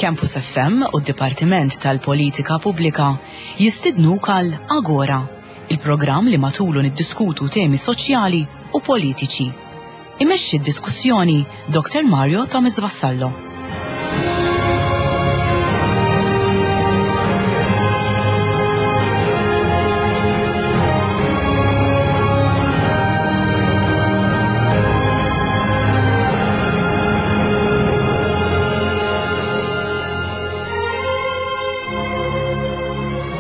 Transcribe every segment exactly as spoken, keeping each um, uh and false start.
Campus F M u d-Dipartiment tal-Politika Pubblika jistidnuk għal Agora, il-programm li matulu niddiskutu temi soċjali u politiċi. Imexxi d-diskussjoni Doktor Mario Thomas Vassallo.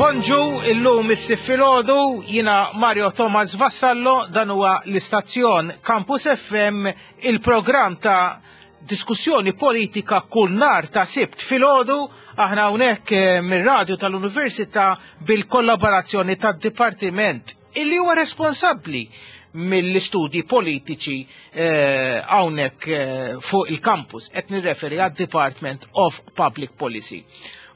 Bonġu, illum is-sitt filgħodu, jiena Mario Thomas Vassallo, dan huwa l-istazzjon Campus F M, il-programm ta' diskussjoni politika kull nhar ta' Sibt filgħodu, aħna hawnhekk, eh, mir-radju tal-Università bil-kollaborazzjoni tad-Dipartiment illi huwa responsabbli mill-istudji politiċi, eh, hawnhekk, eh, fuq il-campus, qed nirreferi għad-Department of Public Policy.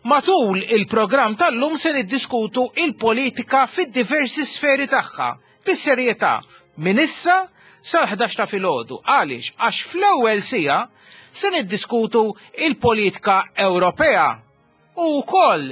Matul il-programm tal-lum se niddiskutu il-politika fid-diversi sferi tagħha, bis-serjetà, minn issa sal-ħdax ta' filgħodu. Għaliex? Għax fl-ewwel siegħa se niddiskutu il-politika Ewropea u wkoll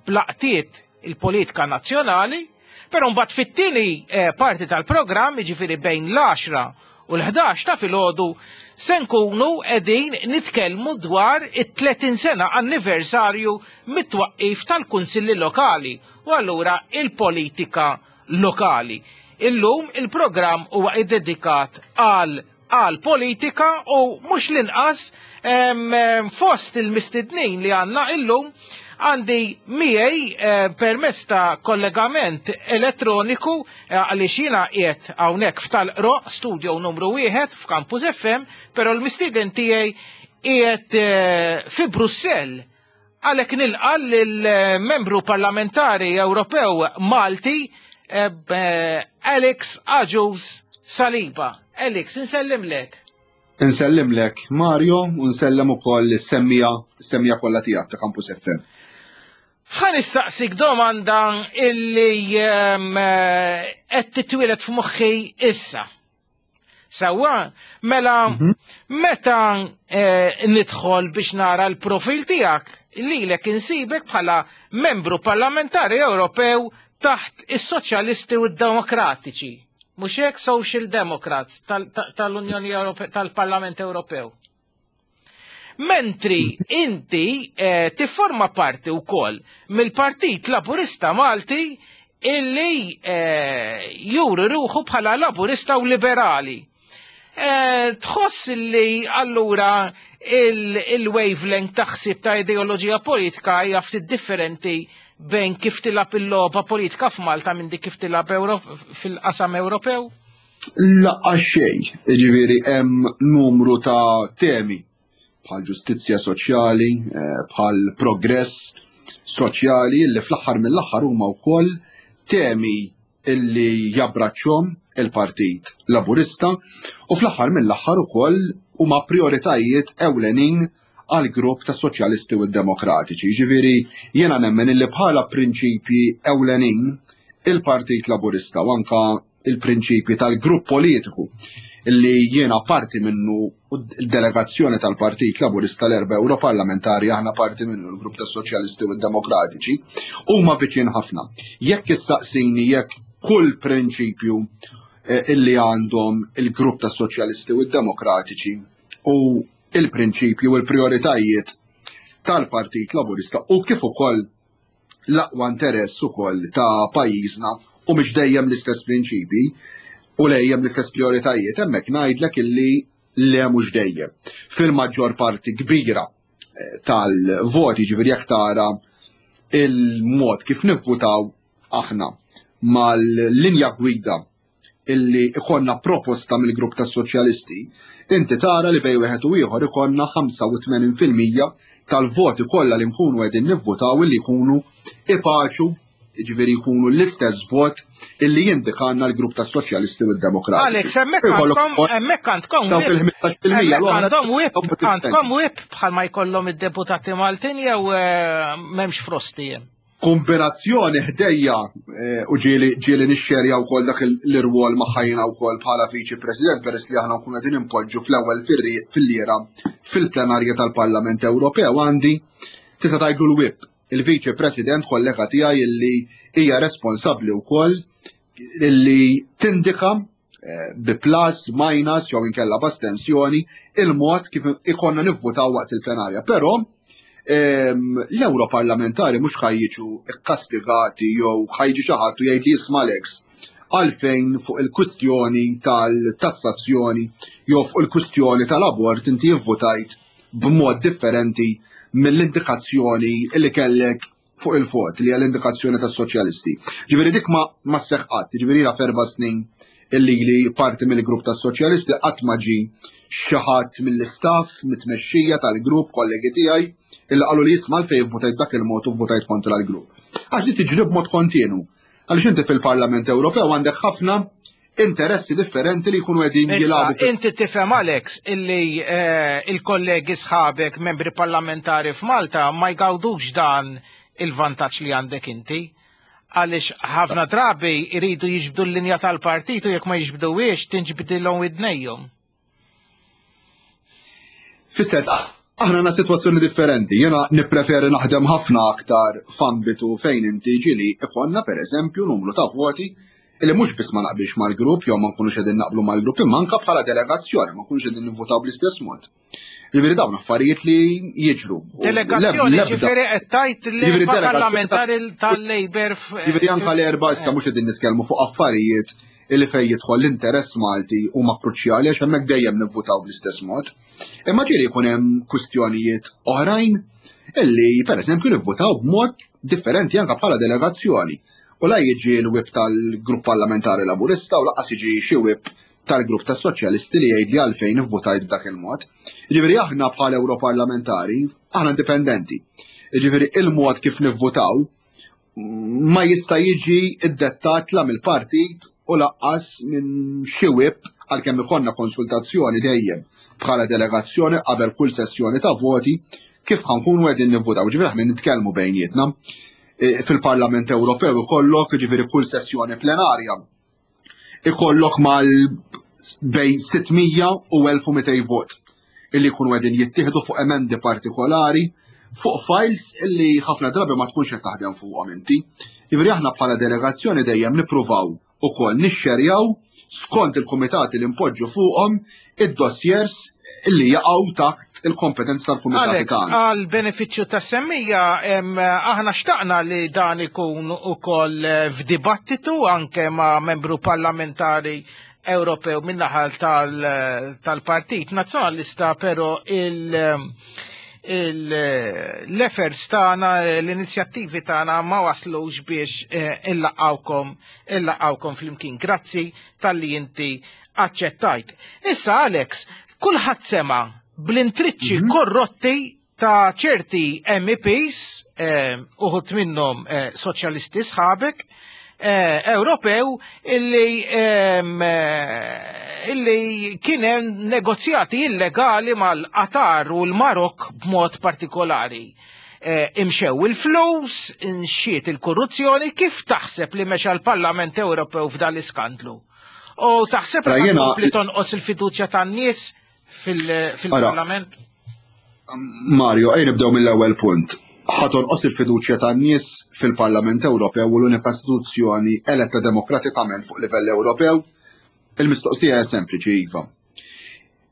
blaqtiet il-politika nazzjonali, però mbagħad fit-tieni, eh, parti tal-programm, jiġifieri bejn l-għaxra u l-ħdax ta' filgħodu, se nkunu qegħdin nitkellmu dwar it-tletin sena anniversarju mit-twaqqif tal-Kunsilli Lokali u allura il-politika lokali. Illum il-programm huwa iddedikat għal, għal politika u mhux l-inqas, em, em, fost il-mistednin li għandna illum għandi miegħi, eh, permezz ta' kollegament elettroniku, eh, għaliex jiena qiegħed hawnhekk f'Tal-Qroqq studio numru wieħed f'Campus F M, però l-mistieden tiegħi qiegħed, eh, fi Brussell. Għalhekk nilqa' lill-membru parlamentari Ewropew Malti, eh, eh, Alex Agius Saliba. Alex, insellimlek. Insellimlek Mario u nsellem ukoll is-semmija, is-semmija kollha tiegħek ta' Campus F M. Ħa nistaqsik domanda illi, ehm, eh, qed titwieled f'moħħi issa. Sewwa, mela Mhm. meta, eh, nidħol biex nara l-profil tiegħek, lilek insibek bħala membru parlamentari Ewropew taħt is-Soċjalisti u d-Demokratiċi. Mhux hekk Social Democrats tal-, tal-, tal-Unjoni Ewrope-, tal-Parlament Ewropew. Mentri inti, eh, tifforma parti wkoll mill-Partit Laburista Malti illi, eh, juri ruħu bħala laburista u liberali. Eh, tħoss li allura il-, il-wavelength ta' ħsieb ta' ideoloġija politika hija ftit differenti bejn kif tilab il-logħba politika f'Malta minn dik kif tilab Euro-, fil-qasam Ewropew? Laqgħa xejn, jiġifieri hemm numru ta' temi bħal ġustizzja soċjali, eh, bħal progress soċjali li fl-aħħar mill-aħħar huma wkoll temi illi jabbraċċhom il-Partit Laburista u fl-aħħar mill-aħħar ukoll huma prioritajiet ewlenin għal grupp ta' Soċjalisti u Demokratiċi. Jiġifieri jiena nemmen illi bħala prinċipji ewlenin il-Partit Laburista u anka il-prinċipji tal-grupp politiku illi jiena parti minnu u d-delegazzjoni tal-Partit Laburista l-erba' Europarlamentari aħna parti minnu l-grupp tas Soċjalisti u Demokratiċi huma viċin ħafna. Jekk issaqsini jekk kull prinċipju, eh, illi għandhom il-grupp tas Soċjalisti u Demokratiċi u il-prinċipju u l-prioritajiet tal-Partit Laburista u kif ukoll l-aqwa interess ukoll ta' pajjiżna u mhux dejjem l-istess prinċipji u dejjem l-istess prioritajiet, hemmhekk ngħidlek illi le mhux dejjem. Fil-maġġor parti kbira, eh, tal-voti, ġifieri jekk tara il-mod kif nivvutaw aħna mal-linja gwida illi ikollna proposta mill-grupp tas-soċjalisti, inti tara li bejn wieħed u ieħor ikollna ħamsa u tmenin fil-mija tal-voti kollha li nkunu qegħdin nivvotaw illi jkunu ipaċu, ġifieri jkunu l-istess vot illi jindikanna l-grupp tas-soċjalisti u d-demokratiċi. Alex, hemmhekk għandkom hemmhekk għandkom Dawk il-ħmistax fil-mija hemmhekk l-oħra għandhom whip, għandkom whip bħalma jkollhom id-deputati Maltin jew eh, m'hemmx frosti hemm? Kombinazzjoni ħdejja eh, u ġieli ġieli nixxerja wkoll dak l-irwol maħħajna wkoll bħala viċi president, peress li aħna nkunu qegħdin impoġġu fl-ewwel filliera fil-plenarja tal-Parlament Ewropew, għandi, tista' tgħidlu l-whip, il-viċi president kollega tiegħi illi hija responsabbli wkoll illi tindika eh, bi plus, minus, jew inkella b'astensjoni il-mod kif ikonna nivvutaw waqt il-plenarja. Però l-Europarlamentari mhux ħa jiġu ikkastigati jew ħa jiġi xi ħadd u jgħid li, "Isma' Alex, għalfejn fuq il-kwistjoni tal-tassazzjoni jew fuq il-kwistjoni tal-abort inti vvotajt b'mod differenti mill-indikazzjoni li kellek fuq il-vot li għall-indikazzjoni tas-soċjalisti?" Ġifieri dik ma ma sseħħ qatt, ġifieri f'erba' snin illi li parti mill-grupp tas-soċjalisti qatt ma ġi xi ħadd mill-istaff, mit-tmexxija tal-grupp, kollegi tiegħi, illi qalu li, "Isma', fejn votajt dak il-mod u votajt kontra l-grupp?" Għax di tiġri b'mod kontinu. Għaliex inti fil-Parlament Ewropew għandek ħafna interessi differenti li jkunu qegħdin jilagħbu. Inti tifhem, Alex, illi eh, il-kollegi sħabek membri parlamentari f'Malta ma jgawdux dan il-vantaġġ li għandek inti, għaliex ħafna drabi jridu jiġbdu l-linja tal-partit u jekk ma jiġbduwiex tinġbdilhom widnejhom. Fis-sens, aħna għandna situazzjoni differenti. Jena nippreferi naħdem ħafna aktar f'ambitu fejn inti ġieli ikollna, per eżempju, numru ta' voti illi mhux biss ma naqbilx mal-grupp jew ma nkunux qegħdin naqblu mal-grupp, imma anke bħala delegazzjoni ma nkunux qegħdin nivvotaw bl-istess mod. Ġifieri dawn affarijiet li jiġru. Delegazzjoni, ġifieri qed tgħid li parlamentari tal-Labour. Ġifieri anke l-erba' issa mhux qegħdin nitkellmu fuq affarijiet illi fej jidħol l-interess Malti huma kruċjali, għax hemmhekk dejjem nivvutaw bl-istess mod. Imma ġieli jkun hemm kwistjonijiet oħrajn illi pereżempju nivvutaw b'mod differenti anke bħala delegazzjoni. U la jiġi l-whip tal-grupp parlamentari Laburista u lanqas jiġi xi whip tal-grupp tas-soċjalisti li jgħid li għalfejn ivvutajt b'dak il-mod. Ġifieri aħna bħala Europarlamentari, aħna indipendenti. Ġifieri il-mod kif nivvutaw ma jista' jiġi iddettat la mill-partit u lanqas minn xi whip, għalkemm ikollna konsultazzjoni dejjem bħala delegazzjoni qabel kull sessjoni ta' voti kif ħa nkunu qegħdin nivvutaw. Ġifieri aħna nitkellmu bejnietna. E, fil-Parlament Ewropew ikollok, ġifieri, kull sessjoni plenarja ikollok mal bejn sitt mija u elf u mitejn vot illi jkunu qegħdin jittieħdu fuq emendi partikolari, fuq files illi ħafna drabi ma tkunx qed taħdem fuqhom inti. Ġifieri aħna bħala delegazzjoni dejjem nippruvaw ukoll nixxerjaw skont il-kumitati li npoġġu fuqhom id-dossiers illi jaqgħu taħt il-kompetenza tal-kumitati Alex, tagħna. Għal benefiċċju tas-semmija, em, aħna xtaqna li dan ikun ukoll eh, f'dibattitu anke ma' membru parlamentari Ewropew min-naħa tal- tal-Partit Nazzjonalista, però il- il- l-efforts tagħna, l-inizjattivi tagħna ma waslux biex eh, illaqgħukom illaqgħukom flimkien. Grazzi talli inti aċċettajt. Issa, Alex, kulħadd sema bl-intriċċi korrotti ta' ċerti M E Ps, eh, uħud minnhom eh, soċjalisti sħabek, eh, Ewropew illi em, eh, illi kien hemm negozjati illegali mal-Qatar u l-Marok b'mod partikolari. Eh, imxew il-flus, imxiet il-korruzzjoni, kif taħseb li mexa l-Parlament Ewropew f'dan l-iskandlu? U taħseb li Ra, jiena- tkompli tonqos il-fiduċja tan-nies fil- fil-Parlament? Mario, ejja nibdew mill-ewwel punt. Ħa tonqos il-fiduċja tan-nies fil-Parlament Ewropew u l-unika istituzzjoni eletta demokratikament fuq livell Ewropew? Il-mistoqsija hija sempliċi: iva.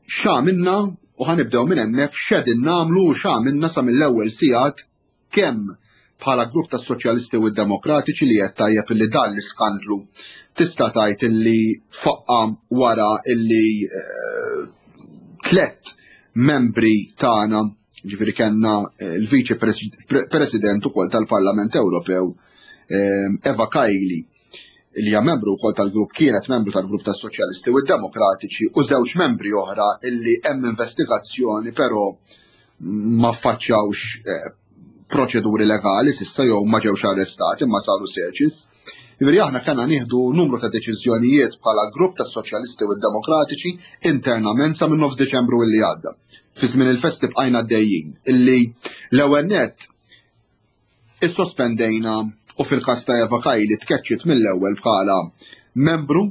X'għamilna, u ħa nibdew minn hemmhekk, x'qegħdin nagħmlu u x'għamilna sa mill-ewwel sigħat kemm bħala grupp tas-Soċjalisti u d-Demokratiċi, li qed tajjeb illi dan l-iskandlu tista' tgħid illi faqqa wara illi eh, tlet membri tagħna, ġifieri kellna eh, l-Viċi President ukoll tal-Parlament Ewropew, eh, Eva Kaili, li hija membru wkoll tal-grupp, kienet membru tal-grupp tas-Soċjalisti u d-Demokratiċi, u żewġ membri oħra illi hemm investigazzjoni, però ma faċċawx eh, proċeduri legali s'issa jew ma ġewx arrestati imma saru searches. Jiġifieri aħna kellna nieħdu numru ta' deċiżjonijiet bħala grupp tas-Soċjalisti u d-Demokratiċi internament sa minn nofs Deċembru illi għadda. Fi żmien il-festi bqajna għaddejjin illi l-ewwel nett issospendejna, u fil-każ ta' Eva Kaili tkeċċiet mill-ewwel bħala membru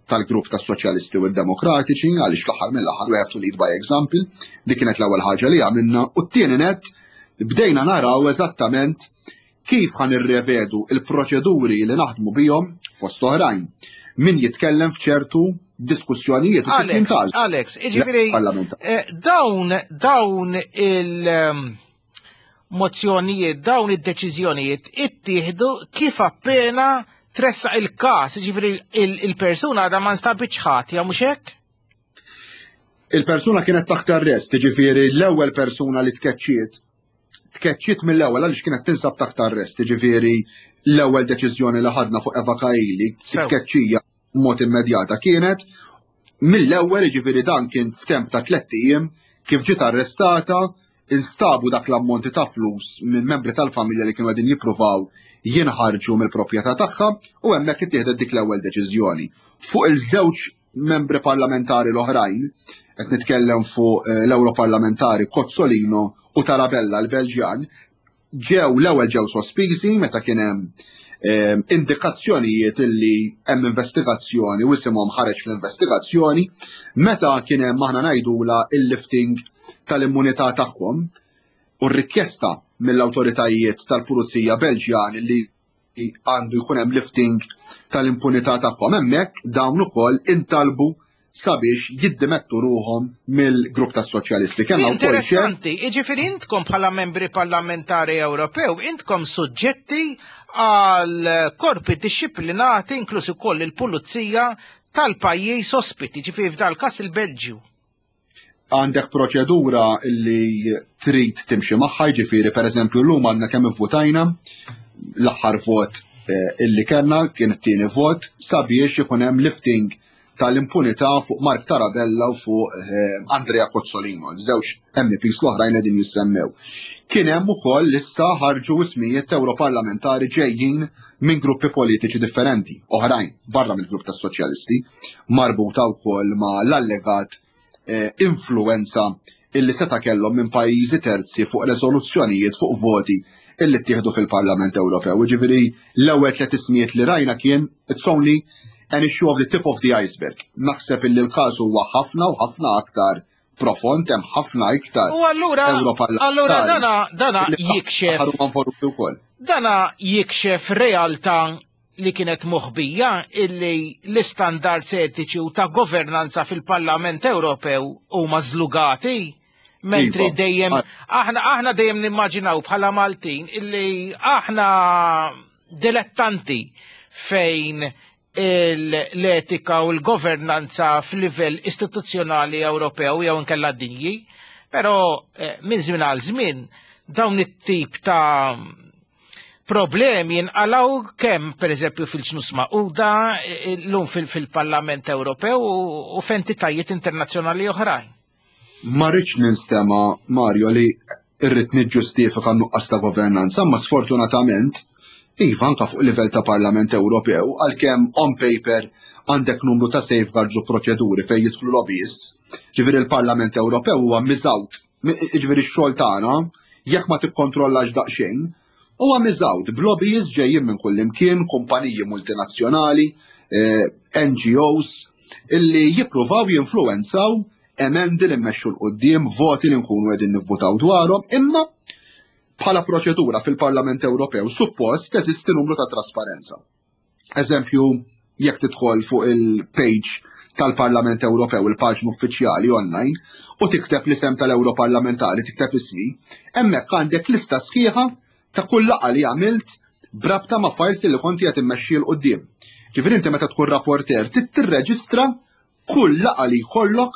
tal-grupp tas-Soċjalisti u d-Demokratiċi, għaliex fl-aħħar mill-aħħar we have to lead by example. Dik kienet l-ewwel ħaġa li għamilna, u t-tieni net bdejna naraw eżattament kif ħa nirrevedu il-proċeduri li naħdmu bihom, fost oħrajn min jitkellem f'ċertu diskussjonijiet u kif Alex, jintgħażel Alex, iġifieri, parlamentari. eh, dawn, dawn il- ehm, mozzjonijiet, dawn id-deċiżjonijiet ittieħdu kif appena tressaq il-każ, ġifieri il-persuna għadha ma nstabitx ħatja, mhux hekk? Il-persuna kienet taħt arrest, ġifieri l-ewwel persuna li tkeċċiet, tkeċċiet mill-ewwel għaliex kienet tinsab taħt arrest, ġifieri l-ewwel deċiżjoni li ħadna fuq Eva Kaili, Sew. tkeċċija mod immedjata kienet mill-ewwel, ġifieri dan kien f'temp ta' tlett ijiem kif ġiet arrestata, instabu dak l-ammonti ta' flus minn membri tal-familja li kienu qegħdin jippruvaw jinħarġu mill-proprjetà tagħha, u hemmhekk ittieħdet dik l-ewwel deċiżjoni. Fuq il-żewġ membri parlamentari l-oħrajn, qed nitkellem fuq eh, l-Europarlamentari Cozzolino u Tarabella l-Belġjan, ġew l-ewwel ġew sospiżi meta kien hemm eh, indikazzjonijiet illi hemm investigazzjoni u isimhom ħareġ fl-investigazzjoni, meta kien hemm, aħna ngħidula, il-lifting tal-immunità tagħhom u r-rikjesta mill-awtoritajiet tal-Pulizija Belġjan li għandu jkun hemm lifting tal-impunità tagħhom, hemmhekk dawn ukoll intalbu sabiex jiddimettu ruhom mill-grupp tas-Soċjalisti. Kellna wkoll xejn Interessanti, iġifieri intkom bħala membri parlamentari Ewropew, intkom suġġetti għal korpi dixxiplinati, inkluż ukoll il-pulizija tal-pajjiż ospiti, ġifieri f'dal każ il-Belġju. Għandek proċedura li trid timxi magħha, ġifieri pereżempju llum għandna kemm ivvutajna, l-aħħar vot eh, illi kellna kien it-tieni vot sabiex ikun hemm lifting tal-impunità fuq Mark Tarabella u fuq eh, Andrea Cozzolino, żewġ M Ps l-oħrajn qegħdin jissemmew. Kien hemm ukoll issa ħarġu ismijiet Europarlamentari ġejjin minn gruppi politiċi differenti, oħrajn barra mill-grupp tas-Soċjalisti, marbuta wkoll ma' l-allegat eh, influenza illi seta' kellhom minn pajjiżi terzi fuq resoluzzjonijiet, fuq voti illi ttieħdu fil-Parlament Ewropew. Ġifieri l-ewwel tliet ismijiet li rajna kien it's only an issue of the tip of the iceberg. Naħseb illi l-każ huwa ħafna u ħafna aktar profond, hemm ħafna iktar U allura, Europarlamentari allura dana, dana illi jikxef, ħaru involuti wkoll. Dana jikxef realtà li kienet moħbija, illi l-istandards etiċi u ta' governanza fil-Parlament Ewropew huma żlugati. Mentri Iva. dejjem Ah. aħna aħna dejjem nimmaġinaw bħala Maltin illi aħna dilettanti fejn l-etika u l-governanza f'livell istituzzjonali Ewropew jew inkella dinji, però eh, minn żmien għal żmien dawn it-tip ta' problemi jinqalaw kemm pereżempju fil-Ġnus Magħquda, llum fil-Parlament Ewropew u f'entitajiet internazzjonali oħrajn. Ma rridx ninstema, Mario, li irrid niġġustifika nuqqas ta' governanza, ma sfortunatament, iva, anka fuq livell ta' Parlament Ewropew, għalkemm on paper għandek numru ta' safeguards u proċeduri fejn jidħlu lobbyists, ġifieri il-Parlament Ewropew huwa miżgħud, ġifieri x-xogħol tagħna, jekk ma tikkontrollax daqsxejn, huwa miżgħud b'lobbyists ġejjin minn kull imkien, kumpaniji multinazzjonali, eh, N G Os, illi jippruvaw jinfluwenzaw emendi li mmexxu 'l quddiem, voti li nkunu qegħdin nivvutaw dwarhom, imma bħala proċedura fil-Parlament Ewropew suppost teżisti numru ta' trasparenza. Eżempju, jekk tidħol fuq il-page tal-Parlament Ewropew, il-paġna uffiċjali online, u tikteb l-isem tal-Europarlamentari, tikteb ismi, hemmhekk għandek lista sħiħa ta' kull laqgħa li għamilt brabta ma' files li konti qed immexxi 'l quddiem. Ġifieri inti meta tkun rapporter trid tirreġistra kull laqgħa li jkollok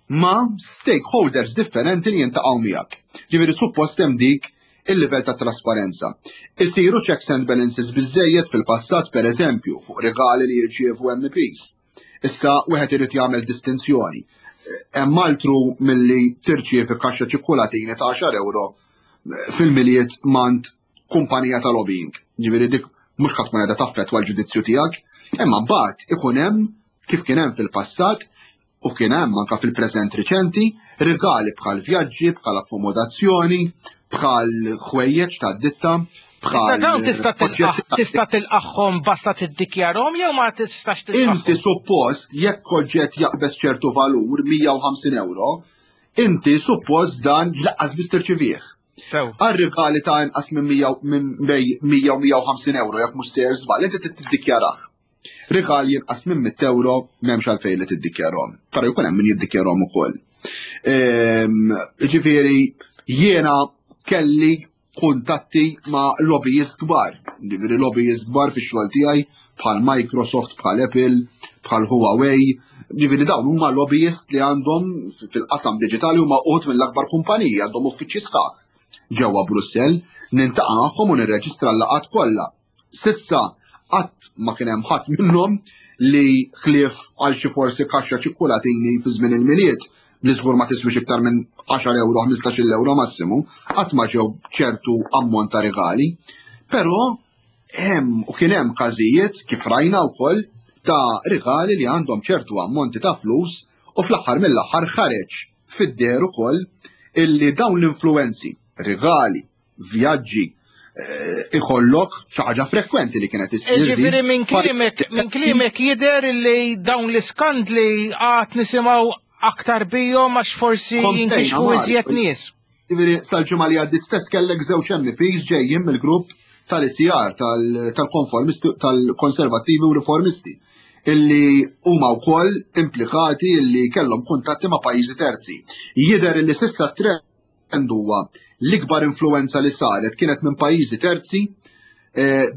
ma' stakeholders differenti li jiltaqgħu miegħek. Ġifieri suppost hemm dik il-livell ta' trasparenza. Isiru checks and balances biżejjed fil-passat, per eżempju, fuq regali li jirċievu M Ps. Issa wieħed irid jagħmel distinzjoni. Hemm altru milli tirċievi kaxxa ċikkulatini ta' għaxar euro fil-Milied mingħand kumpanija ta' lobbying. Ġifieri dik mhux ħa tkun qiegħda taffettwa l-ġudizzju tiegħek, imma mbagħad ikun hemm, kif kien hemm fil-passat u kien hemm anka fil-preżent riċenti, rigali bħal vjaġġi, bħal akkomodazzjoni, bħal ħwejjeġ ta' ditta. Issa dawn tista' tista' tilqagħhom basta tiddikjarhom jew ma tistax tilqagħhom? Inti suppost, jekk oġġett jaqbeż ċertu valur, mija u ħamsin euro, inti suppost dan lanqas biss tirċivih. Għal-rigali ta' inqas minn bejn mija u mija u ħamsin euro, jekk mhux sejjer żball, inti tiddikjarah. Rigali inqas minn mitt euro m'hemmx għalfejn li tiddikjarhom. Però jkun hemm min jiddikjarhom ukoll. Ehm, ġifieri jiena kelli kuntatti ma' lobbyist kbar. Ġifieri lobbyist kbar fix-xogħol tiegħi bħal Microsoft, bħal Apple, bħal Huawei. Ġifieri dawn huma lobbyist li għandhom fil-qasam diġitali, huma uħud mill-akbar kumpaniji, għandhom uffiċċji sħaħ ġewwa Brussell, niltaqa' magħhom u nirreġistra l-laqgħat kollha. S'issa qatt ma kien hemm ħadd minnhom li, ħlief għal xi forsi kaxxa ċikkulatini fi żmien il-Milied li żgur ma tiswix iktar minn għaxar euro, ħmistax-il euro massimu, qatt ma ġew ċertu ammont ta' regali. Però hemm u kien hemm każijiet, kif rajna wkoll, ta' regali li għandhom ċertu ammonti ta' flus u fl-aħħar mill-aħħar ħareġ fid-deher ukoll illi dawn l-influenzi, regali, vjaġġi, eh, ikollok xi ħaġa frekwenti li kienet issir. Ġifieri minn kliemek minn kliemek jidher li dawn l-iskandli għad nisimgħu aktar bihom għax forsi jinkixfu iżjed nies. Ġifieri sal-ġimgħa li għaddit stess kellek żewġ M Ps ġejjin mill-grupp tal-E C R, tal-konformisti, tal-konservattivi u riformisti, illi huma wkoll implikati illi kellhom kuntatti ma' pajjiżi terzi. Jidher illi s'issa trend huwa l-ikbar influenza li saret kienet minn pajjiżi terzi eh,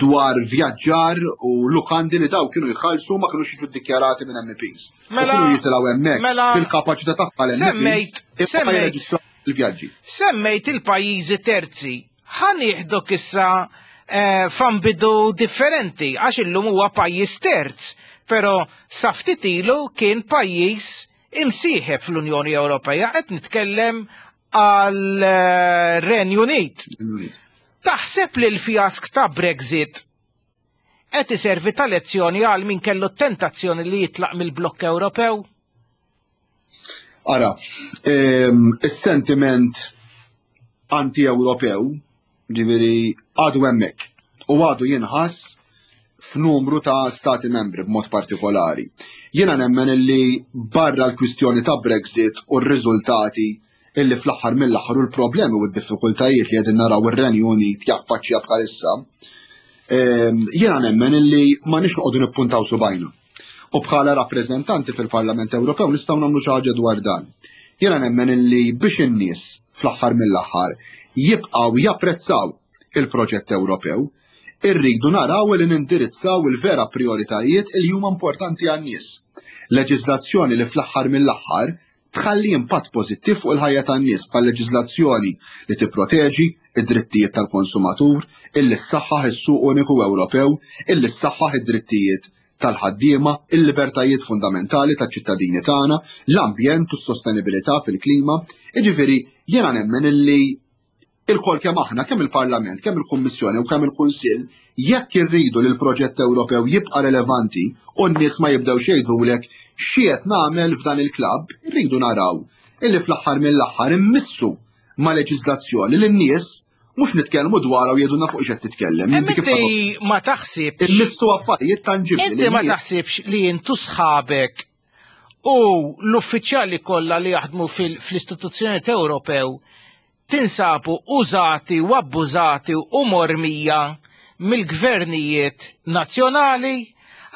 dwar vjaġġar u lukandi li daw kienu jħallsu, ma kienu jiġu dikjarati minn M Ps. Mela, kienu jitilgħu hemmhekk mela, fil-kapaċità tagħha l-M Ps semmejt il-vjaġġi. Semmejt il-pajjiżi terzi. Ħa nieħdok issa eh, f'ambitu differenti, għax illum huwa pajjiż terz, però sa ftit ilu kien pajjiż imsieħeb fl-Unjoni Ewropea, qed nitkellem għal eh, Renju Unit. Taħseb li l-fjask ta' Brexit qed iservi ta' lezzjoni għal min kellu tentazzjoni li jitlaq mill-blokk Ewropew? Ara, ehm, is-sentiment anti-Ewropew, ġifieri, għadu hemmhekk u għadu jinħass f'numru ta' stati membri b'mod partikolari. Jiena nemmen illi barra l-kwistjoni ta' Brexit u r-riżultati illi fl-aħħar mill-aħħar u l-problemi u d-diffikultajiet li qegħdin naraw ir-Renju Unit jaffaċċja bħalissa, ehm, jiena nemmen illi ma nix noqogħdu nippuntaw subajna. U bħala rappreżentanti fil-Parlament Ewropew nistgħu nagħmlu xi ħaġa dwar dan. Jiena nemmen illi biex in-nies fl-aħħar mill-aħħar jibqgħu japprezzaw il-proġett Ewropew, irridu naraw li nindirizzaw il-vera prioritajiet li huma importanti għan-nies. Leġiżlazzjoni li fl-aħħar mill-aħħar tħalli impatt pożittiv fuq il-ħajja tan-nies, bħal leġiżlazzjoni li tipproteġi id-drittijiet tal-konsumatur, illi ssaħħaħ is-suq uniku Ewropew, illi ssaħħaħ id-drittijiet tal-ħaddiema, il-libertajiet fundamentali taċ-ċittadini tagħna, l-ambjent u s-sostenibilità fil-klima. Jiġifieri jiena nemmen illi ilkoll kemm aħna, kemm il-Parlament, kemm il-Kummissjoni u kemm il-Kunsill, jekk irridu li l-proġett Ewropew jibqa' relevanti u n-nies ma jibdewx jgħidulek x'qed nagħmel f'dan il-klabb, irridu naraw illi fl-aħħar mill-aħħar immissu ma' leġiżlazzjoni li n-nies mhux nitkellmu dwar u jgħidulna fuq x'qed titkellem. Inti ma taħsibx. Immissu affarijiet tanġibbli. Inti ma taħsibx li intu sħabek u l-uffiċjali kollha li jaħdmu fl-istituzzjoni Ewropew tinsabu użati u abbużati u mormija mill-gvernijiet nazzjonali?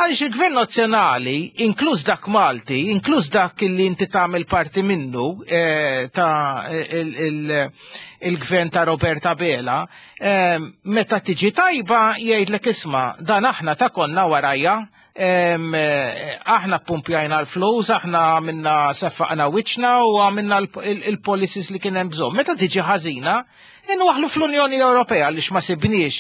Għaliex il-gvern nazzjonali, inkluż dak Malti, inkluż dak li inti tagħmel parti minnu, eh, ta' il-gvern ta' Robert Abela, eh, meta tiġi tajba jgħidlek, "Isma', dan aħna ta' konna warajja, Aħna pumpjajna l-flus, aħna għamilna seffaqna wiċċna u għamilna il-policies li kien hemm bżonn. Meta tiġi ħażina, inwaħlu fl-Unjoni Ewropea għaliex ma sibniex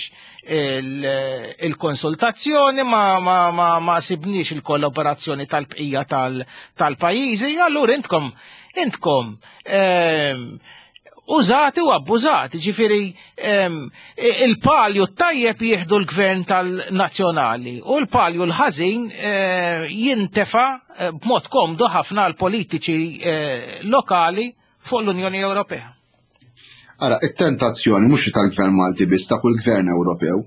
il-konsultazzjoni, ma sibniex il-kollaborazzjoni tal-bqija tal-pajjiżi, allura intkom intkom użati u abbużati, ġifieri il-palju tajjeb jieħdu l-gvern tal-nazzjonali u l-palju l-ħażin jintefa b'mod komdu ħafna l-politiċi lokali fuq l-Unjoni Ewropea. Ara, it-tentazzjoni mhux tal-gvern Malti biss, ta' kull gvern Ewropew,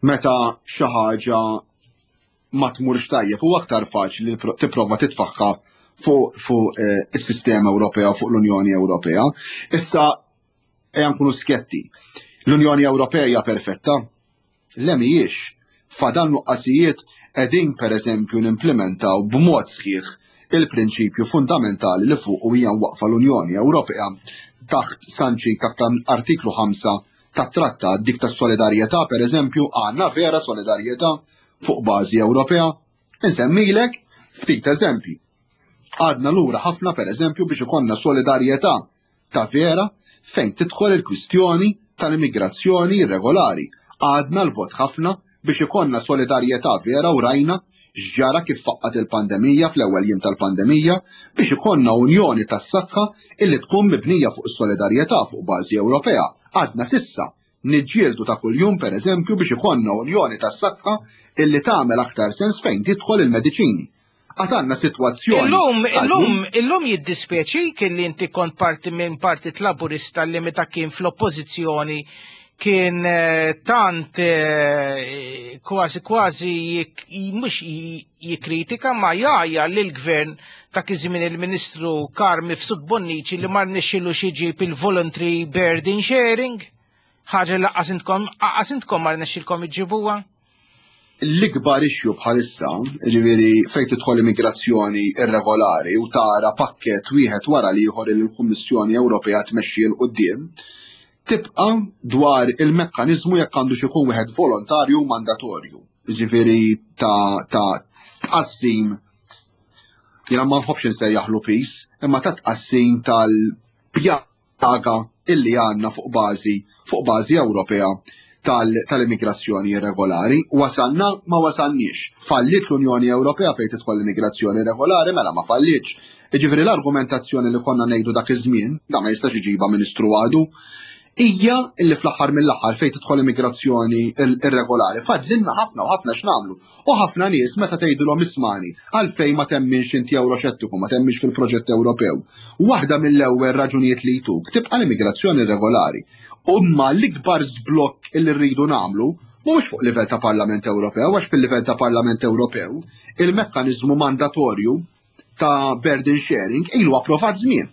meta xi ħaġa ma tmurx tajjeb u aktar faċli tipprova titfaħħa fuq fuq is-sistema Ewropea, fuq l-Unjoni Ewropea. Issa ejja nkunu skjetti. L-Unjoni Ewropea hija perfetta? Le, mhijiex. Fadal nuqqasijiet. Qegħdin pereżempju nimplementaw b'mod sħiħ il-prinċipju fundamentali li fuq hija waqfa l-Unjoni Ewropea taħt sanċi taħt artiklu ħamsa tat-trattat, dik tas-solidarjetà pereżempju? Għandna vera solidarjetà fuq bażi Ewropea? Insemmilek ftit eżempji. Għadna lura ħafna pereżempju biex ikollna solidarjetà ta' vera fejn tidħol il-kwistjoni tal-immigrazzjoni irregolari. Għadna l-bogħod ħafna biex ikollna solidarjetà vera, u rajna x'ġara kif faqqat il-pandemija fl-ewwel jiem tal-pandemija, biex ikollna unjoni tas-saħħa illi tkun mibnija fuq is-solidarjetà fuq bażi Ewropea. Għadna sissa niġġieldu ta' kuljum pereżempju biex ikollna unjoni tas-saħħa illi tagħmel aktar sens fejn tidħol il-mediċini. Għatanna situazzjoni. Illum, illum, illum jiddispjaċik li inti kont parti minn Partit Laburista li meta kien fl-oppożizzjoni kien tant kważi kważi mhux jikkritika ma jgħajja lil gvern ta' iż-żmien il-Ministru Carm Mifsud Bonnici li ma rnexxielux iġib il-voluntary burden sharing, ħaġa li lanqas intkom, lanqas intkom ma rnexxielkom iġibuha? L-ikbar issue bħalissa, ġifieri fejn tidħol immigrazzjoni irregolari u tara pakket wieħed wara l-ieħor li l-Kummissjoni Ewropea tmexxi 'l quddiem, tibqa' dwar il-mekkaniżmu jekk għandu ikun wieħed volontarju u mandatorju. Ġifieri ta' ta' tqassim, jiena ma nħobbx insejjaħlu piż, imma ta' tqassim tal-pjaga illi għandna fuq bażi fuq bażi Ewropea tal-immigrazzjoni irregolari. Wasalna, ma wasalniex. Fallit l-Unjoni Ewropea fejn tidħol l-immigrazzjoni irregolari? Mela ma fallitx. Jiġifieri l-argumentazzjoni li konna ngħidu dak iż-żmien, da ma jistax iġiba Ministru għadu, hija illi fl-aħħar mill-aħħar fejn tidħol immigrazzjoni irregolari fadlilna ħafna u ħafna x'nagħmlu. U ħafna nies meta tgħidulhom ismani għalfejn ma temminx inti Ewroxettiku, ma temminx fil-proġett Ewropew, waħda mill-ewwel raġunijiet li jtuk tibqa' l-immigrazzjoni irregolari. Imma l-ikbar żblokk illi rridu nagħmlu mhuwiex fuq livell ta' Parlament Ewropew, għax fil-livell ta' Parlament Ewropew il-mekkaniżmu mandatorju ta' burden sharing ilu approvat żmien.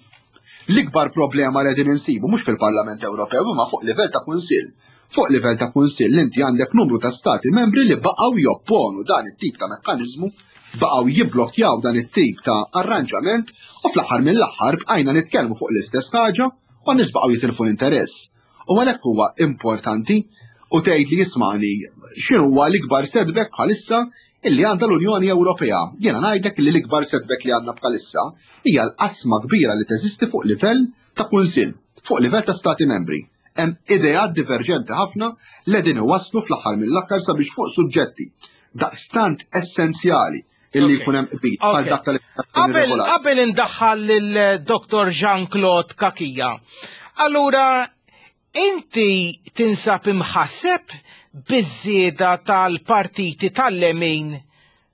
L-ikbar problema li qegħdin insibu mhux fil-Parlament Ewropew imma fuq livell ta' Kunsill. Fuq livell ta' Kunsill inti għandek numru ta' stati membri li baqgħu jopponu dan it-tip ta' mekkaniżmu, baqgħu jibblokjaw dan it-tip ta' arranġament, u fl-aħħar mill-aħħar bqajna nitkellmu fuq l-istess ħaġa u n-nies baqgħu jitilfu l-interess. U għalhekk huwa importanti u tgħid li jismani x'inhu huwa l-ikbar setback bħalissa illi għandha l-Unjoni Ewropea. Jiena ngħidlek li l-ikbar setback li għandna bħalissa hija l-qasma kbira li teżisti fuq livell ta' Kunsill, fuq livell ta' Stati Membri. Hemm ideat diverġenti ħafna li qegħdin iwasslu fl-aħħar mill-aħħar sabiex fuq suġġetti daqstant essenzjali illi jkun hemm qbil bħal dak tal-immigrazzjoni Qabel qabel indaħħal lil Doktor Jean-Claude Cachia. Allura inti tinsab imħasseb biż-żieda tal-partiti tal-lemin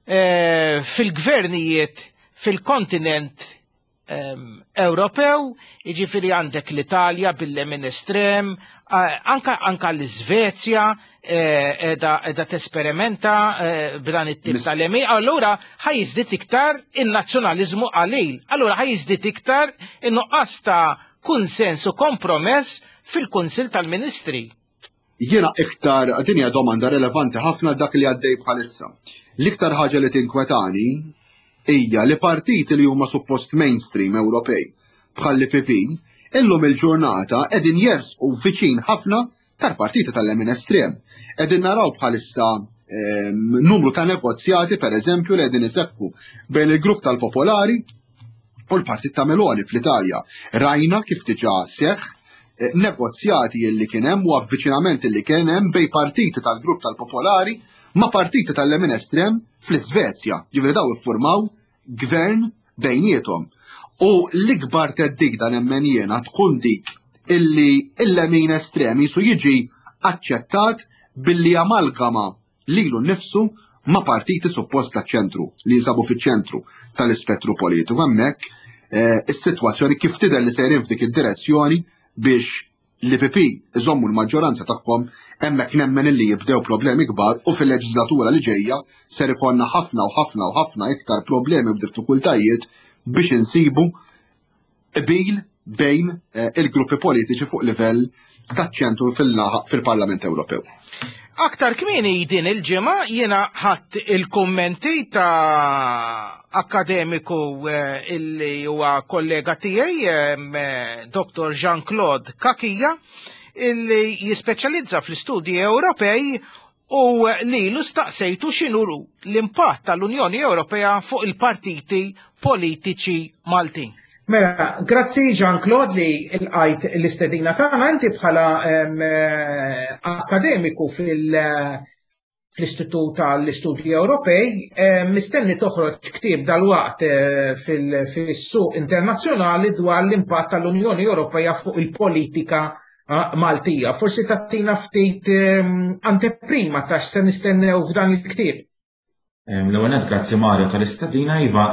eh, fil-gvernijiet fil-kontinent ehm, Ewropew, jiġifieri għandek l-Italja bil-lemin estrem, eh, anka, anka l-Iżvezja eh, edha, edha tesperimenta eh, b'dan it-tip tal-lemin, allura ħa jiżdied iktar in-nazzjonaliżmu qalil, allura ħa jiżdied iktar in-nuqqas ta' kunsens u kompromess fil-Kunsill tal-Ministri. Jiena iktar, din hija domanda relevanti ħafna dak li għaddej bħalissa. L-iktar ħaġa li tinkwetani hija li partiti li huma suppost mainstream Ewropej bħal l-I P P illum il-ġurnata qegħdin jersqu viċin ħafna tal-partiti tal-lemin estrem. Qegħdin naraw bħalissa numru ta' negozjati, per eżempju, li qegħdin iseħħu bejn il-grupp tal-Popolari u l-Partit ta' Meloni fl-Italja. Rajna kif diġà seħħ eh, negozjati li kien hemm u avviċinamenti li kien hemm bejn partiti tal-grupp tal-Popolari ma' partiti tal-lemin estrem fl-Iżvezja. Ġifieri daw iffurmaw gvern bejniethom. U l-ikbar theddida, nemmen jiena, tkun dik illi il-lemin estrem jisu jiġi aċċettat billi amalgama lilu nnifsu ma' partiti suppost ta' ċentru li jinsabu fiċ-ċentru tal-ispettru politiku. Hemmhekk eh, is-sitwazzjoni kif tidher li sejrin f'dik id-direzzjoni biex l-E P P iżommu l-maġġoranza tagħhom, hemmhekk nemmen illi jibdew problemi kbar u fil-leġislatura li ġejja ser ikollna ħafna u ħafna u ħafna iktar problemi u diffikultajiet biex insibu qbil bejn eh, il-gruppi politiċi fuq livell taċ-ċentru fil-Parlament Ewropew. Aktar kmieni din il-ġimgħa jiena ħadt il-kummenti ta' akademiku eh, illi huwa kollega tiegħi, eh, Doktor Jean-Claude Cachia, illi jispeċjalizza fl-istudji Ewropej u li l-istaqsejtu x'inhu l-impatt tal-Unjoni Ewropea fuq il-partiti politiċi Maltin. Mela, grazzi Jean-Claude li lqajt l-istedina tagħna. Inti bħala eh, akademiku fil- fl-Istitut tal-Istudji Ewropej, mistenni toħroġ ktieb dal-waqt eh, fil-suq internazzjonali dwar l-impatt tal-Unjoni Ewropea fuq il-politika ah, Maltija. Forsi tagħtina ftit anteprima ta' se nistennew f'dan il-ktieb. L-ewwel, grazzi Mario tal-istedina. Iva,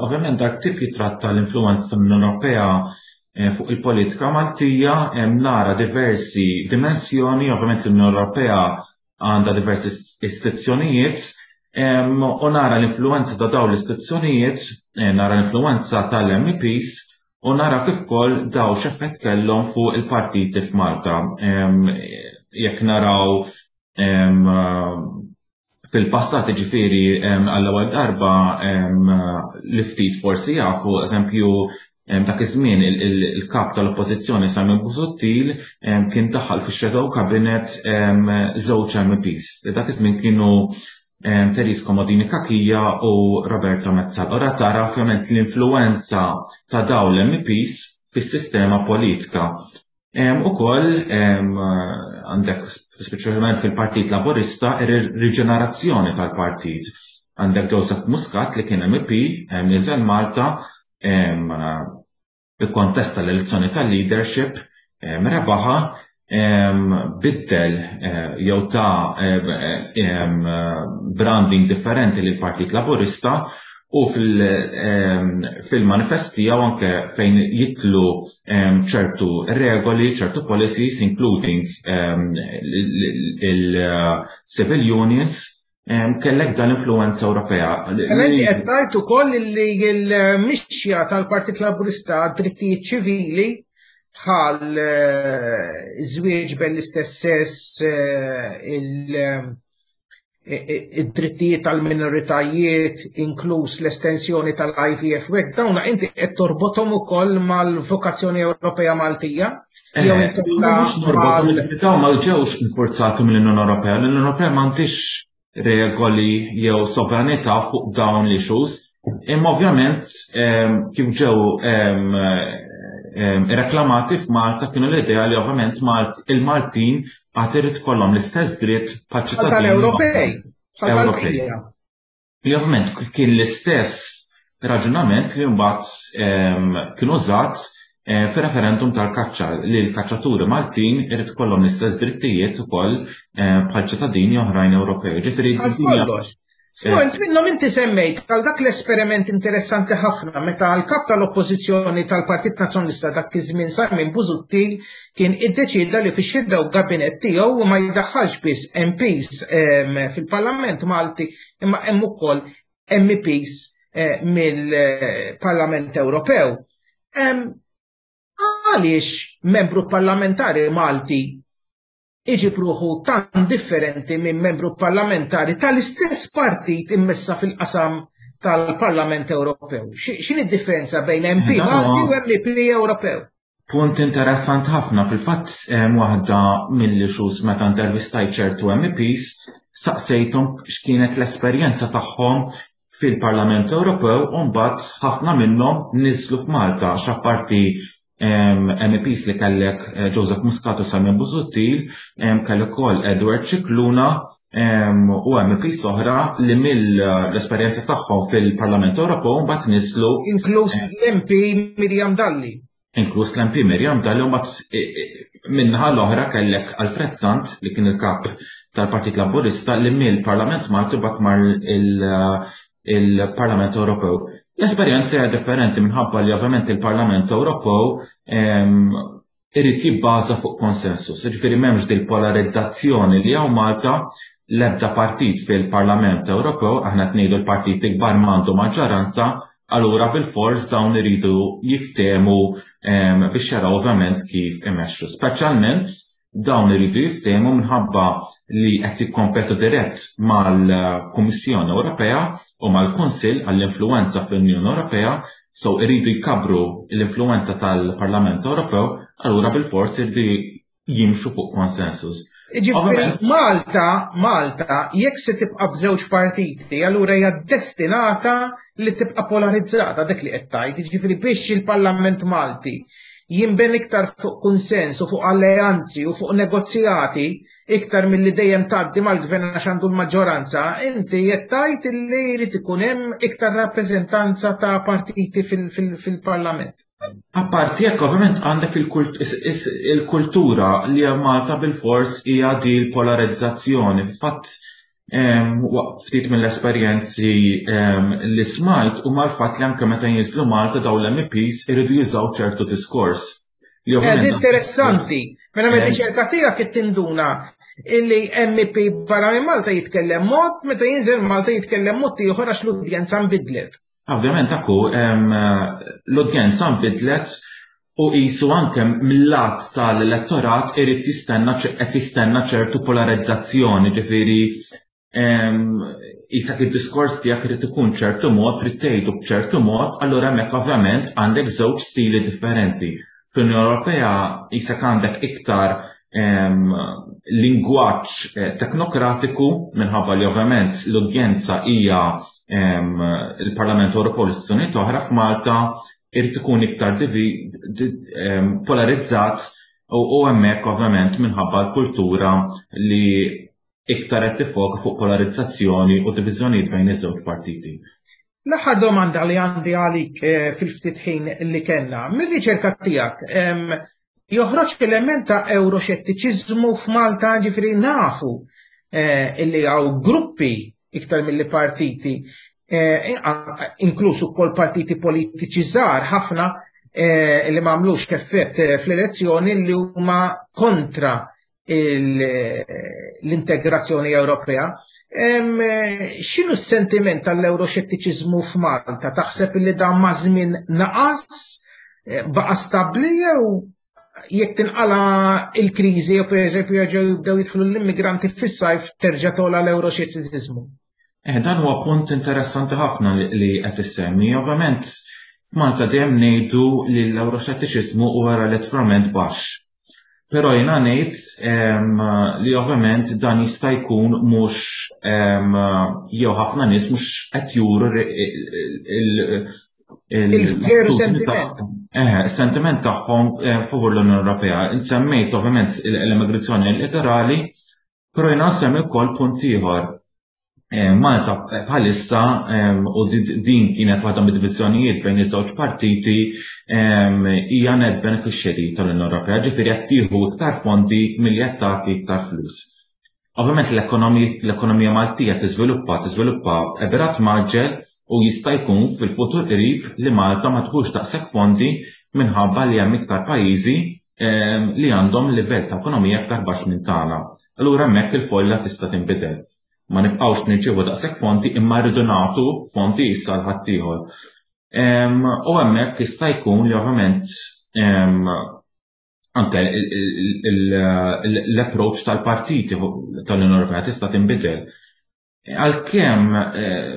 ovvjament dak ktieb jitratta l-influenza tal-Unjoni Ewropea eh, fuq il-politika Maltija, nara diversi dimensjoni. Ovvjament l-Unjoni Ewropea għandha diversi istituzzjonijiet u nara l-influenza ta' dawn l-istituzzjonijiet, eh, nara l-influenza tal-M E Ps u nara kif ukoll daw x'effett kellhom fuq il-partiti f'Malta. Jekk naraw fil-passat, ġifieri għall-ewwel darba li ftit forsi jafu, eżempju, dak iż-żmien il-kap tal-Oppożizzjoni Simon Busuttil kien daħal fix-Shadow Cabinet żewġ M Ps. Dak iż-żmien kienu Therese Comodini Cachia u Roberta Metsola. Ora tara ovvjament l-influenza ta' dawn l-M Ps fis-sistema politika. Ukoll għandek speċjalment fil-Partit Laburista ir-riġenerazzjoni tal-partit. Għandek Joseph Muscat li kien M E P, niżel Malta, ikkontesta l-elezzjoni tal-leadership, rebaħa, biddel eh, jew ta branding differenti lil Partit Laburista u fil-manifest tiegħu anke fejn jidħlu ċertu regoli, ċertu policies, including il-civil unions, kellek dan l-influenza Ewropea. Inti qed tgħid ukoll li l-mixja tal-Partit Laburista, drittijiet ċivili bħal eh, żwieġ bejn l-istess sess, eh, id-drittijiet tal-minoritajiet, inkluż l-estensjoni tal-I V F, u hekk, dawna inti qed torbothom ukoll mal-vokazzjoni Ewropea Maltija? Eh, mhux norbot, ma ġewx infurzati mill-Unjoni Ewropea. L-Unjoni Ewropea m'għandix regoli jew sovranità fuq dawn l-issues. Imma ovvjament kif ġew reklamati f'Malta kienu l-idea li ovvjament il-Maltin għad irid kollhom l-istess dritt bħal Ewropej. Ewropej. Ovvjament kien l-istess raġunament li mbagħad kien użat eh, fir-referendum tal-kaċċa, li l-kaċċaturi Maltin irid kollhom l-istess drittijiet ukoll eh, bħal ċittadini oħrajn Ewropej. Ġifieri kollox. F'punt minnhom inti semmejt għal dak l-esperiment interessanti ħafna meta l-kap tal-Oppożizzjoni tal-Partit Nazzjonalista dak iż-żmien Simon Busuttil kien iddeċida li fix-shadow cabinet tiegħu ma jdaħħalx biss M Ps fil-Parlament Malti, imma hemm ukoll M E Ps eh, mill-Parlament Ewropew. Għaliex membru parlamentari Malti iġib ruħu tan differenti minn membru parlamentari tal-istess partit immessa fil-qasam tal-Parlament Ewropew? X'inhi d-differenza bejn M P Malti u M E P Ewropew? Punt interessant ħafna. Fil-fatt, waħda mill-issues meta intervistajt ċertu M E Ps Saqsejthom x'kienet l-esperjenza tagħhom fil-Parlament Ewropew u mbagħad ħafna minnhom niżlu f'Malta, x'apparti M E Ps li kellek eh, Joseph Muscat u Simon Busuttil, kellek ukoll Edward Scicluna u M E Ps oħra li mill-esperjenza tagħhom fil-Parlament Ewropew mbagħad niżlu. Inkluż l-M P Miriam Dalli. Inkluż l-M P Miriam Dalli, u mbagħad eh, eh, min-naħa l-oħra kellek Alfred Sant, li kien il-kap tal-Partit Laburista, li mill-Parlament Malti mbagħad mar il-Parlament Ewropew. L-esperjenza hija differenti minħabba li ovvjament il-Parlament Ewropew irid jibbaża fuq konsensus. Ġifieri m'hemmx dil polarizzazzjoni li hawn Malta. L-ebda partit fil-Parlament Ewropew, aħna tnejdu l-partit ikbar, m'għandu maġġoranza, allura bil-fors dawn iridu jiftemu biex jaraw ovvjament kif imexxu. Speċjalment dawn iridu jiftehmu minħabba li qed jikkompetu dirett mal-Kummissjoni Ewropea u mal-Kunsill għall-influenza fl-Unjoni Ewropea, so iridu jkabru l-influenza tal-Parlament Ewropew, allura bil-fors iridu jimxu fuq konsensus. Ġifieri Malta, Malta, jekk se tibqa' b'żewġ partiti, allura hija destinata li tibqa' polarizzata, dak li qed tgħid. Ġifieri biex il-Parlament Malti jinben iktar fuq konsens u fuq alleanzi u fuq negozjati iktar mill-li dejjem tgħaddi mal-gvern għax għandu l-maġġoranza, inti qed tgħid li jrid ikun hemm iktar rappreżentanza ta' partiti fil-Parlament. Apparti jekk ovvjament għandek il-kultura li Malta bil-fors hija di l-polarizzazzjoni. Fatt ftit mill-esperjenzi li smajt u mal-fatt li anke meta jinżlu Malta daw l-M E Ps iridu jużaw ċertu diskors. Ed interessanti. Mela mir-riċerka tiegħek qed tinduna illi M E P barra minn Malta jitkellem mod, meta jinżel Malta jitkellem mod ieħor għax l-udjenza nbidlet. Ovvjament akku l-udjenza nbidlet u qisu anke mill-lat tal-elettorat irid jistenna, qed jistenna ċertu polarizzazzjoni, ġifieri qisek id-diskors tiegħek irid ikun ċertu mod, trid tgħidu b'ċertu mod, allura hemmhekk ovvjament għandek żewġ stili differenti. Fl-Unjoni Ewropea qisek għandek iktar lingwaġġ eh, teknokratiku minħabba li ovvjament l-udjenza hija il-Parlament Ewropew, l-istituzzjonijiet oħra. F'Malta irid ikun iktar polarizzat u hemmhekk ovvjament minħabba l-kultura li iktar qed tifoka fuq polarizzazzjoni u diviżjonijiet bejn iż-żewġ partiti. L-aħħar domanda li għandi għalik eh, fil-ftit ħin li kellna, mir-riċerka tiegħek joħroġ element ta' euroxettiċiżmu f'Malta? Ġifieri nafu eh, illi hawn gruppi iktar mill partiti, eh, inkluż ukoll partiti politiċi żgħar ħafna li m'għamlux effett fl-elezzjoni, li huma kontra l-integrazzjoni Ewropea. X'inhu s-sentiment tal-euroxettiċiżmu f'Malta? Taħseb li dan ma' żmien naqas, eh, baqa' stabbli, jew jekk tinqala il-kriżi jew pereżempju jerġgħu jibdew jidħlu l-immigranti fis-sajf terġa' togħla l-euroxettiċiżmu? Eh, dan huwa punt interessanti ħafna li qed issemmi. Ovvjament f'Malta dejjem ngħidu li l-euroxettiċiżmu huwa relattivament baxx. Però jiena ngħid li ovvjament dan jista' jkun mhux jew ħafna nies mhux qed juru il-veru sentiment. Eh, sentiment tagħhom eh, favur l-Unjoni Ewropea. Insemmejt ovvjament l-immigrazzjoni illegali, però jiena nsemmi wkoll punt ieħor. Eh, Malta bħalissa, u din kienet waħda mid-diviżjonijiet bejn iż-żewġ partiti, hija net beneficiary tal-Unjoni Ewropea, ġifieri qed tieħu iktar fondi milli qed tagħti iktar flus. Ovvjament l-ekonomija Maltija tiżviluppa tiżviluppa b'rata mgħaġġel u jista' jkun fil-futur qrib li Malta ma tieħux daqshekk fondi minħabba li hemm iktar pajjiżi li għandhom livell ta' ekonomija iktar baxx minn tagħna. Allura hemmhekk il-folja tista' tinbidel. Ma nibqgħux nirċievu daqshekk fondi imma rridu nagħtu fondi issa l ħaddieħor. U hemmhekk jista' jkun li ovvjament anke l-approach tal-partiti tal-Unjoni Ewropea tista' tinbidel. Għalkemm eh,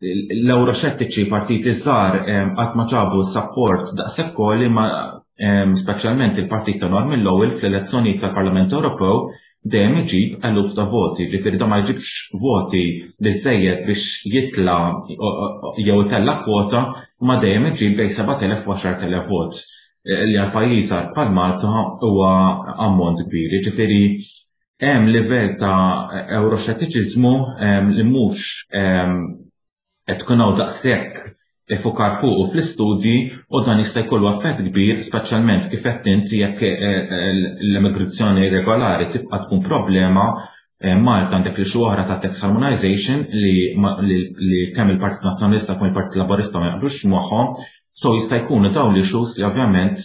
l-euroxettiċi, partiti żgħar, qatt ma ġabu support daqshekk għoli, ma speċjalment il-partit ta' Norman Lowell fl-elezzjoni tal-Parlament Ewropew dejjem iġib eluf ta' voti, ġifieri da ma jġibx voti biżejjed biex jitla jew itella kwota, ma dejjem iġib bejn sebat elef u għaxart elef vot li għal pajjiż bħal Malta huwa ammont kbir. Ġifieri hemm livell ta' euroxettiċiżmu li mhux qed tkun hawn daqshekk ifukar fuqu fl-istudji u dan jista' jkollu effett kbir, speċjalment kif qed inti jekk l-immigrazzjoni irregolari tibqa' tkun problema. Malta għandek li xi oħra ta' tax harmonization li, li kemm il-Partit Nazzjonalista kemm il-Partit Laburista ma jaqblux magħhom, so jista' jkunu dawn l-issues li ovvjament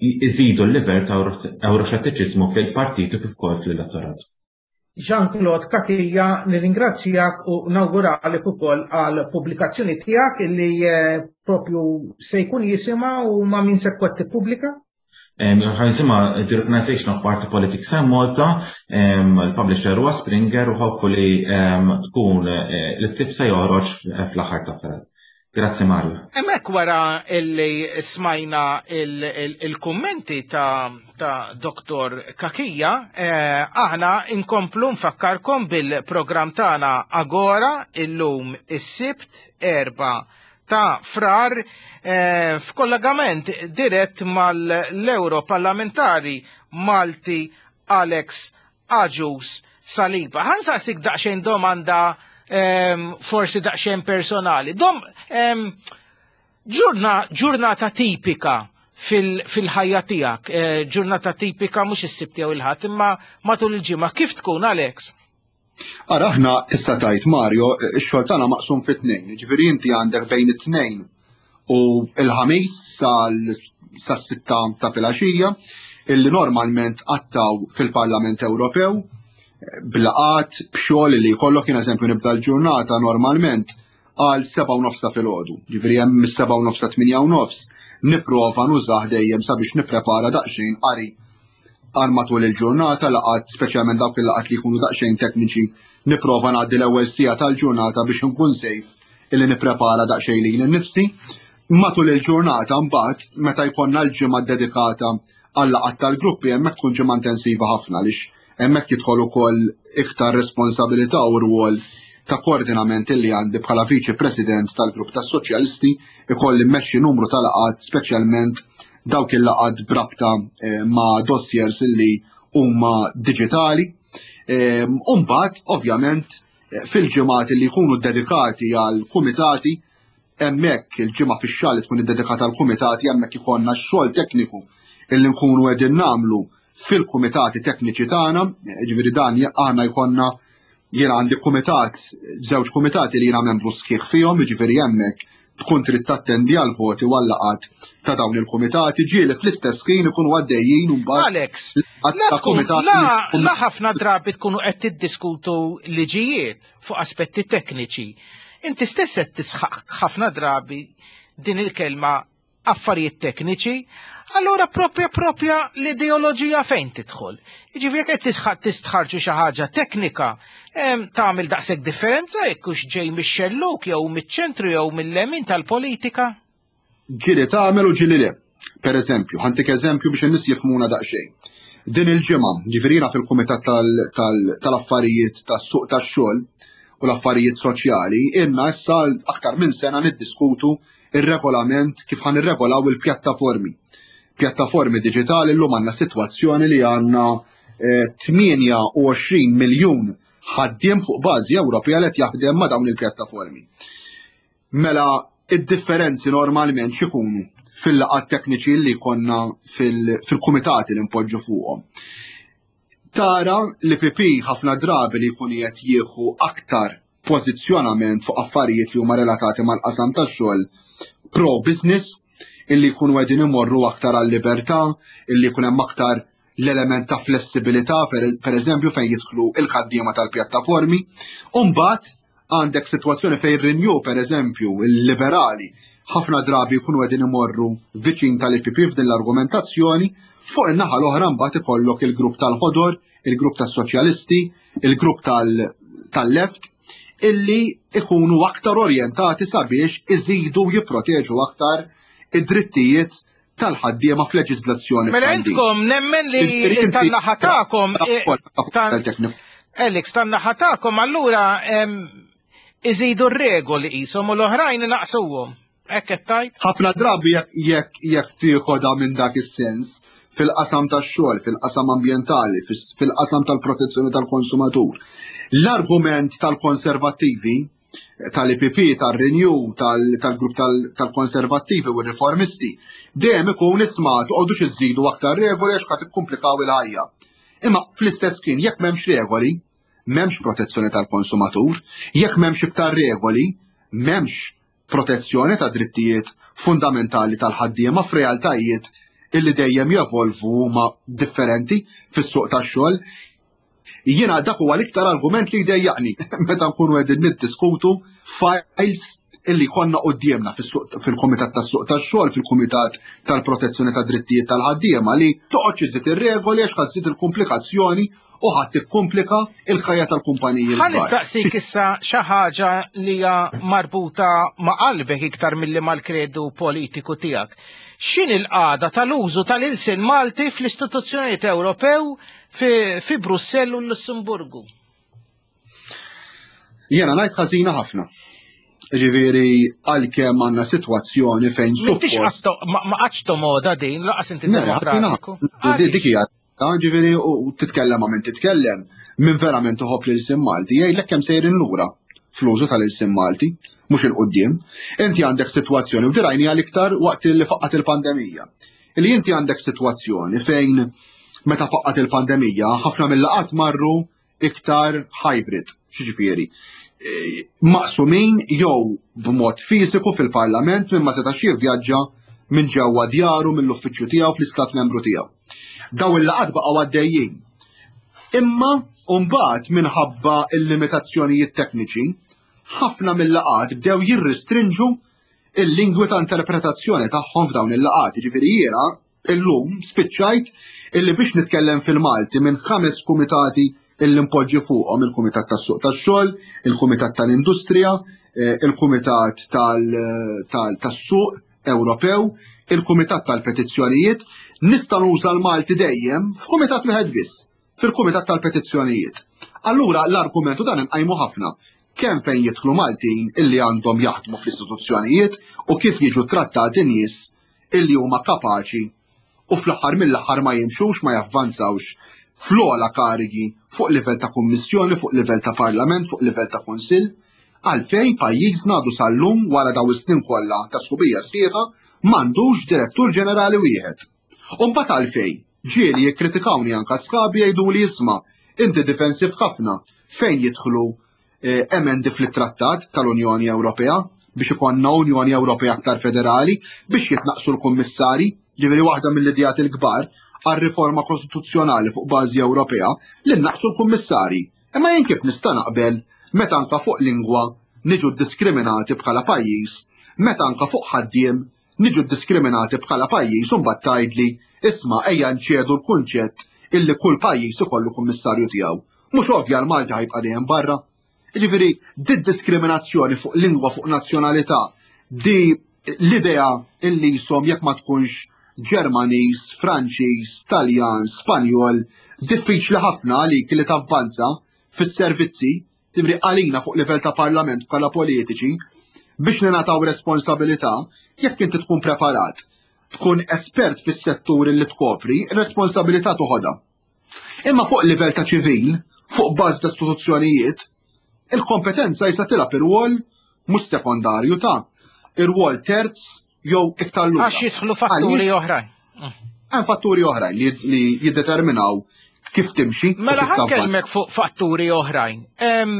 iżidu l-livell ta' euroxettiċiżmu fil-partit kif ukoll fl-elettorat. Jean-Claude Cachia, nirringrazzjak u nawguralek ukoll għal pubblikazzjoni tiegħek illi propju se jkun jisimha u ma' min se tkun tippubblika? Ħa jisimha The Europeanization of Party Politics in Malta, il-publisher huwa Springer u hopefully tkun l-ktieb se joħroġ fl-aħħar ta' Frar. Grazzi, Mario. Hemmhekk wara illi smajna il-kummenti ta' ta' Doktor Cachia, aħna inkomplu nfakkarkom bil-programm tagħna Agora illum is-Sibt erba' ta' Frar f'kollegament dirett mal-Europarlamentari Malti Alex Agius Saliba. Ħa nsaqsik daqsxejn domanda forsi daqsxejn personali. Dom, ġurnata tipika fil-ħajja tiegħek, ġurnata tipika mhux is-Sibt jew il-Ħadd, imma matul il-ġimgħa kif tkun, Alex? Ara, aħna tista' tgħid, Mario, ix-xogħol tagħna maqsum fi tnejn. Ġifieri inti għandek bejn it-Tnejn u l-Ħamis sas-sitta ta' filgħaxija illi normalment qattaw fil-Parlament Ewropew b'laqgħat, b'xogħol li jkollok. Jien eżempju nibda l-ġurnata normalment għal seba' u nofs ta' filgħodu. Ġifieri hemm mis-seba' u nofs sa tmienja u nofs nipprova nużah dejjem sabiex nipprepara daqsxejn qari għal matul il-ġurnata, laqgħat, speċjalment dawk il-laqgħat li jkunu daqsxejn tekniċi, nipprova ngħaddi l-ewwel siegħa tal-ġurnata biex nkun safe illi nipprepara daqsxejn lili nnifsi. Matul il-ġurnata mbagħad meta jkollna l-ġimgħa dedikata għal laqgħat tal-gruppi, hemmhekk tkun ġimgħa intensiva ħafna għaliex hemmhekk jidħol ukoll iktar responsabilità u rwol ta' koordinament li għandi bħala Viċi President tal-Grupp tas-Soċjalisti, ikolli mmexxi numru ta' laqgħat, speċjalment dawk il-laqgħat b'rabta ma' dossiers illi huma diġitali. U mbagħad ovvjament fil-ġimgħat li jkunu dedikati għal kumitati, hemmhekk il-ġimgħa fix-xahar li tkun iddedikata għal kumitati, hemmhekk ikollna x-xogħol tekniku illi nkunu qegħdin nagħmlu fil-kumitati tekniċi tagħna, ġifieri dan aħna jkollna, jiena għandi kumitat, żewġ kumitati li jiena membru sħiħ fihom, jiġifieri hemmhekk tkun trid tattendi għal voti u għal laqgħat ta' dawn il-kumitati, ġieli fl-istess ħin ikunu għaddejjin mbagħad Alex, la, la ħafna drabi tkunu qed tiddiskutu liġijiet fuq aspetti tekniċi. Inti stess qed tisħaq ħafna drabi din il-kelma affarijiet tekniċi, allura propja propja l-ideoloġija fejn tidħol? Jiġifieri jekk qed tistħarġu xi ħaġa teknika, tagħmel daqshekk differenza jekk hux ġej mix-xelluk jew miċ-ċentru jew mill-lemin tal-politika? Ġieli tagħmel u ġieli le. Per eżempju, ħa ntik eżempju biex in-nies jifhmuna daqsxejn. Din il-ġimgħa, ġifieri fil-Kumitat tal-Affarijiet tas-Suq tax-Xogħol u l-Affarijiet Soċjali, ilna issa aktar minn sena niddiskutu ir-regolament kif ħa nirregolaw il-pjattaformi. Pjattaformi diġitali. Llum għandna sitwazzjoni li għandna tmienja u għoxrin miljun ħaddiem fuq bażi Ewropea li qed jaħdem ma' dawn il-pjattaformi. Mela id-differenzi normalment x'ikunu fil-laqgħat tekniċi li konna fil-kumitati li npoġġu fuqhom? Tara li L P P ħafna drabi li jkun qed jieħu aktar pożizzjonament fuq affarijiet li huma relatati mal-qasam tax-xogħol pro business, illi jkunu qegħdin imorru aktar għal-libertà, illi jkun hemm aktar l-element ta' flessibilità, per eżempju fejn jidħlu il-ħaddiema tal-pjattaformi. U mbagħad għandek sitwazzjoni fejn Renew, per eżempju, il-liberali, ħafna drabi jkunu qegħdin imorru viċin tal-E P P f'din l-argumentazzjoni. Fuq in-naħa l-oħra mbagħad ikollok il-grupp tal-Ħodor, il-grupp tas-Soċjalisti, il-grupp tal-Left, illi ikunu aktar orjentati sabiex iżidu jipproteġu aktar id-drittijiet tal-ħaddiema f'leġiżlazzjoni. Mela intkom nemmen li tan-naħa tagħkom Alex, tan-naħa tagħkom allura iżidu r-regoli qishom u l-oħrajn naqsuhom. Hekk qed tgħid? Ħafna drabi jekk jekk tieħodha minn dak is-sens fil-qasam tax-xogħol, fil-qasam ambjentali, fil-qasam tal-protezzjoni tal-konsumatur. L-argument tal-konservattivi, tal-I P P, tal-Renew, tal-grupp tal-konservattivi u riformisti, dejjem ikun: "Isma', toqgħodux iżidu aktar regoli għax qed tikkumplikaw il-ħajja." Imma fl-istess kien jekk m'hemmx regoli, m'hemmx protezzjoni tal-konsumatur, jekk m'hemmx iktar regoli, m'hemmx protezzjoni ta' drittijiet fundamentali tal-ħaddiema f'realtajiet illi dejjem jevolvu, huma differenti fis-suq tax-xogħol. Jiena dak huwa l-iktar argument li jdejjaqni meta nkunu qegħdin niddiskutu files illi konna quddiemna fil-Kumitat tas-Suq tax-Xogħol, fil-Kumitat tal-Protezzjoni ta' Drittijiet tal-Ħaddiema, li toqgħodx iżid ir-regoli għax ħa żżid il-komplikazzjoni u ħadd tikkomplika il-ħajja tal-kumpaniji. Ħa nistaqsik issa xi ħaġa li hija marbuta ma' qalbek iktar milli mal-kredu politiku tiegħek. X'in il-qagħda tal-użu tal-ilsien Malti fl-istituzzjonijiet Ewropew fi, fi Brussell u l-Lussemburgu? Jiena ngħid ħażina ħafna. Ġifieri għalkemm għandna sitwazzjoni fejn suppost. Ma qatx tomoda din, lanqas inti demokratiku. Dik hija, ġifieri, u titkellem ma' min titkellem, minn verament uħobb l-ilsien Malti, jgħidlek kemm sejrin lura fl-użu tal-ilsien Malti, mhux 'il quddiem. Inti għandek sitwazzjoni, u din rajnieha l-iktar waqt li faqqat il-pandemija. Li inti għandek sitwazzjoni fejn meta faqqat il-pandemija, ħafna mill-laqat marru iktar hybrid, ġifieri maqsumin jew b'mod fiżiku fil-parlament minn ma setax jivvjaġġa minn ġewwa djaru, mill-uffiċċju tiegħu fl-istat membru tiegħu. Daw il-laqat baqgħu għaddejjin. Imma mbagħad minħabba il-limitazzjonijiet tekniċi, ħafna mill-laqat bdew jirrestrinġu il-lingwi ta' interpretazzjoni tagħhom f'dawn il-laqat. Ġifieri jiena illum spiċċajt illi biex nitkellem fil-Malti minn ħames kumitati illi npoġġi fuqhom: il-Kumitat tas-Suq tax-Xogħol, il-Kumitat tal-Industrija, eh, il-Kumitat tas-Suq Ewropew, il-Kumitat tal-Petizzjonijiet, nista' nuża l-Malti dejjem f'kumitat wieħed biss, fil-Kumitat tal-Petizzjonijiet. Allura l-argumentu dan inqajmu ħafna kemm fejn jidħlu Maltin illi għandhom jaħdmu fl-istituzzjonijiet u kif jiġu trattati nies illi huma kapaċi u fl-aħħar mill-aħħar ma jimxux, ma javvanzawx fl-ogħla karigi fuq livell ta' kummissjoni, fuq livell ta' parlament, fuq livell ta' kunsill, għalfejn pajjiżna għadu sal-lum, wara daw is-snin kollha ta' sħubija sħiħa, m'għandux direttur ġenerali wieħed. U mbagħad għalfejn ġieli jikkritikawni anka sħabi, jgħidu li: "Isma', inti difensiv ħafna fejn jidħlu eh, emendi fl-trattat tal-Unjoni Ewropea biex ikonna Unjoni Ewropea aktar federali, biex jitnaqsu l-kummissari." Ġifieri waħda mill-idejat il-kbar għal-riforma kostituzzjonali fuq bażi Ewropea li naqsu l-kummissari. Imma jien kif nista' naqbel meta anka fuq lingwa niġu diskriminati bħala pajjiż, meta anka fuq ħaddiem niġu diskriminati bħala pajjiż, u mbagħad tgħidli: "Isma', ejja nċedu l-kunċett illi kull pajjiż ikollu kummissarju tiegħu"? Mhux ovvja l-Malti ħa jibqa' dejjem barra? Ġifieri, di diskriminazzjoni fuq lingwa, fuq nazzjonalità, di l-idea illi jisom jekk ma tkunx Ġermaniż, Franċiż, Taljan, Spanjol, diffiċli ħafna għalik li tavvanza fis-servizzi. Ġifieri għalina fuq livell ta' parlament bħala politiċi biex ningħataw responsabilità, jekk inti tkun preparat, tkun espert fis-settur li tkopri, responsabilità toħodha. Imma fuq livell ta' ċivil, fuq bażi ta' istituzzjonijiet, il-kompetenza jista' tilgħab ir-rwol mhux sekondarju, ta' ir-rwol terz jew iktar lura. Għax jidħlu fatturi oħrajn. Hemm fatturi oħrajn li, li jiddeterminaw kif timxi u Mela kif tavvanza. Ħa nkellmek fuq fatturi oħrajn. Em,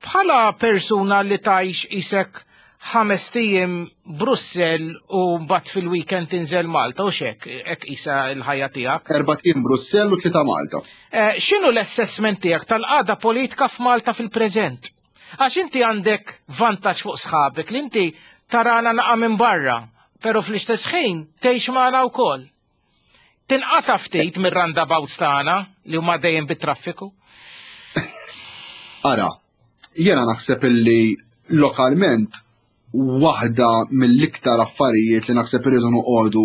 Bħala persuna li tgħix isek ħames ijiem Brussel u mbagħad fil-weekend tinżel Malta u xek, hekk isa l-ħajja tiegħek. Erbat ijiem Brussell u tlieta Malta. Eh, X'inhu l-assessment tiegħek tal-qagħda politika f'Malta fil-preżent? Għax inti għandek vantaġġ fuq sħabek li inti tarana naqa minn barra, pero fl-istess ħin tgħix magħna wkoll. Tinqata ftit mir-roundabouts tagħna li huma dejjem bit-traffiku. Ara, jiena naħseb illi lokalment waħda mill-iktar affarijiet li naħseb irridu noqogħdu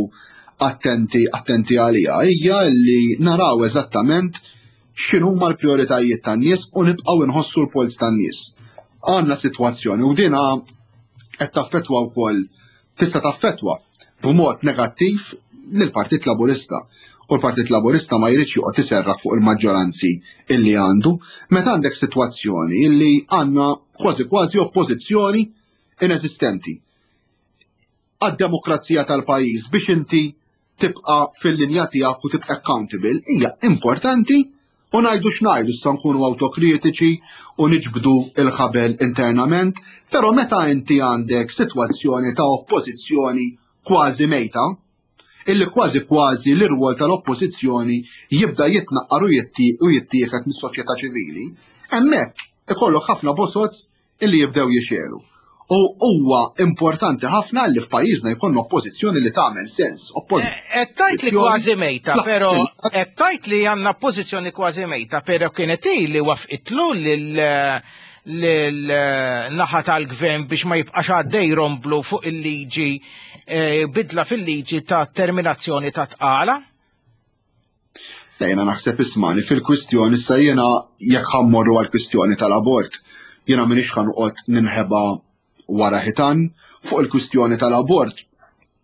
attenti attenti għalija hija li naraw eżattament x'inhuma l-prijoritajiet tan-nies u nibqgħu nħossu l-polz tan-nies. Għandna sitwazzjoni u dina qed taffettwa wkoll, tista' taffettwa b'mod negattiv lill-Partit Laburista. U l-Partit Laburista ma jridx joqgħod iserraħ fuq il-maġġoranzi illi għandu meta għandek sitwazzjoni illi għandna kważi kważi oppożizzjoni ineżistenti. Għad-demokrazija tal-pajjiż biex inti tibqa' fil-linja tiegħek u tibqa' accountable hija importanti, u ngħidu x'ngħidu issa nkunu awtokritiċi u niġbdu il-ħabel internament, però meta inti għandek sitwazzjoni ta' oppożizzjoni kważi mejta, illi kważi kważi l-irwol tal-oppożizzjoni jibda jitnaqqar u jittieħed mis-soċjetà ċivili, hemmhekk ikollok ħafna bozoz illi jibdew jixelu. U huwa importanti ħafna li f'pajjiżna jkollna oppożizzjoni li tagħmel sens. Qed tgħid li kważi mejta, però qed tgħid li għandna oppożizzjoni kważi mejta, però kienet hi li wafqitlu lil naħa tal-gvern biex ma jibqax għaddej romblu fuq il-liġi, bidla fil-liġi ta' terminazzjoni ta' tqala? Jiena naħseb ismani fil-kwistjoni issa jiena jekk ħammorru għall-kwistjoni tal-abort, jiena m'iniex ħanqod ninħeba wara ħitan fuq il-kwistjoni tal-abort,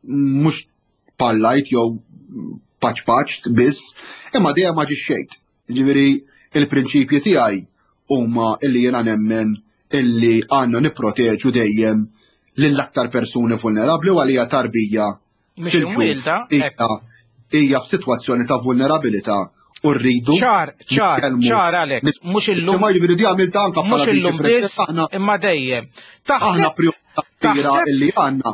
mhux pallajt jew paċ paċ biss, imma dejjem ma ġixxejt. Ġifieri il-prinċipji tiegħi huma illi jiena nemmen illi għandna nipproteġu dejjem lill-aktar persuni vulnerabbli u għalija tarbija fil-ġuf hija f'sitwazzjoni ta' vulnerabilità u rridu. Ċar, ċar, ċar Alex, mhux illum. Ma jiġifieri di għamilta anke bħala mhux illum biss, imma dejjem. Aħna priorità kbira illi għandna,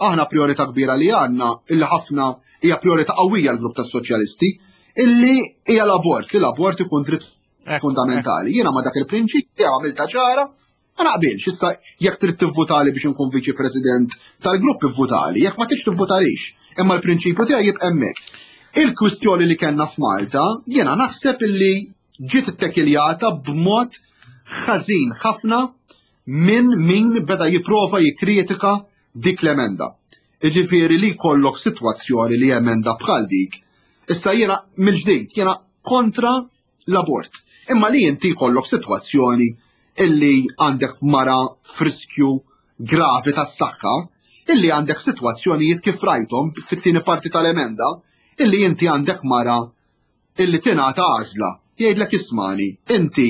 aħna priorità kbira li għandna, illi ħafna hija priorità qawwija l-grupp tas-soċjalisti, illi hija l-abort, li l-abort ikun dritt fundamentali. Jiena ma dak il-prinċipju għamilta ċara, ma naqbilx. Issa jekk trid tivvutali biex inkun viċi president tal-grupp ivvutali, jekk ma tridx tivvutalix, imma l-prinċipju tiegħi jibqa' hemmhekk. Il-kwistjoni li kellna f'Malta, jiena naħseb illi ġiet ittekiljata b'mod ħażin ħafna minn min beda jipprova jikkritika dik l-emenda. Jiġifieri li jkollok sitwazzjoni li emenda bħal dik. Issa jiena mill-ġdid, jiena kontra l-abort. Imma li inti jkollok sitwazzjoni illi għandek mara f'riskju gravi tas-saħħa, illi għandek sitwazzjonijiet kif rajthom fit-tieni parti tal-emenda, illi inti għandek mara illi tingħata għażla, jgħidlek ismani, inti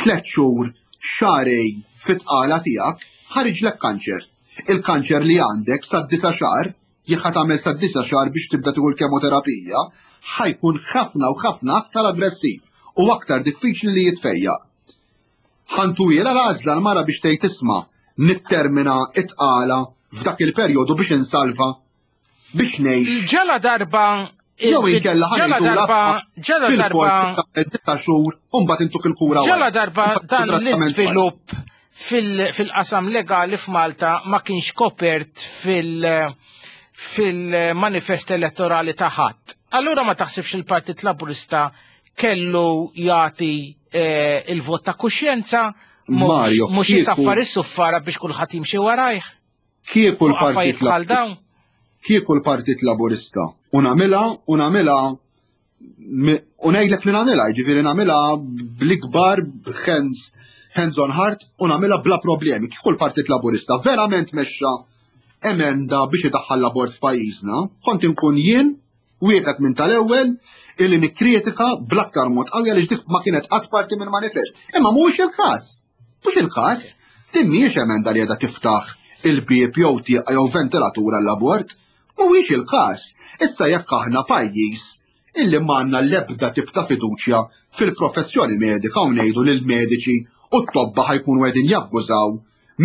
tliet xhur xarej fit-tqala tiegħek ħariġlek kanċer. Il-kanċer li għandek sa disa xahar, jekk ħa tagħmel sa disa xahar biex tibda tieħu l-kemoterapija, ħajkun ħafna u ħafna aktar aggressiv u aktar diffiċli li jitfejjaq. Ħantuwiela l-għażla l-mara biex tgħid isma' nittermina it-tqala f'dak il-perjodu biex insalva, biex ngħix. Ġala darba jew inkella ġala darba ġala darba ta' xhur u mbagħad intuk il-kura. Ġala darba dan l-iżvilupp fil-qasam legali f'Malta ma kienx kopert fil-manifest elettorali ta' ħadd. Allura ma taħsibx il-Partit Laburista kellu jagħti il-vot ta' kuxjenza mhux jisaffar is-suffara biex kulħadd jimxi warajh. Kieku l-Partit Laburista Kieku l-Partit Laburista u nagħmilha u nagħmilha u ngħidlek li nagħmilha, jiġifieri nagħmilha bl-ikbar hands hands on heart u nagħmilha bla problemi. Kieku l-Partit Laburista verament mexxa emenda biex idaħħal l-abort f'pajjiżna, kont inkun jien wieħed minn tal-ewwel illi nikkritika bl-aktar mod qawwi għaliex dik ma kienet qatt parti minn manifest. Imma mhuwiex il-każ. Mhux il-każ. Din mhijiex emenda li qiegħda tiftaħ il-bieb jew tieqa jew ventilatura l-abort. Mhuwiex il-każ. Issa jekk aħna pajjiż illi m'għandna l-ebda tip ta' fiduċja fil-professjoni medika u ngħidu lil mediċi u t-tobba ħajkunu qegħdin jabbużaw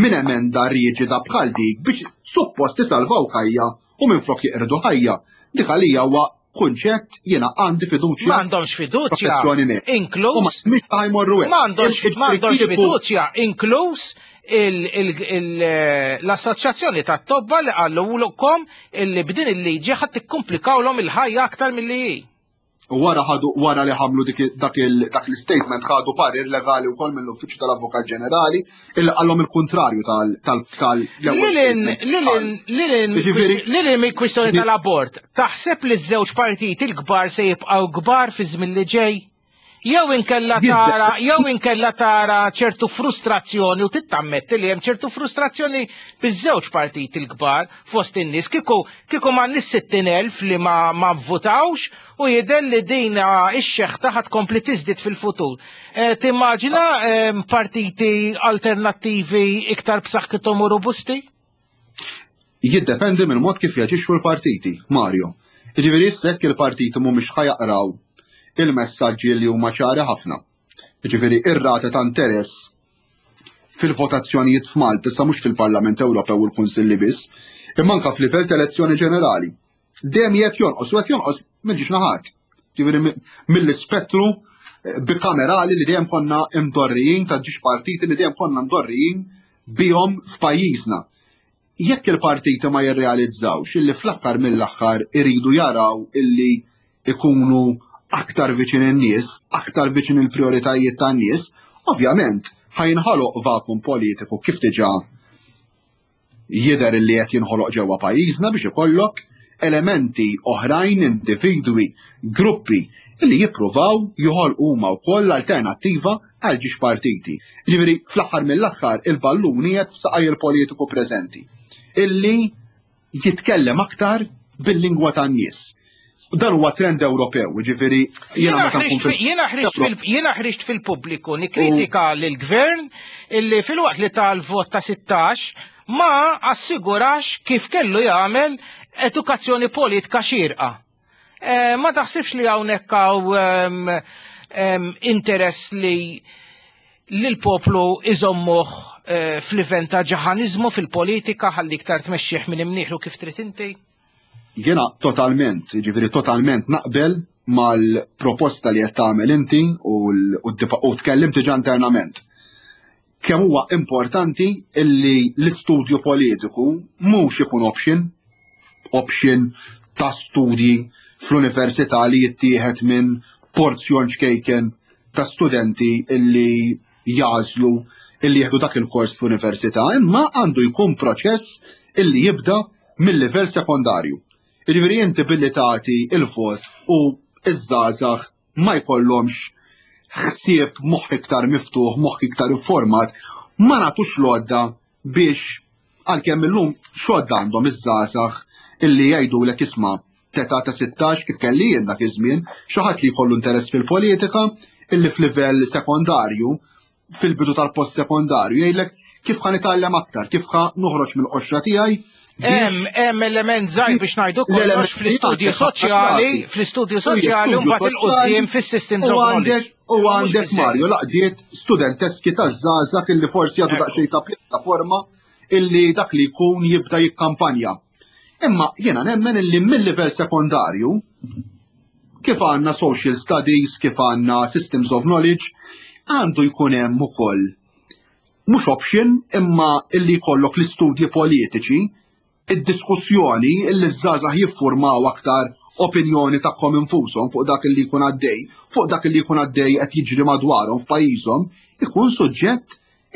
minn emenda riġida bħal dik biex suppost isalvaw ħajja u minflok jeqirdu ħajja. Dik għalija huwa kunċett jiena għandi fiduċja. M'għandhomx fiduċja. Inkluż. M'għandhomx fiduċja, inkluż l-assoċjazzjoni ta' tobba li qalulkom illi b'din il-liġi ħadd tikkumplikawlhom il-ħajja aktar milli hi. U wara ħadu wara li ħamlu dak l-statement ħadu parir legali wkoll mill-Uffiċċju tal-Avukat Ġenerali illi qallhom il-kuntrarju tal Lilin mill-kwistjoni tal-abort, taħseb li ż-żewġ partiti l-kbar se jibqgħu kbar fi żmien li ġej? Jew inkella tara, jew inkella tara ċertu frustrazzjoni u tittammetti li hemm ċertu frustrazzjoni biż-żewġ partiti l-kbar fost in-nies kieku kieku ma nies sittin elf li ma ma vvutawx u jidher li din ix-xeħta ħad tkompli tiżdied fil-futur. Timmaġina partiti alternattivi iktar b'saħħithom u robusti? Jiddependi mill-mod kif jaġixxu l-partiti, Mario. Jiġifieri issa jekk il-partiti mhumiex ħajaqraw il-messaġġi li huma ċari ħafna. Jiġifieri ir-rata ta' interess fil-votazzjonijiet f'Malta, issa mhux fil-Parlament Ewropew u l-Kunsilli biss, imma anke f'livell ta' elezzjoni ġenerali. Dejjem qed jonqos u qed jonqos minn ġiex naħat. Jiġifieri mill-ispettru bikamerali li dejjem konna imdorrijin ta' ġiex partiti li dejjem konna mdorrijin bihom f'pajjiżna. Jekk il-partiti ma jirrealizzawx illi fl-aħħar mill-aħħar iridu jaraw illi ikunu aktar viċin in-nies, aktar viċin il-prioritajiet tan-nies, ovvjament ħajnħoloq vakum politiku kif diġà jidher li qed jinħoloq ġewwa pajjiżna biex ikollok elementi oħrajn, individwi, gruppi li jippruvaw joħolqu huma wkoll alternattiva għal ġiex partiti. Jiġifieri fl-aħħar mill-aħħar il-ballun qiegħed f'saqaj il-politiku preżenti illi jitkellem aktar bil-lingwa tan-nies. Dan huwa trend Ewropew, jiġifieri jiena jiena ħriġt fil-pubbliku nikkritika lill-gvern illi filwaqt li tal-vot ta' sittax ma assigurax kif kellu jagħmel edukazzjoni politika xierqa. Ma taħsibx li hawnhekk hawn interess li l-poplu iżommuh fl-livell ta' ġaħaniżmu fil-politika ħalli iktar tmexxih minn imnieħlu kif trid inti? Jiena totalment, jiġifieri totalment naqbel mal-proposta li qed tagħmel inti u tkellimt diġà internament. Kemm huwa importanti illi l-istudju politiku mhux ikun option, option ta' studji fl-università li jittieħed minn porzjon ċkejken ta' studenti illi jażlu illi jieħdu dak il-kors fl-università, imma għandu jkun proċess illi jibda mill-livell sekondarju. Jiġifieri inti billi tagħti il-vot u iż-żgħażagħ ma jkollhomx ħsieb moħħ iktar miftuħ, moħħ iktar informat, ma nagħtux l-għodda biex għalkemm illum x'għodda għandhom iż-żgħażagħ illi jgħidulek isma' teta ta' sittax kif kelli jien dak iż-żmien, xi ħadd li jkollu interess fil-politika illi f'livell sekondarju, fil-bidu tal-post sekondarju jgħidlek kif ħa nitgħallem aktar, kif ħa noħroġ mill-qoxra tiegħi. Hemm element żgħir biex ngħidu kollox fl-istudju soċjali, fl-istudju soċjali u mbagħad il-qudiem fis-systems of knowledge. U għandek Mario laqdiet studenteski taż-żgħażagħ illi forsi għadu daqsxejn ta' pjattaforma illi dak li jkun jibda jikkampanja. Imma jiena nemmen illi mill-livell sekondarju kif għandna social studies, kif għandna systems of knowledge, għandu jkun hemm ukoll mhux option imma illi jkollok l-istudji politiċi, id-diskussjoni illi ż-żgħażagħ jiffurmaw aktar opinjoni tagħhom infushom fuq dak li jkun għaddej, fuq dak li jkun għaddej qed jiġri madwarhom f'pajjiżhom, ikun suġġett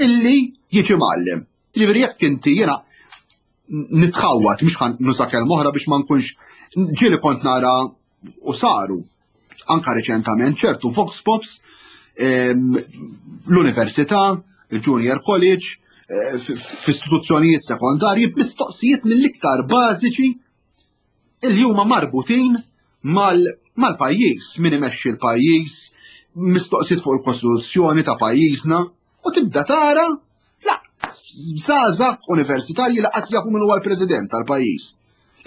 illi jiġi mgħallem. Jiġifieri jekk inti jiena nitħawwad mhux ħan nuża kelma oħra biex ma nkunx ġieli kont nara u saru anka reċentament ċertu vox pops l-università, il-junior college, f'istituzzjonijiet sekondarji b'mistoqsijiet mill-iktar bażiċi illi huma marbutin mal-pajjiż, min imexxi l-pajjiż, mistoqsijiet fuq il-kostituzzjoni ta' pajjiżna, u tibda tara la żgħażagħ universitarji laqas jafu min huwa l-President tal-pajjiż,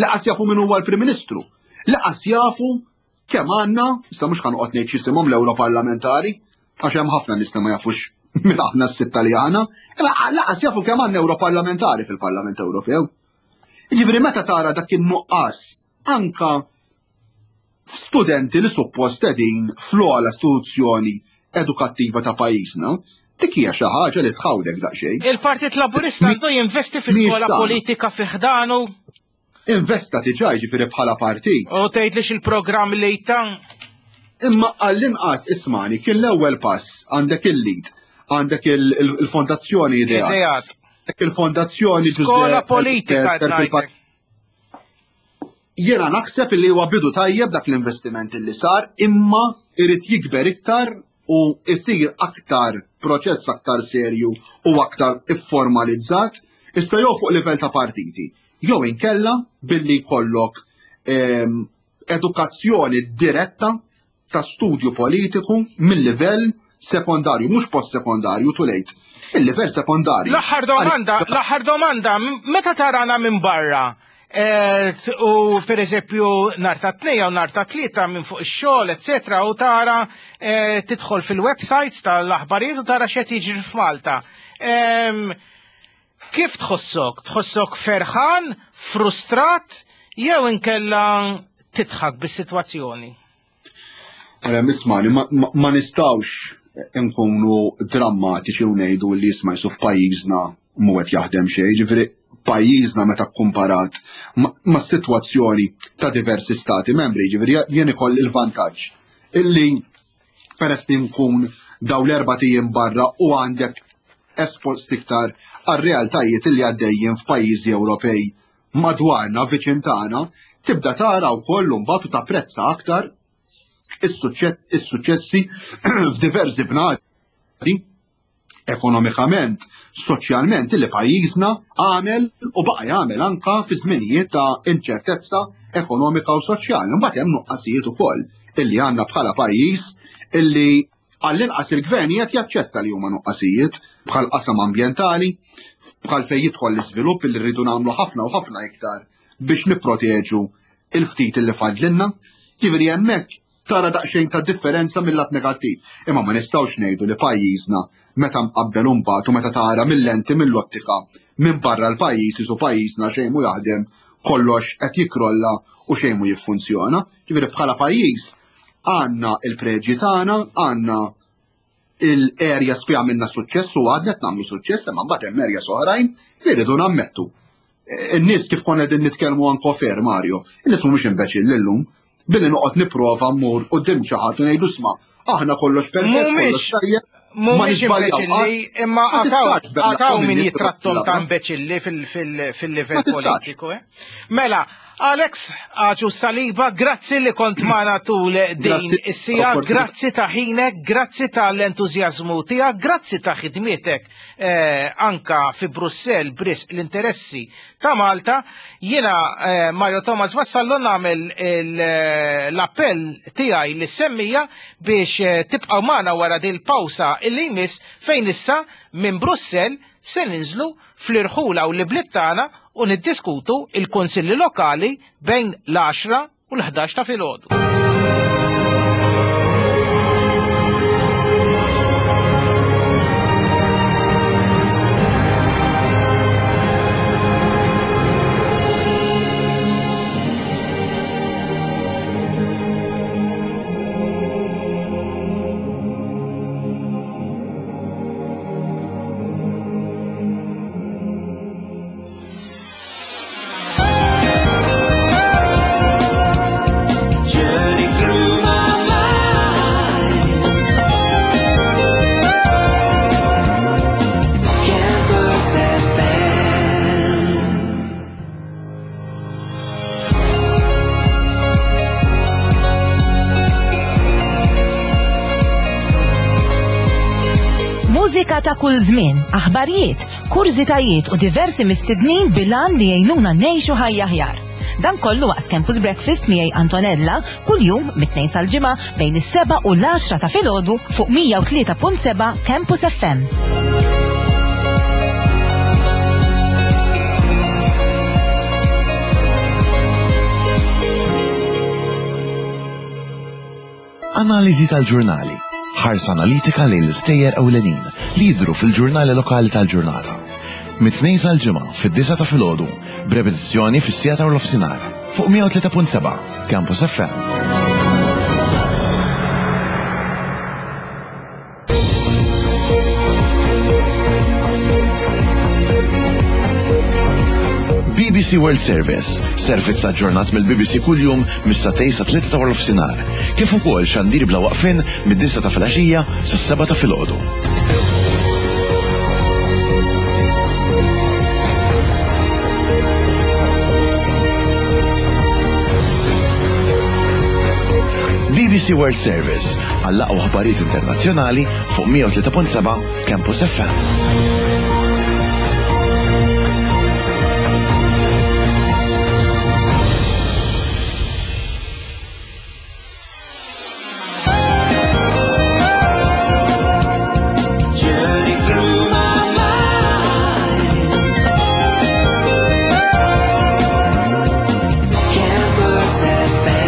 laqas jafu min huwa l-Prim Ministru, laqas jafu kemm għandna, issa mhux ħanqod ngħid x'isimhom l-Ewroparlamentari, għax hemm ħafna nies li ma jafux minn aħna s-sitta li għandna, imma laqas jafu kemm għandna Ewroparlamentari fil-Parlament Ewropew. Jiġifieri meta tara dak in-nuqqas anka studenti li suppost qegħdin fl-ogħla istituzzjoni edukattiva ta' pajjiżna, dik hija xi ħaġa li tħawdek daqsxejn. Il-Partit Laburista għandu jinvesti fi skola politika fi ħdanu. Investa diġà jiġifieri bħala partit. U tgħidlix il-programm li jtan? Imma għall-inqas ismani kien l-ewwel pass, għandek il-lead, għandek il-fondazzjoni Ideat. Il-fondazzjoni Skola politika. Jiena naħseb li huwa bidu tajjeb dak l-investiment li sar, imma irid jikber iktar u jsir aktar proċess aktar serju u aktar ifformalizzat, issa jew fuq livell ta' partiti, jew inkella billi jkollok edukazzjoni diretta ta' studju politiku mill-livell sekondarju, mhux post-sekondarju, too late, mill-livell sekondarju. L-aħħar domanda, l-aħħar domanda, meta tarana minn barra, u per eżempju nhar ta' tnejn u nhar ta' tlieta minn fuq ix-xogħol, eċetera, u tara tidħol fil-websites tal-aħbarijiet u tara x'qed jiġri f'Malta. Kif tħossok? Tħossok ferħan, frustrat, jew inkella tidħak bis-sitwazzjoni? Ismani, ma nistawx nkunu drammatiċi u ngħidu li jisma' jisu f'pajjiżna mhu qed jaħdem xejn, ġifieri pajjiżna meta kkumparat ma' sitwazzjoni ta' diversi stati membri, ġifieri jien ikoll il-vantaġġ illi peress li nkun daw l-erba' ijiem barra u għandek espost iktar għar-realtajiet illi għaddejjin f'pajjiżi Ewropej madwarna viċin tagħna, tibda tara wkoll imbagħad u tapprezza aktar is-suċċessi f'diversi bnadi ekonomikament, soċjalment li pajjiżna għamel u baqa' jagħmel anka fi żminijiet ta' inċertezza ekonomika u soċjali. Mbagħad hemm nuqqasijiet ukoll illi għandna bħala pajjiż illi għall-inqas il-gvern qed jaċċetta li huma nuqqasijiet bħal qasam ambjentali, bħal fejn jidħol l-iżvilupp illi rridu nagħmlu ħafna u ħafna iktar biex nipproteġu il-ftit illi fadlilna. Jiġifieri hemmhekk tara daqsxejn ta' differenza mill-lat negattiv. Imma ma nistgħux ngħidu li pajjiżna meta mqabbel imbagħad u meta tara mill-lenti mill-ottika minn barra l-pajjiż isu pajjiżna xejn mu jaħdem, kollox qed jikrolla u xejn mu jiffunzjona. Jiġifieri bħala pajjiż għandna il-preġji tagħna, għandna il-areas fi għamilna suċċess u għadna qed nagħmlu suċċess, imma mbagħad hemm areas oħrajn li rridu nammettu. In-nies kif konna qegħdin nitkellmu anke fer Mario, in-nies mhumiex imbeċilli llum. Billi noqgħod nipprova mmur quddiem xi ħadd u ngħidu isma' aħna kollox perfett, kollox tajjeb. Mhumiex imbeċilli, imma għataw min jitrattom ta' imbeċilli fil-livell politiku. Mela, Alex Agius Saliba, grazzi li kont magħna tul din is-sija, grazzi ta' ħinek, grazzi tal-entużjażmu tiegħek, grazzi ta' ħidmietek anka fi Brussell brisq l-interessi ta' Malta. Jiena Mario Thomas Vassallo nagħmel l-appell tiegħi li semmija biex tibqgħu magħna wara din il-pawsa illi jmiss fejn issa minn Brussell se ninżlu fl-irħula u l-bliet tagħna u niddiskutu il-kunsilli lokali bejn l-għaxra u l-ħdax ta' filgħodu. Mużika ta' kull żmien, aħbarijiet, kurżitajiet u diversi mistednin bilan li jgħinuna ngħixu ħajja aħjar. Dan kollu waqt Campus Breakfast miegħi Antonella kuljum mit-tnejn sal-ġimgħa bejn is-seba' u l-għaxra ta' filgħodu fuq mija u tlieta punt seba' Campus F M. Analiżi tal-ġurnali. Ħarsa analitika lejn l-istejjer ewlenin li jidhru fil-ġurnali lokali tal-ġurnata. Mit-tnejn sal-ġimgħa fid-disgħa ta' filgħodu, b'repetizzjoni fis-siegħa ta' nofsinhar fuq mija u tlieta punt seba' Campus F M. B B B B C World Service, servizz aġġornat mill-B B C kuljum mis-sagħtejn sa tlieta ta' nofsinhar, kif ukoll xandir bla waqfin mid-disgħa ta' filgħaxija sas-sebgħa ta' filgħodu. B B C World Service għall-aqwa aħbarijiet internazzjonali fuq mija u tlieta punt seba' Campus F M. Journey through my mind. Campus F M.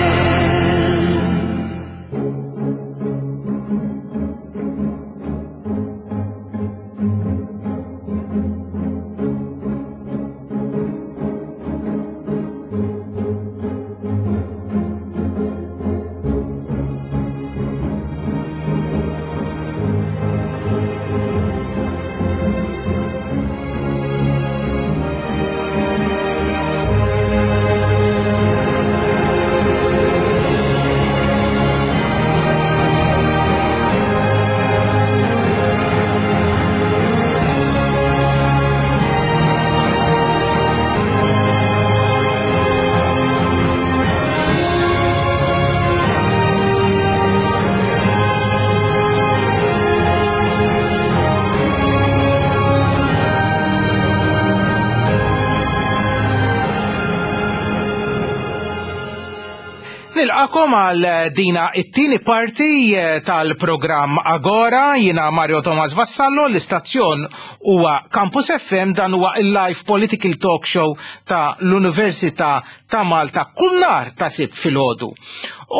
Nilqagħkom għal dina it-tieni parti eh, tal-programm Agora. Jiena Mario Thomas Vassallo, l-istazzjon huwa Campus F M, dan huwa il-live political talk show ta' l-Università ta' Malta kull nhar ta' Sibt filgħodu.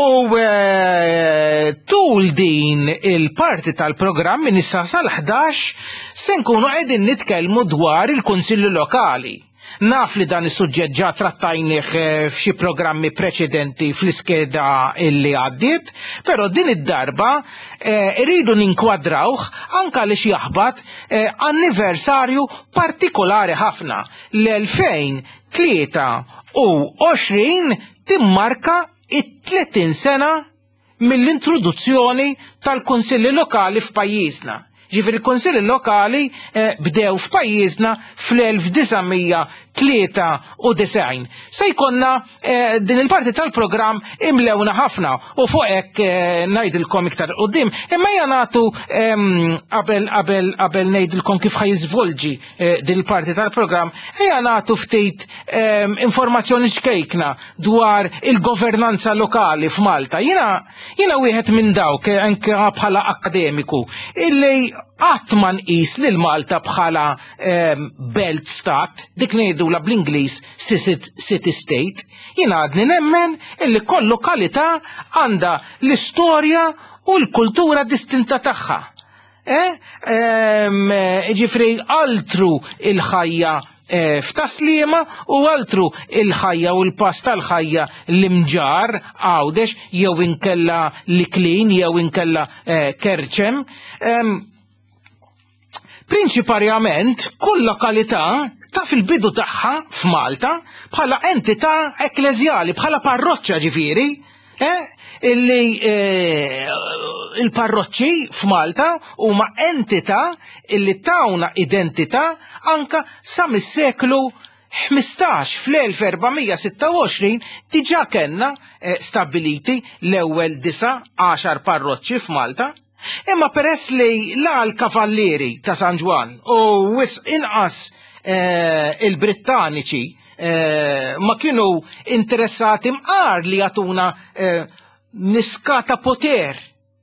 U eh, tul din il-parti tal-programm minn issa sal-ħdax se nkunu qegħdin nitkellmu dwar il-Kunsilli Lokali. Naf li dan is-suġġett ġa trattajnih eh, f'xi programmi preċedenti fl-iskeda illi għaddiet, però din id-darba eh, irridu ninkwadrawh anka li jaħbat eh, anniversarju partikolari ħafna. L-elfejn tlieta u għoxrin timmarka it-tletin sena mill-introduzzjoni tal-Kunsilli Lokali f'pajjiżna. Ġifieri il-Kunsilli Lokali eh, bdew f'pajjiżna fl-elf disa' mija tlieta u disgħin. Se jkollna eh, din il-parti tal-programm imlewna ħafna u fuq hekk eh, ngħidilkom iktar quddiem. Imma ejja nagħtu ehm, qabel qabel qabel ngħidilkom kif ħa jiżvolġi eh, din il-parti tal-programm, ejja nagħtu ftit ehm, informazzjoni xkejkna dwar il-governanza lokali f'Malta. Jiena jiena wieħed minn dawk eh, anke bħala akademiku illi qatt ma nqis lil Malta bħala ehm, belt stat, dik ngħidula bl-Ingliż city state. Jiena għadni nemmen illi kull lokalità għandha l-istorja u l-kultura distinta tagħha. Eh? Ehm, ġifieri altru il-ħajja eh, f'Tas-Sliema u altru il-ħajja u l-pass tal-ħajja l-Imġarr Għawdex jew inkella l-Iklin jew inkella eh, Kerċem. Ehm, Prinċiparjament, kull lokalità taf il-bidu tagħha f'Malta bħala entità ekkleżjali, bħala parroċċa ġifieri, eh, illi eh, il-parroċċi f'Malta huma entità illi tawna identità anka sa mis-seklu ħmistax. Fl-elf erba' mija sitta u għoxrin diġà kellna eh, stabiliti l-ewwel disa' għaxar parroċċi f'Malta. Imma peress li la l-Kavallieri ta' San Ġwann u wisq inqas eh, il-Brittaniċi eh, ma kienu interessati mqar li jagħtuna eh, niskata poter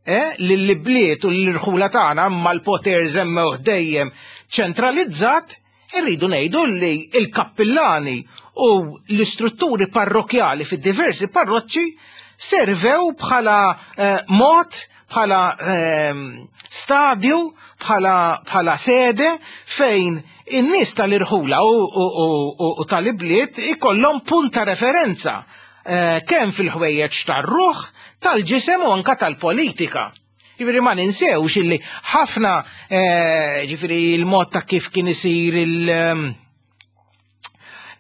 eh, lill-bliet u l-irħula tagħna, imma l-poter żammewh dejjem ċentralizzat, irridu ngħidu li il-kappillani u l-istrutturi parrokjali fid-diversi parroċċi servew bħala eh, mod, bħala ehm, stadju, bħala, bħala sede fejn in-nies tal-irħula u, u, u, u, u tal-ibliet ikollhom punt ta' referenza eh, kemm fil-ħwejjeġ tar-ruħ, tal-ġisem u anka tal-politika. Ġifieri ma ninsewx illi ħafna eh, ġifieri il-mod ta' kif kien isir il- ehm,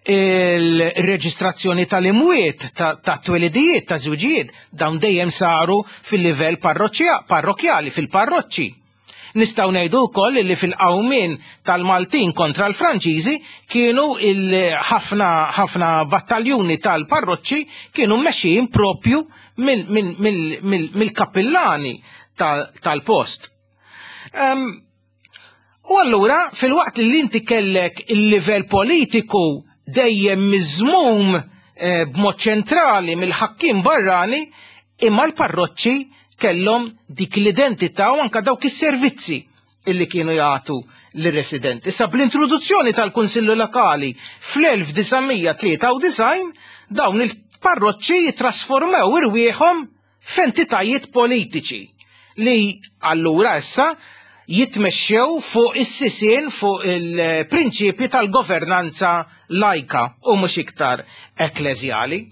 Il-reġistrazzjoni tal-imwiet, ta' twelidijiet, ta' żwiġijiet, dawn dejjem saru fil-livell parrokkjali, fil-parroċċi. Nistgħu ngħidu wkoll li fil-qawmien tal-Maltin kontra l-Franċiżi kienu ħafna ħafna battaljuni tal-parroċċi kienu mmexxijin propju mill-kappillani tal-post. U allura fil-waqt li inti kellek il-livell politiku dejjem miżmum b'mod ċentrali mill-ħakkiem barrani, imma l-parroċċi kellhom dik l-identità u anka dawk is-servizzi illi kienu jagħtu lir-residenti. Issa bl-introduzzjoni tal-Kunsillu Lokali fl-elf disa' mija tlieta u disgħin dawn il-parroċċi jitrasformew irwieħhom f'entitajiet politiċi li allura issa jitmexxew fuq is-sisien, fuq il-prinċipji tal-governanza lajka u mhux iktar ekkleżjali.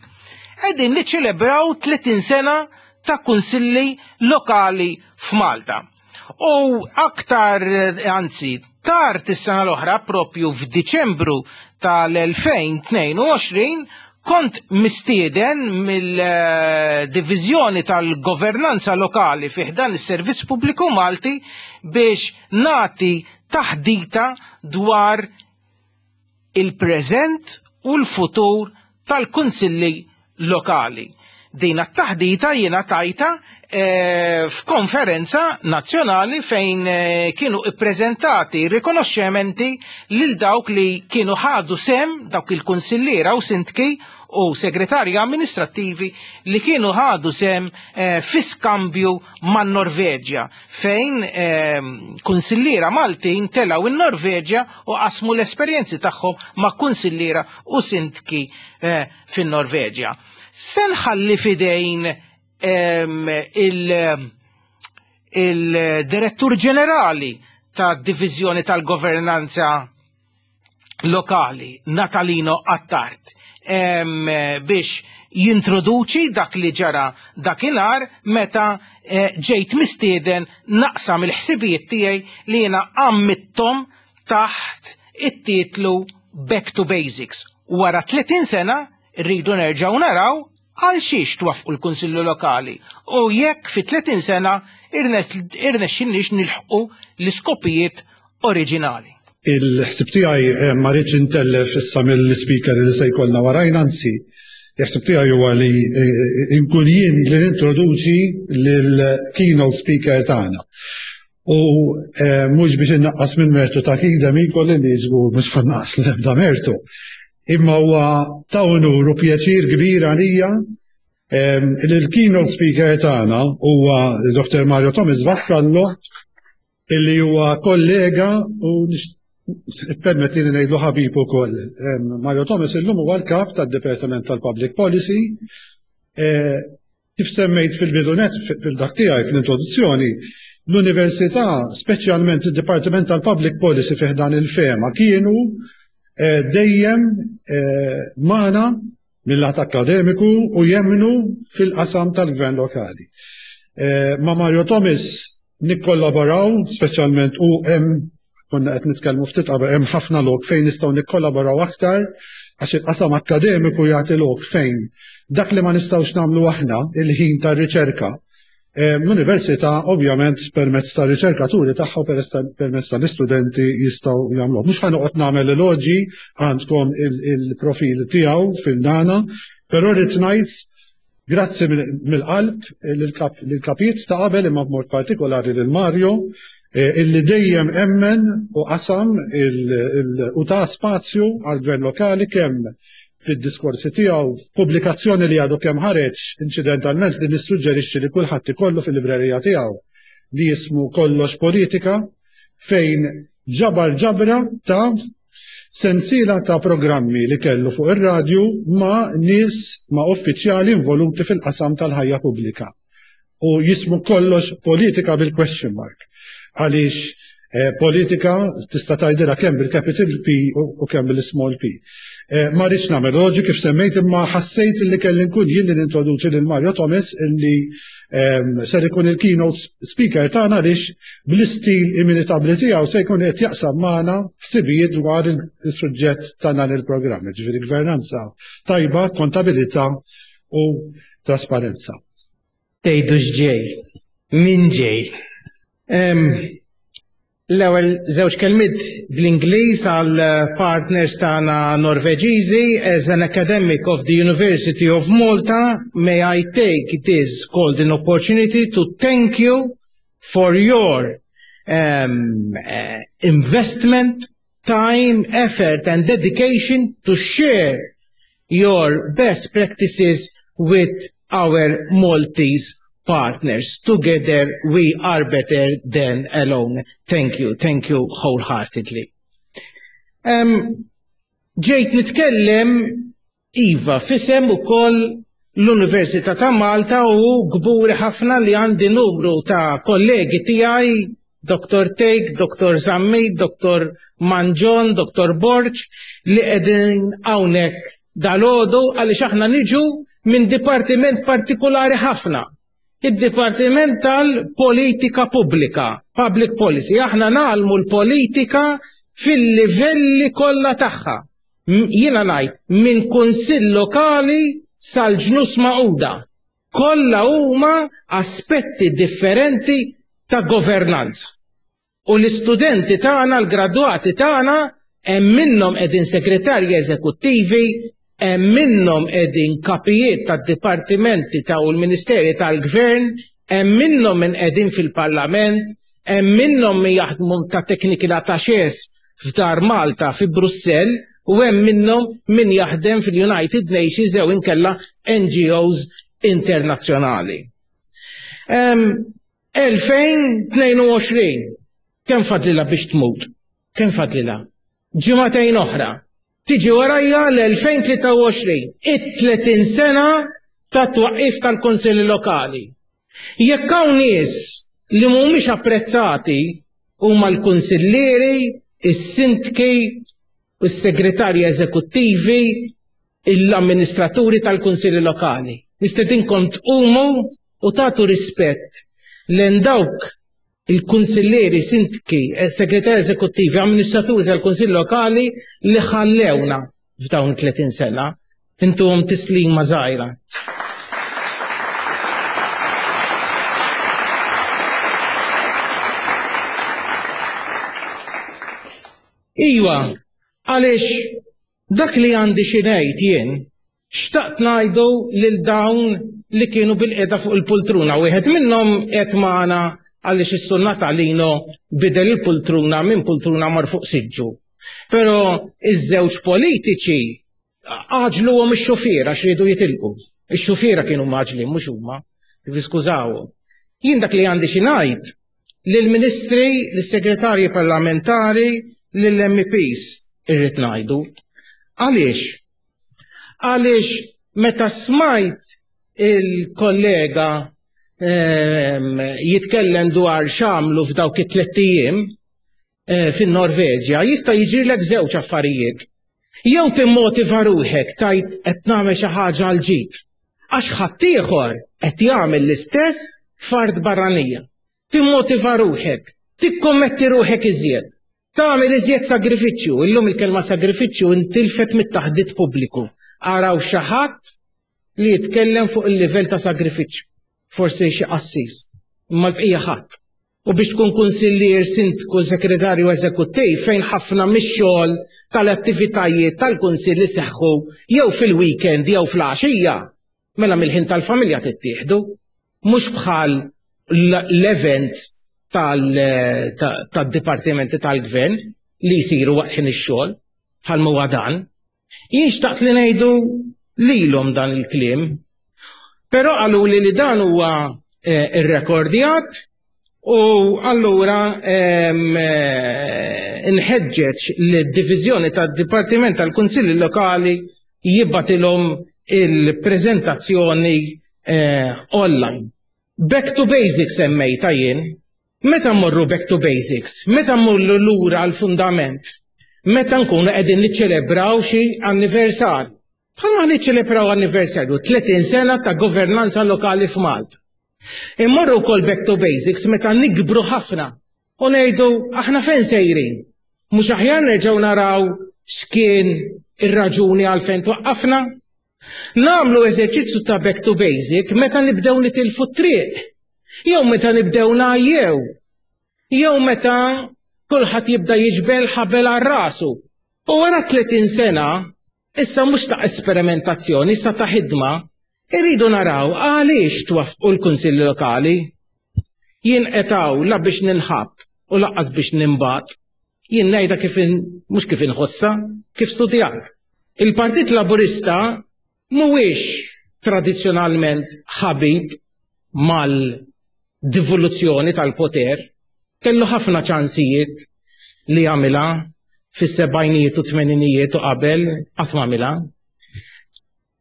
Qegħdin niċċelebraw tletin sena ta' kunsilli lokali f'Malta. U aktar, anzi, tard is-sena l-oħra, propju f'Diċembru tal-elfejn tnejn u għoxrin, kont mistieden mill-Diviżjoni tal-Governanza Lokali fi ħdan is-Servizz Pubbliku Malti biex nati taħdita dwar il-preżent u l-futur tal-kunsilli lokali. Din it-taħdita jiena tajta, eh, f'konferenza nazzjonali fejn, eh, kienu ippreżentati rikonoxximenti lil dawk li kienu ħadu sem, dawk il-kunsilliera u sindki u segretarji amministrattivi li kienu ħadu sem, eh, fi skambju man-Norveġja, fejn, eh, kunsilliera Maltin telgħu in-Norveġja u qasmu l-esperjenzi tagħhom ma' kunsilliera u sindki, eh, fin-Norveġja. Se nħalli fidejn, ehm, il-, il-direttur ġenerali tad-Diviżjoni tal-Governanza Lokali, Natalino Attard, ehm, biex jintroduċi dak li ġara dakinhar meta, eh, ġejt mistieden naqsam il-ħsibijiet tiegħi li jiena għammittom taħt it-titlu Back to Basics. Wara tletin sena rridu nerġgħu naraw għal xiex twaffqu l-Kunsillu Lokali u jekk fi tletin sena irnexxinniex nilħqu l-iskopijiet oriġinali. Il-ħsib tiegħi, eh, ma rridx intellef issa mill-speaker li se jkollna warajna, anzi, il-ħsib tiegħi huwa li, eh, inkun jien li nintroduċi lill-keynote speaker tagħna. U, eh, mhux biex innaqqas minn mertu ta' Keith Demicoli li żgur mhux ħannaqqas l-ebda mertu. Imma huwa ta' unur u pjaċir kbir għalija, ehm, li l-keynote speaker tagħna huwa Doktor Mario Thomas Vassallo, illi huwa kollega u permettini ngħidlu ħabib ukoll. Ehm, Mario Thomas illum huwa l-kap tad-Dipartiment tal-Public Policy. Eh, kif semmejt fil-bidunet fil-dak tiegħi fl-introduzzjoni, l-Università, speċjalment id-Dipartiment tal-Public Policy fi ħdan il-FEMA, kienu, eh, dejjem, eh, magħna mill-lat akademiku u jemmnu fil-qasam tal-gvern lokali. Eh, ma' Mario Thomas nikkollaboraw, speċjalment u hemm konna qed nitkellmu ftit qabel, hemm ħafna lok fejn nistgħu nikkollaboraw aktar, għax il-qasam akademiku jagħti lok fejn dak li ma nistgħux nagħmlu aħna il-ħin tar-riċerka. Eh, l-università ovvjament permezz tar-riċerkaturi tagħha u permezz tal-istudenti jistgħu jagħmluh. Mhux ħa noqgħod nagħmel eloġi, għandkom il-, il-profil tiegħu fil-dana, però rrid ngħid grazzi mill-qalb lill-kapijiet ta' qabel, imma b'mod partikolari lil Mario, eh, illi dejjem emmen u qasam il-, il-, u ta' spazju għall-gvern lokali kemm fid-diskorsi tiegħu, f'pubblikazzjoni li għadu kemm ħareġ inċidentalment li nissuġġerixxi li kulħadd ikollu fil-librerija tiegħu li jismu Kollox Politika, fejn ġabar ġabra ta' sensiela ta' programmi li kellu fuq ir-radju ma' nies, ma' uffiċjali involuti fil-qasam tal-ħajja pubblika. U jismu Kollox Politika bil-question mark. Għaliex Eh, politika tista' tgħidilha kemm bil-capital P u kemm bil-small p. Eh, ma rridx nagħmel loġi kif semmejt, imma ħassejt li kelli nkun jien li nintroduċi lil Mario Thomas, illi ehm, ser ikun il-keynote speaker tagħna, għaliex bl-istil inimitabbli tiegħu se jkun qed jaqsam magħna ħsibijiet dwar il-suġġett ta' dan il-programm, ġifieri gvernanza tajba, kontabilità u trasparenza. Tgħidu x'ġej? Min ġej? L-ewwel żewġ kelmiet bl-Ingliż għal partners tagħna Norveġiżi. As an academic of the University of Malta, may I take this golden opportunity to thank you for your um, uh, investment, time, effort and dedication to share your best practices with our Maltese partners. Together we are better than alone. Thank you, thank you wholeheartedly. Um, ġejt nitkellem, iva, f'isem ukoll l-Università ta' Malta u kburi ħafna li għandi numru ta' kollegi tiegħi, Doktor Thake, Doktor Zammit, Doktor Mangion, Doktor Borg, li qegħdin hawnhekk dalgħodu, għaliex aħna niġu minn dipartiment partikolari ħafna. Id-Dipartiment tal-Politika Pubblika, Public Policy. Aħna ngħallmu l-politika fil-livelli kollha tagħha. Jiena ngħid minn kunsill lokali sal-Ġnus Magħquda. Kollha huma aspetti differenti ta' governanza. U l-istudenti tagħna, l-gradwati tagħna, hemm minnhom qegħdin segretarji eżekuttivi, hemm minnhom qegħdin kapijiet tad-dipartimenti ta' u l-Ministeri tal-Gvern, hemm minnhom min qegħdin fil-Parlament, hemm minnhom min jaħdmu ta' technical attachés f'Dar Malta fi Brussell, u hemm minnhom min jaħdem fil-United Nations jew inkella N G Os internazzjonali. elfejn u tnejn u għoxrin, kemm fadlilha biex tmut? Kemm fadlilha? Ġimagħtejn oħra. Tiġi warajja l-elfejn u tlieta u għoxrin, it-tletin sena ta' twaqqif tal-Kunsilli Lokali. Jekk hawn nies li mhumiex apprezzati, huma l-kunsillieri, is-sindki, is-segretarji eżekuttivi, l-amministraturi tal-Kunsilli Lokali. Nistedinkom tqumu u tagħtu rispett lejn dawk il-kunsillieri, sindki, segretarji eżekuttivi, amministraturi tal-Kunsill Lokali li ħallewna f'dawn tletin sena. Intuhom tislima żgħira. Iwa, għaliex dak li għandi xi ngħid jien, xtaqt ngħidu lil dawn li kienu bilqiegħda fuq il-pultruna. Wieħed minnhom qed magħna, għaliex is-Sur Natalino bidel il-pultruna, minn pultruna mar fuq siġġu. Però iż-żewġ politiċi għaġluhom ix-xufiera għax riedu jitilqu. Ix-xufiera kienu mgħaġġlin, mhux huma, skużawhom. Jien dak li għandi xi ngħid lill-ministri, lis-segretarji parlamentari, lill-M E Ps irrid ngħidu. Għaliex? Għaliex meta smajt il-kollega ehm, jitkellem dwar x'għamlu f'dawk it-tliet ijiem eh, fin-Norveġja, jista' jiġrilek żewġ affarijiet. Jew timmotiva ruħek, tgħid qed nagħmel xi ħaġa għal ġid, għax ħaddieħor qed jagħmel l-istess f'art barranija. Timmotiva ruħek, tikkommetti ruħek iżjed, tagħmel iżjed sagrifiċċju. Illum il-kelma sagrifiċċju intilfet mit-taħdit pubbliku. Araw xi ħadd li jitkellem fuq il-livell ta' sagrifiċċju. Forsi xi qassis, imma l-bqija ħadd. U biex tkun kunsillier, sindku, segretarju eżekuttiv, fejn ħafna mix-xogħol tal-attivitajiet tal-kunsill li seħħu jew fil-weekend jew fl-għaxija, mela mill-ħin tal-familja tittieħdu, mhux bħal l-events tad-dipartimenti tal-gvern li jsiru waqt ħin ix-xogħol bħal huwa dan. Jien xtaqt li ngħidu lilhom dan il-kliem, però qaluli li dan huwa eh, irrekordjat u allura eh, nħeġġeġ li d-diviżjoni tad-Dipartiment tal-Kunsilli Lokali jibgħatilhom il-preżentazzjoni eh, online. Back to basics semmejta jien. Meta mmorru back to basics, meta mmorru lura għal-fundament, meta nkunu qegħdin niċċelebraw xi anniversarju. Bħalma niċċelebraw anniversarju tletin sena ta' governanza lokali f'Malta. Immorru wkoll back to basics meta nikbru ħafna u ngħidu: aħna fejn sejrin? Mhux aħjar nerġgħu naraw x'kien ir-raġuni għalfejn twaqqafna? Nagħmlu eżerċizzju ta' back to basic meta nibdew nitilfu t-triq. Jew meta nibdew ngħajjew. Jew meta kulħadd jibda jiġbed ħabel għal rasu. U wara tletin sena, issa mhux ta' esperimentazzjoni, issa ta' ħidma, irridu naraw għaliex twaffqu l-kunsilli lokali. Jien qed hawn la biex ninħabb u lanqas biex ninbagħat. Jien ngħidha kif mhux kif inħossa, kif studjat. Il-Partit Laburista mhuwiex tradizzjonalment ħabib mal-devoluzzjoni tal-poter, kellu ħafna ċansijiet li jagħmilha fis-sebgħinijiet u tmeninijiet u qabel, qatt m'għamilha.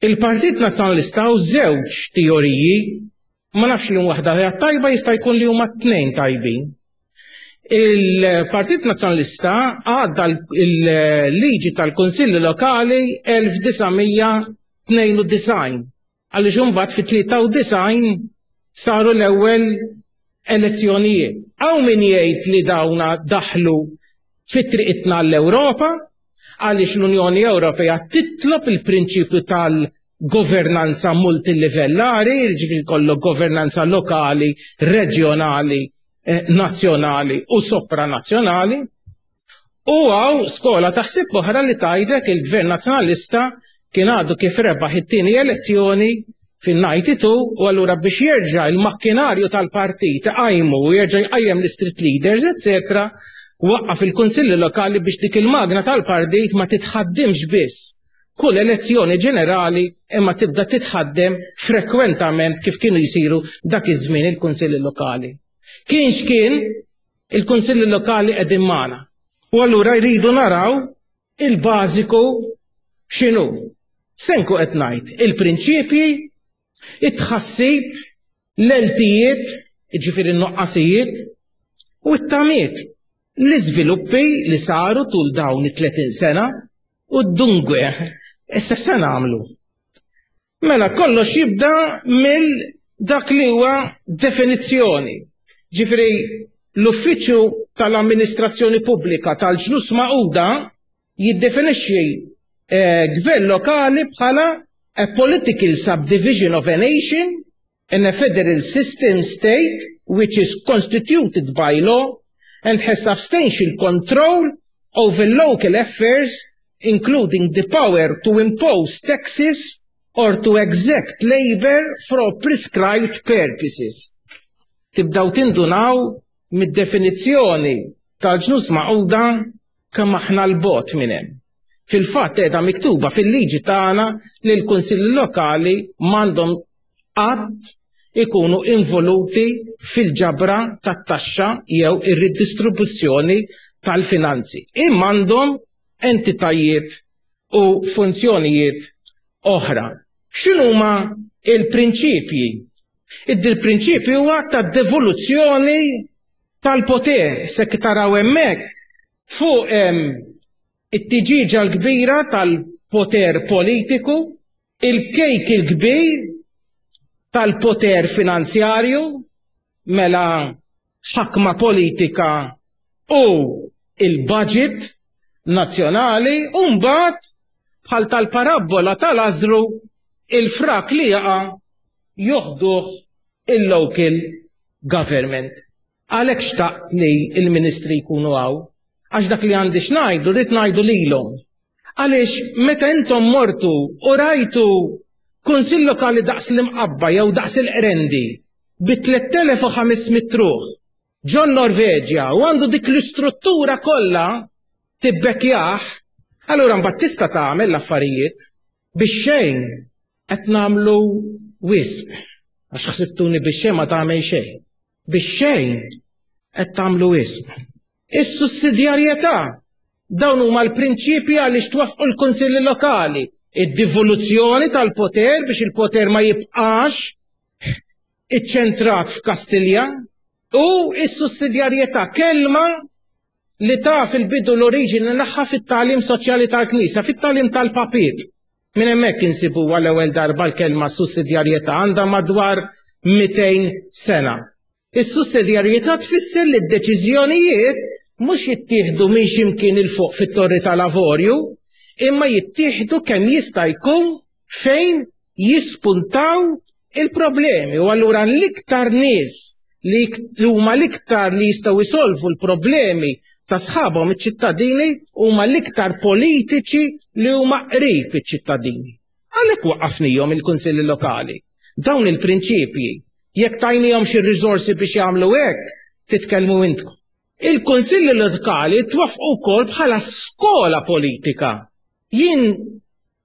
Il-Partit Nazzjonalista u żewġ teoriji, ma nafx li waħda tajba, jista' jkun li huma tnejn tajbin. Il-Partit Nazzjonalista għadda il-liġi tal-Kunsilli Lokali elf disa' mija tnejn u disgħin, għaliex imbagħad fit-tlieta u disgħin saru l-ewwel elezzjonijiet. Hawn min jgħid li dawna daħlu fit-triqitna l-Ewropa, għaliex l-Unjoni Ewropea titlob il-prinċipju tal-governanza multilivellari, ġifieri kollu governanza lokali, reġjonali, eh, nazzjonali u sopranazzjonali. U hawn skola taħsib oħra li tgħidlek il-Gvern Nazzjonalista kien għadu kif rebaħ it-tieni elezzjoni fin-tnejn u disgħin u allura biex jerġa' il-makkinarju tal-partit għajmu u jerġa' jqajjem l-street leaders, eccetera, waqqaf il-kunsilli lokali biex dik il-magna tal-partit ma titħaddimx biss kull elezzjoni ġenerali, imma tibda titħaddem frekwentament kif kienu jisiru dak iż-żmien il-kunsilli lokali. Kien x'kien, il-kunsilli lokali qegħdin magħna. U allura jridu naraw il-bażiku x'inhu. Se nkun qed ngħid il-prinċipji, it-tħassib, l-eltijiet, ġifieri n-noqqasijiet, u t-tamiet, l-iżviluppi li saru tul dawn it-tletin sena u d-dunque, issa se nagħmlu. Mela kollox jibda mill dak li huwa definizzjoni. Ġifieri l-Uffiċċju tal-Amministrazzjoni Pubblika tal-Ġnus Magħquda jiddefinixxi eh, gvern lokali bħala a political subdivision of a nation in a federal system state which is constituted by law and has substantial control over local affairs, including the power to impose taxes or to exact labor for prescribed purposes. Tibdaw tindunaw mid-definizzjoni tal-Ġnus Magħquda kemm aħna 'l bogħod minn hemm. Fil-fatt qiegħda miktuba fil-liġi tagħna li l-kunsilli lokali m'għandhom qatt ikunu involuti fil-ġabra tat-taxxa jew ir-ridistribuzzjoni tal-finanzi. Imma għandhom entitajiet u funzjonijiet oħra. X'inhuma il-prinċipji? Id-prinċipju huwa ta' devoluzzjoni tal-poter. Se taraw hemmhekk fuq it-tiġiġa l-kbira tal-poter politiku, il-kejk il-kbir tal-poter finanzjarju, mela ħakma politika u il-budget nazzjonali, u mbagħad bħal tal-parabbola tal-Lazzru, il-frak li jaqa' joħduh il-local government. Għalhekk xtaqt li il-ministri jkunu hawn, għax dak li għandi x'ngħidu, rrid ngħidu lilhom. Għaliex meta intom mortu u rajtu kunsill lokali daqs l-Imqabba jew daqs il-Qrendi bi tliet elef u ħames mitt ruħ ġo Norveġja u għandu dik l-istruttura kollha tibbekkjah, allura mbagħad tista' tagħmel l-affarijiet. Biex xejn qed nagħmlu wisq. Għax ħsibtuni biex xejn ma tagħmel xejn. Biex xejn qed tagħmlu wisq. Is-sussidjarjetà, dawn huma l-prinċipji għaliex twaffqu l-kunsilli lokali. Id-devoluzzjoni tal-poter biex il-poter ma jibqax iċċentrat f'Kastilja. U s-sussidjarjetà, kelma li taf il-bidu l-oriġini tagħha fit-tagħlim soċjali tal-Knisja, fit-tagħlim tal-papiet. Minn hemmhekk insibu għall-ewwel darba l-kelma sussidjarjetà, għandha madwar mitejn sena. Is-sussidjarjetà tfisser li d-deċiżjonijiet mhux jittieħdu minn x'imkien 'il fuq fit-Torri tal-Avorju, imma jittieħdu kemm jista' jkun fejn jispuntaw il-problemi. U allura l-iktar nies li huma l-iktar li jistgħu jsolvu l-problemi ta' sħabhom iċ-ċittadini huma l-iktar politiċi li huma qrib iċ-ċittadini. Għalhekk waqqafnihom il-kunsilli lokali. Dawn il-prinċipji, jekk tajnihom xi riżorsi biex jagħmlu hekk, titkellmu intkom. Il-kunsilli lokali twaffqu wkoll bħala skola politika. Jien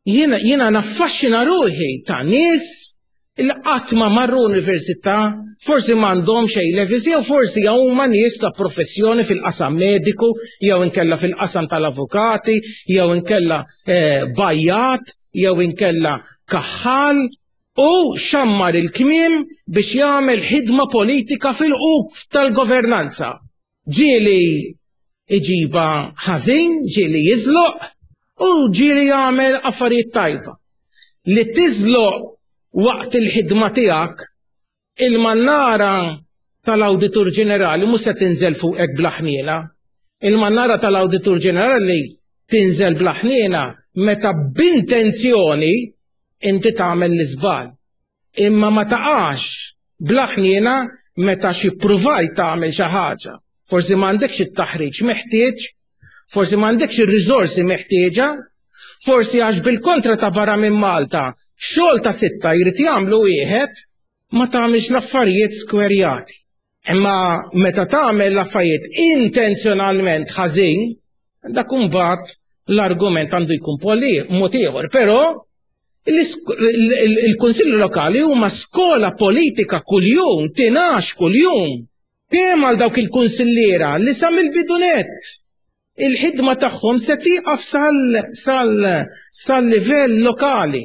jiena jiena naffaxxina ruħi ta' nies il qatt ma marru università, forsi m'għandhomx A levels, jew forsi huma nies ta' professjoni fil-qasam mediku, jew inkella fil-qasam tal-avukati, jew inkella eh, bajjat, jew inkella kaħħal, u xammar il-kmiem biex jagħmel ħidma politika fil-quf tal-governanza. Ġieli iġiba ħażin, ġieli jiżloq, u ġieli jagħmel affarijiet tajba. Li tiżloq waqt il-ħidma tiegħek, il-mannara tal-Awditur Ġenerali mhux se tinżel fuqek bla ħniena. Il-mannara tal-Awditur Ġenerali tinżel bla ħniena meta b'intenzjoni inti tagħmel l-iżball. Imma ma taqax bla ħniena meta xi ppruvajt tagħmel xi ħaġa. Forsi m'għandekx it-taħriġ meħtieġ, forsi m'għandekx ir-riżorsi meħtieġa, forsi għax bil-kontra ta' barra minn Malta, xogħol ta' sitta jrid jagħmlu wieħed, ma tagħmilx l-affarijiet skwerjati. Imma meta tagħmel l-affarijiet intenzjonalment ħażin, dak imbagħad l-argument għandu jkun poli mod ieħor, però il-Kunsilli Lokali huma skola politika kuljum, tingħax kuljum. Kemm għal dawk il-kunsilliera li sa mill-bidunet il-ħidma tagħhom se tieqaf sal-livell lokali.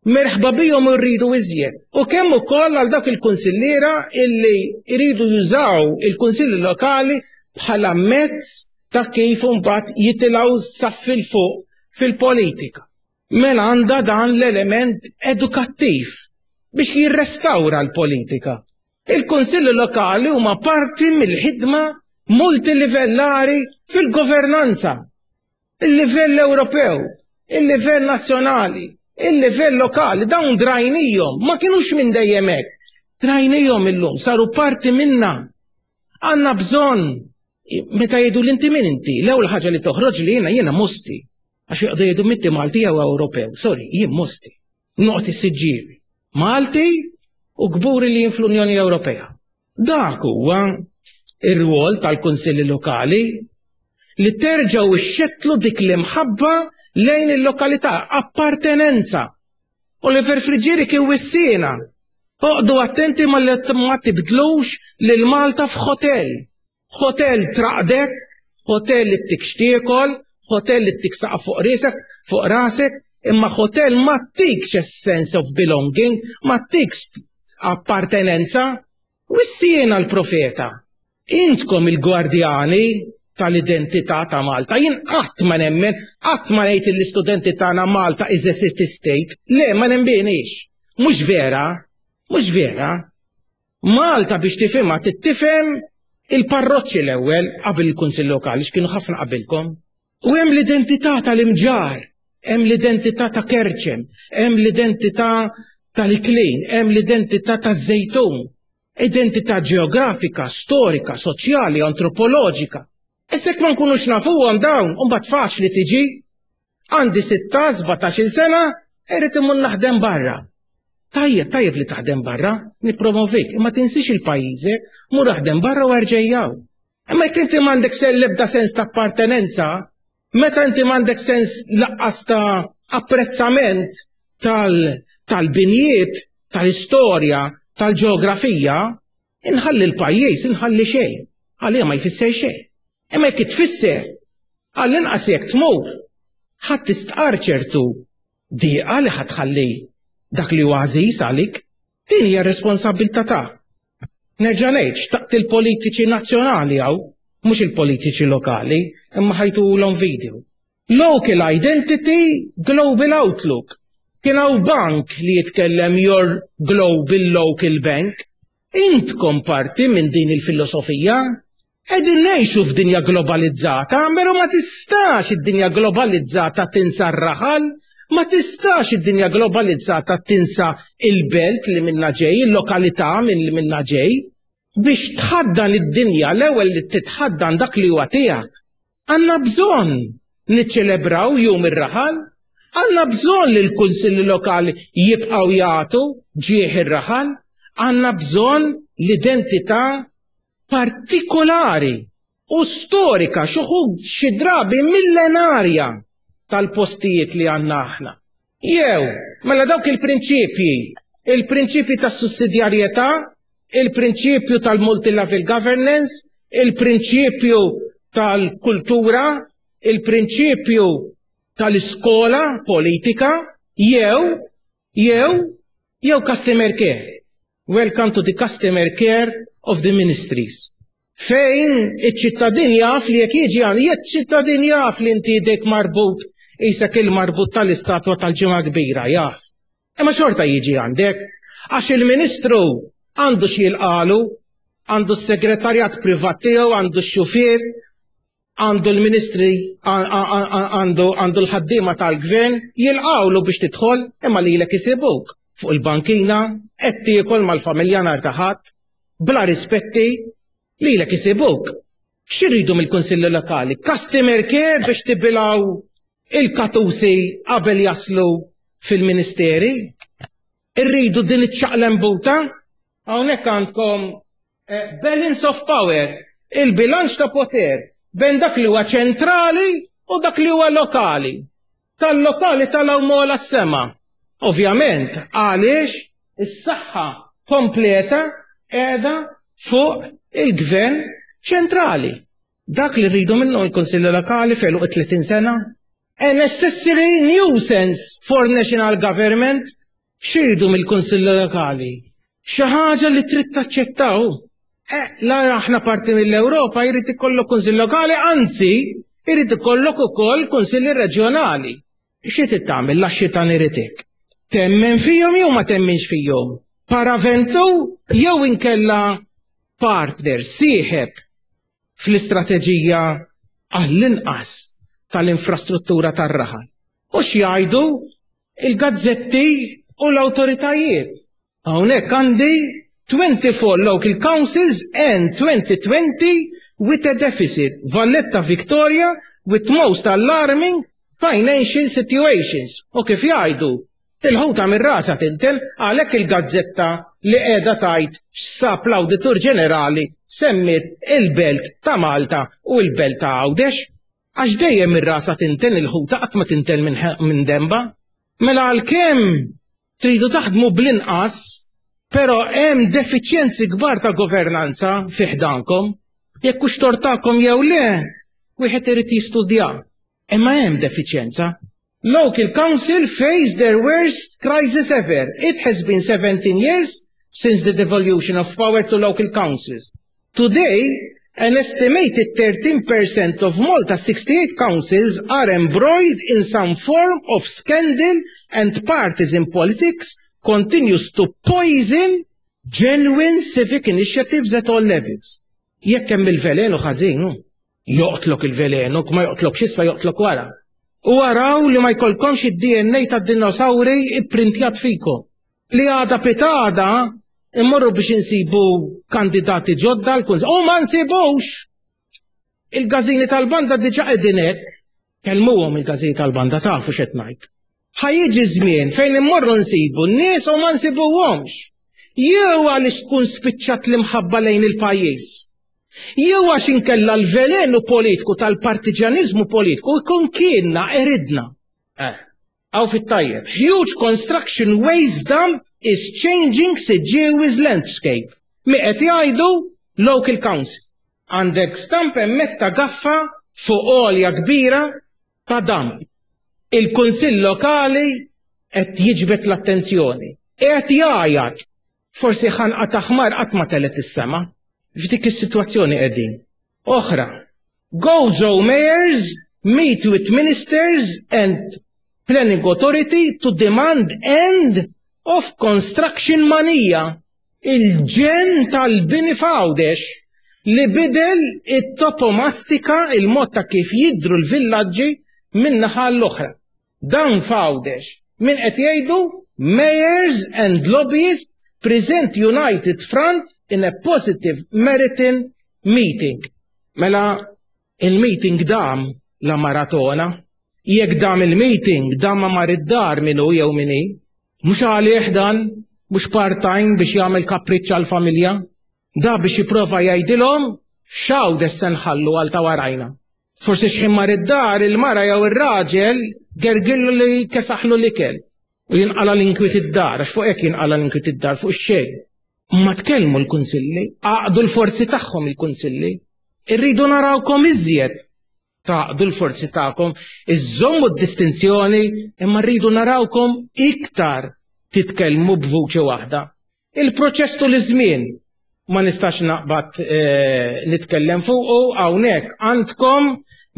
Merħba bihom, rridu iżjed. U kemm ukoll għal dawk il-kunsilliera illi jridu jużaw il-kunsilli lokali bħala mezz ta' kif imbagħad jitilgħu saff 'il fuq fil-politika. Mela għandha dan l-element edukattiv biex jirrestawra l-politika. Il-kunsilli lokali huma parti mill-ħidma multilivellari fil-governanza. Il-livell Ewropew, il-livell nazzjonali, il-livell lokali, dawn drajnihom, ma kienux minn dejjem hekk. Drajnihom illum, saru parti minna. Għandna bżonn, meta jgħidu l-inti min inti, l-ewwel ħaġa li toħroġ li jiena jiena Mosti. Għax jgħidu jgħidu m'inti Malti jew Ewropew. Sorry, jien Mosti. Noqgħod is-Siġġiewi. Malti u kburi li jien fl-Unjoni Ewropea. Dak huwa ir-rwol tal-kunsilli lokali, li terġgħu ixxettlu dik l-imħabba lejn il-lokalità, appartenenza. Oliver Friggieri kien wissiena. Oqogħdu attenti ma li ma tibdlux lil Malta f'hotel. Hotel traqdek, hotel li ttik x'tiekol, hotel li ttik saqaf fuq risek, fuq rasek, imma hotel ma ttikx a sense of belonging, ma ttikx appartenenza. Wissiena l-profeta. Intkom il-gwardjani tal-identità ta' Malta. Jien qatt ma nemmen, qatt ma ngħid l-istudenti tagħna Malta is a city state. Le, ma nemminx. Mhux vera, mhux vera. Malta biex tifhimha tifhem il-parroċċi l-ewwel qabel il-Kunsill Lokali, x'kienu ħafna qabilkom. U hemm l-identità tal-Imġarr, hemm l-identità ta' Kerċem, hemm l-identità tal-Iklin, hemm l-identità taż-Żejtun. Identità ġeografika, storika, soċjali, antropoloġika. Issa ma nkunux nafuhom dawn, u mbagħad faċli tiġi għandi sitta, sbatax-il sena, irrid immur naħdem barra. Tajjeb, tajjeb li taħdem barra, nippromovik, imma tinsix il-pajjiżek, mur aħdem barra u erġa' hawn. Imma jekk inti m'għandek sen l-ebda sens ta' appartenenza, meta inti m'għandek sens lanqas ta' apprezzament tal-binjiet, tal-istorja, tal-ġeografija, inħalli l-pajjiż, inħalli xejn. Għalija ma jfisser xejn. Imma jekk tfisser, għall-inqas jekk tmur, ħadd tistqar ċertu diqa li ħa tħalli dak li huwa għażiż għalik, din hija responsabilità ta'. Nerġa' ngħid, xtaqt il-politiċi nazzjonali hawn, mhux il-politiċi lokali, imma ħa jtulhom video. Local identity, global outlook. Kien hawn bank li jitkellem "your global local bank". Intkom parti minn din il-filosofija. Qegħdin ngħixu f'dinja globalizzata, però ma tistax id-dinja globalizzata tinsa r-raħal, ma tistax id-dinja globalizzata tinsa il-belt li minna ġej, il-lokalità minn li minna ġej. Biex tħaddan id-dinja, l-ewwel li titħaddan dak li huwa tiegħek. Għandna bżonn niċċelebraw Jum ir-Raħal, għandna bżonn li l-kunsilli lokali jibqgħu jagħtu ġieħ ir-raħal, għandna bżonn l-identità partikolari u storika, xi wħud xi drabi millenarja, tal-postijiet li għandna aħna. Jew, mela dawk il-prinċipji, il-prinċipji tas sussidjarjetà, il-prinċipju tal-multi-level governance, il-prinċipju tal-kultura, il-prinċipju tal-iskola politika, jew, jew, jew customer care. Welcome to the customer care of the ministries. Fejn iċ-ċittadin jaf li jekk jiġi għan, jekk ċittadin jaf li inti idek marbut, qisek il-marbut tal-istatwa tal-Ġimgħa Kbira, jaf. Imma xorta jiġi għandek, għax il-ministru għandu x'jilqagħlu, għandu s-segretarjat privat tiegħu, għandu x-xufier, għandu l-ministri, għandu għandu l-ħaddiema tal-gvern, jilqgħulu biex tidħol, imma lilek isibuk fuq il-bankina, qed tiekol mal-familja nhar ta' Ħadd, bla rispetti, lilek isibuk. X'iridu mill-Kunsilli Lokali? Customer care biex tibilgħu il-katusi qabel jaslu fil-ministeri? Irridu din iċ-ċaqlembuta? Hawnhekk għandkom eh, balance of power, il-bilanċ ta' poter bejn dak li huwa ċentrali u dak li huwa lokali. Tal-lokali tal-għola s-sema. Ovvjament, għaliex is-saħħa kompleta qiegħda fuq il-gvern ċentrali. Dak li rridu minnu l-Konsilli Lokali felu tletin sena. A necessary nuisance for national government. X'iridu mill-Kunsilli Lokali? Xi ħaġa li trid taċċettaw. Eh, la aħna parti mill-Ewropa, jrid ikollok kunsill lokali, anzi, jrid ikollok ukoll kunsilli reġjonali. Xi trid tagħmel la xitan iritek? Temmen fihom jew ma temminx fihom? Paraventu jew inkella partner, sieħeb fl-istrateġija għall-inqas tal-infrastruttura tar-raħal? U x'jgħidu il-gazzetti u l-awtoritajiet? Hawnhekk għandi twenty-four local councils end twenty twenty with a deficit. Valletta, Victoria with most alarming financial situations. U kif jgħidu, il-ħuta minn rasa tinten, għalhekk il-gazzetta li qiegħda tgħid x'sab l-Awditur Ġenerali semmit il-Belt ta' Malta u l-Belt ta' Għawdex. Għax dejjem ir-rasa tinten il-ħuta, qatt ma tinten minn demba. Mela għalkemm tridu taħdmu bl-inqas, però hemm defiċjenzi kbar ta' governanza fi ħdankom. Jekk hux tort tagħkom jew le, wieħed irid jistudja. Imma hemm defiċjenza. Local council face their worst crisis ever. It has been seventeen years since the devolution of power to local councils. Today, an estimated thirteen percent of Malta's sixty-eight councils are embroiled in some form of scandal and partisan politics continues to poison genuine civic initiatives at all levels. Jekk hemm il-velenu ħażin, joqtlok il-velenu, ma joqtlok issa, joqtlok wara. U araw li ma jkollkomx id-D N A tad-dinosauri ipprintjat fikom. Li għada pitgħada immorru biex insibu kandidati ġodda l-kunsill. U ma nsibux! Il-każini tal-banda diġà qegħdin hekk. Kellmuhom il-każini tal-banda, tafu x'qed ngħid. Ħa jiġi żmien fejn immorru nsibu n-nies u ma nsibuhomx. Jew għaliex tkun spiċċat l-imħabba lejn il-pajjiż. Jew għax inkella l-velenu politiku tal-partiġanizmu politiku jkun kienna eridna. Eh, hawn fit-tajjeb. Huge construction waste dump is changing Siġġiewi's landscape. Mi qed jgħidu local council. Għandek stamp hemmhekk ta' gaffa fuq għolja kbira ta' dump. Il-Kunsill Lokali qed jiġbed l-attenzjoni. Qed jgħajjat. Forsi ħanqa ta' ħmar qatt ma telgħet is-sema. F'dik is-sitwazzjoni qegħdin. Oħra, Gozo mayors meet with ministers and planning authority to demand end of construction mania. Il-ġenn tal-bini f'Għawdex li bidel it-toponomastika, il-mod ta' kif jidru l-villaġġi minn naħa l-oħra. Dan f'Għawdex. Min qed jgħidu? Mayors and lobbyists present United Front in a positive Meriton meeting. Mela il-meeting dam la maratona. Jekk dam il-meeting, dam ma mar id-dar minnu jew minni. Mhux għalih dan, mhux part-time biex jagħmel kapriċċ għal-familja. Da biex jipprova jgħidilhom x'Għawdex se nħallu għal ta' warajna. Forsi x'ħin mar id-dar il-mara jew ir-raġel gergillu li kesaħlu l-ikel. U jinqala l-inkwiet id-dar, għax fuq hekk jinqala l-inkwiet id-dar, fuq xejn. Ma tkellmu l-kunsilli, għaqdu l-forzi tagħhom il-kunsilli. Irridu narawkom iżjed tgħaqqdu l-forzi tagħkom, iżommu d-distinzjoni, imma rridu narawkom iktar titkellmu b'vuċi waħda. Il-proċess tul iż-żmien ma nistax naqbad eh, nitkellem fuqu hawnhekk għandkom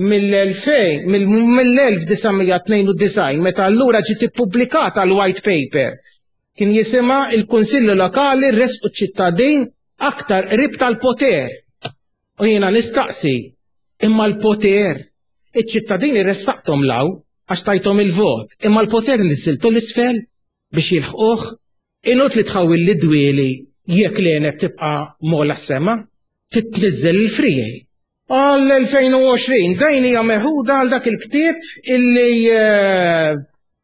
mill-elfejn, mill-elf disa' mija tnejn u disgħin, meta allura ġiet ippubblikata l-white paper. Kien jisimha il-Kunsilli Lokali resqu ċittadin aktar qrib tal-poter. U jiena nistaqsi, imma l-poter, iċ-ċittadini ressaqtom 'l hawn għax tajtom il-vot, imma l-poter niżiltu 'l isfel biex jilħquh, inutli tħawwil li dwieli jekk l tibqa' m'ogħla s-sema, titniżel il-friegħi. Għall-elfejn u għoxrin, dajn hija meħuda għal dak il-ktieb illi eh,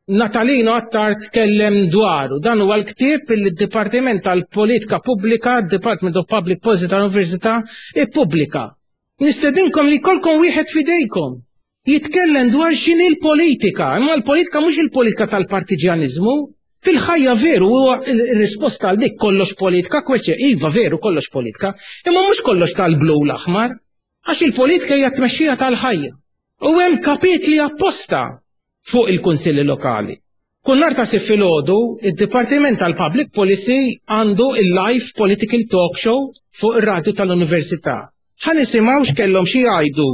Natalino Attard tkellem dwaru. Dan huwa l-ktieb illi d-Dipartiment tal-Politika Pubblika, Department of Public Policy tal-Università, ippubblika. Nistedinkom li jkollkom wieħed fidejkom. Jitkellem dwar x'inhi l-politika, imma l-politika mhux il-politika tal-partiġjanizmu. Fil-ħajja veru huwa il-risposta għal dik kollox politika, kweċe, iva veru kollox politika, imma mhux kollox tal-blu u l-aħmar, għax il-politika hija tmexxija tal-ħajja. U hemm kapitli apposta fuq il-kunsilli lokali. Kull nhar ta' Sibt filgħodu, id-Dipartiment tal-Public Policy għandu il-live political talk show fuq ir-radju tal-Università. Ħa nisimgħu x'kellhom xi jgħidu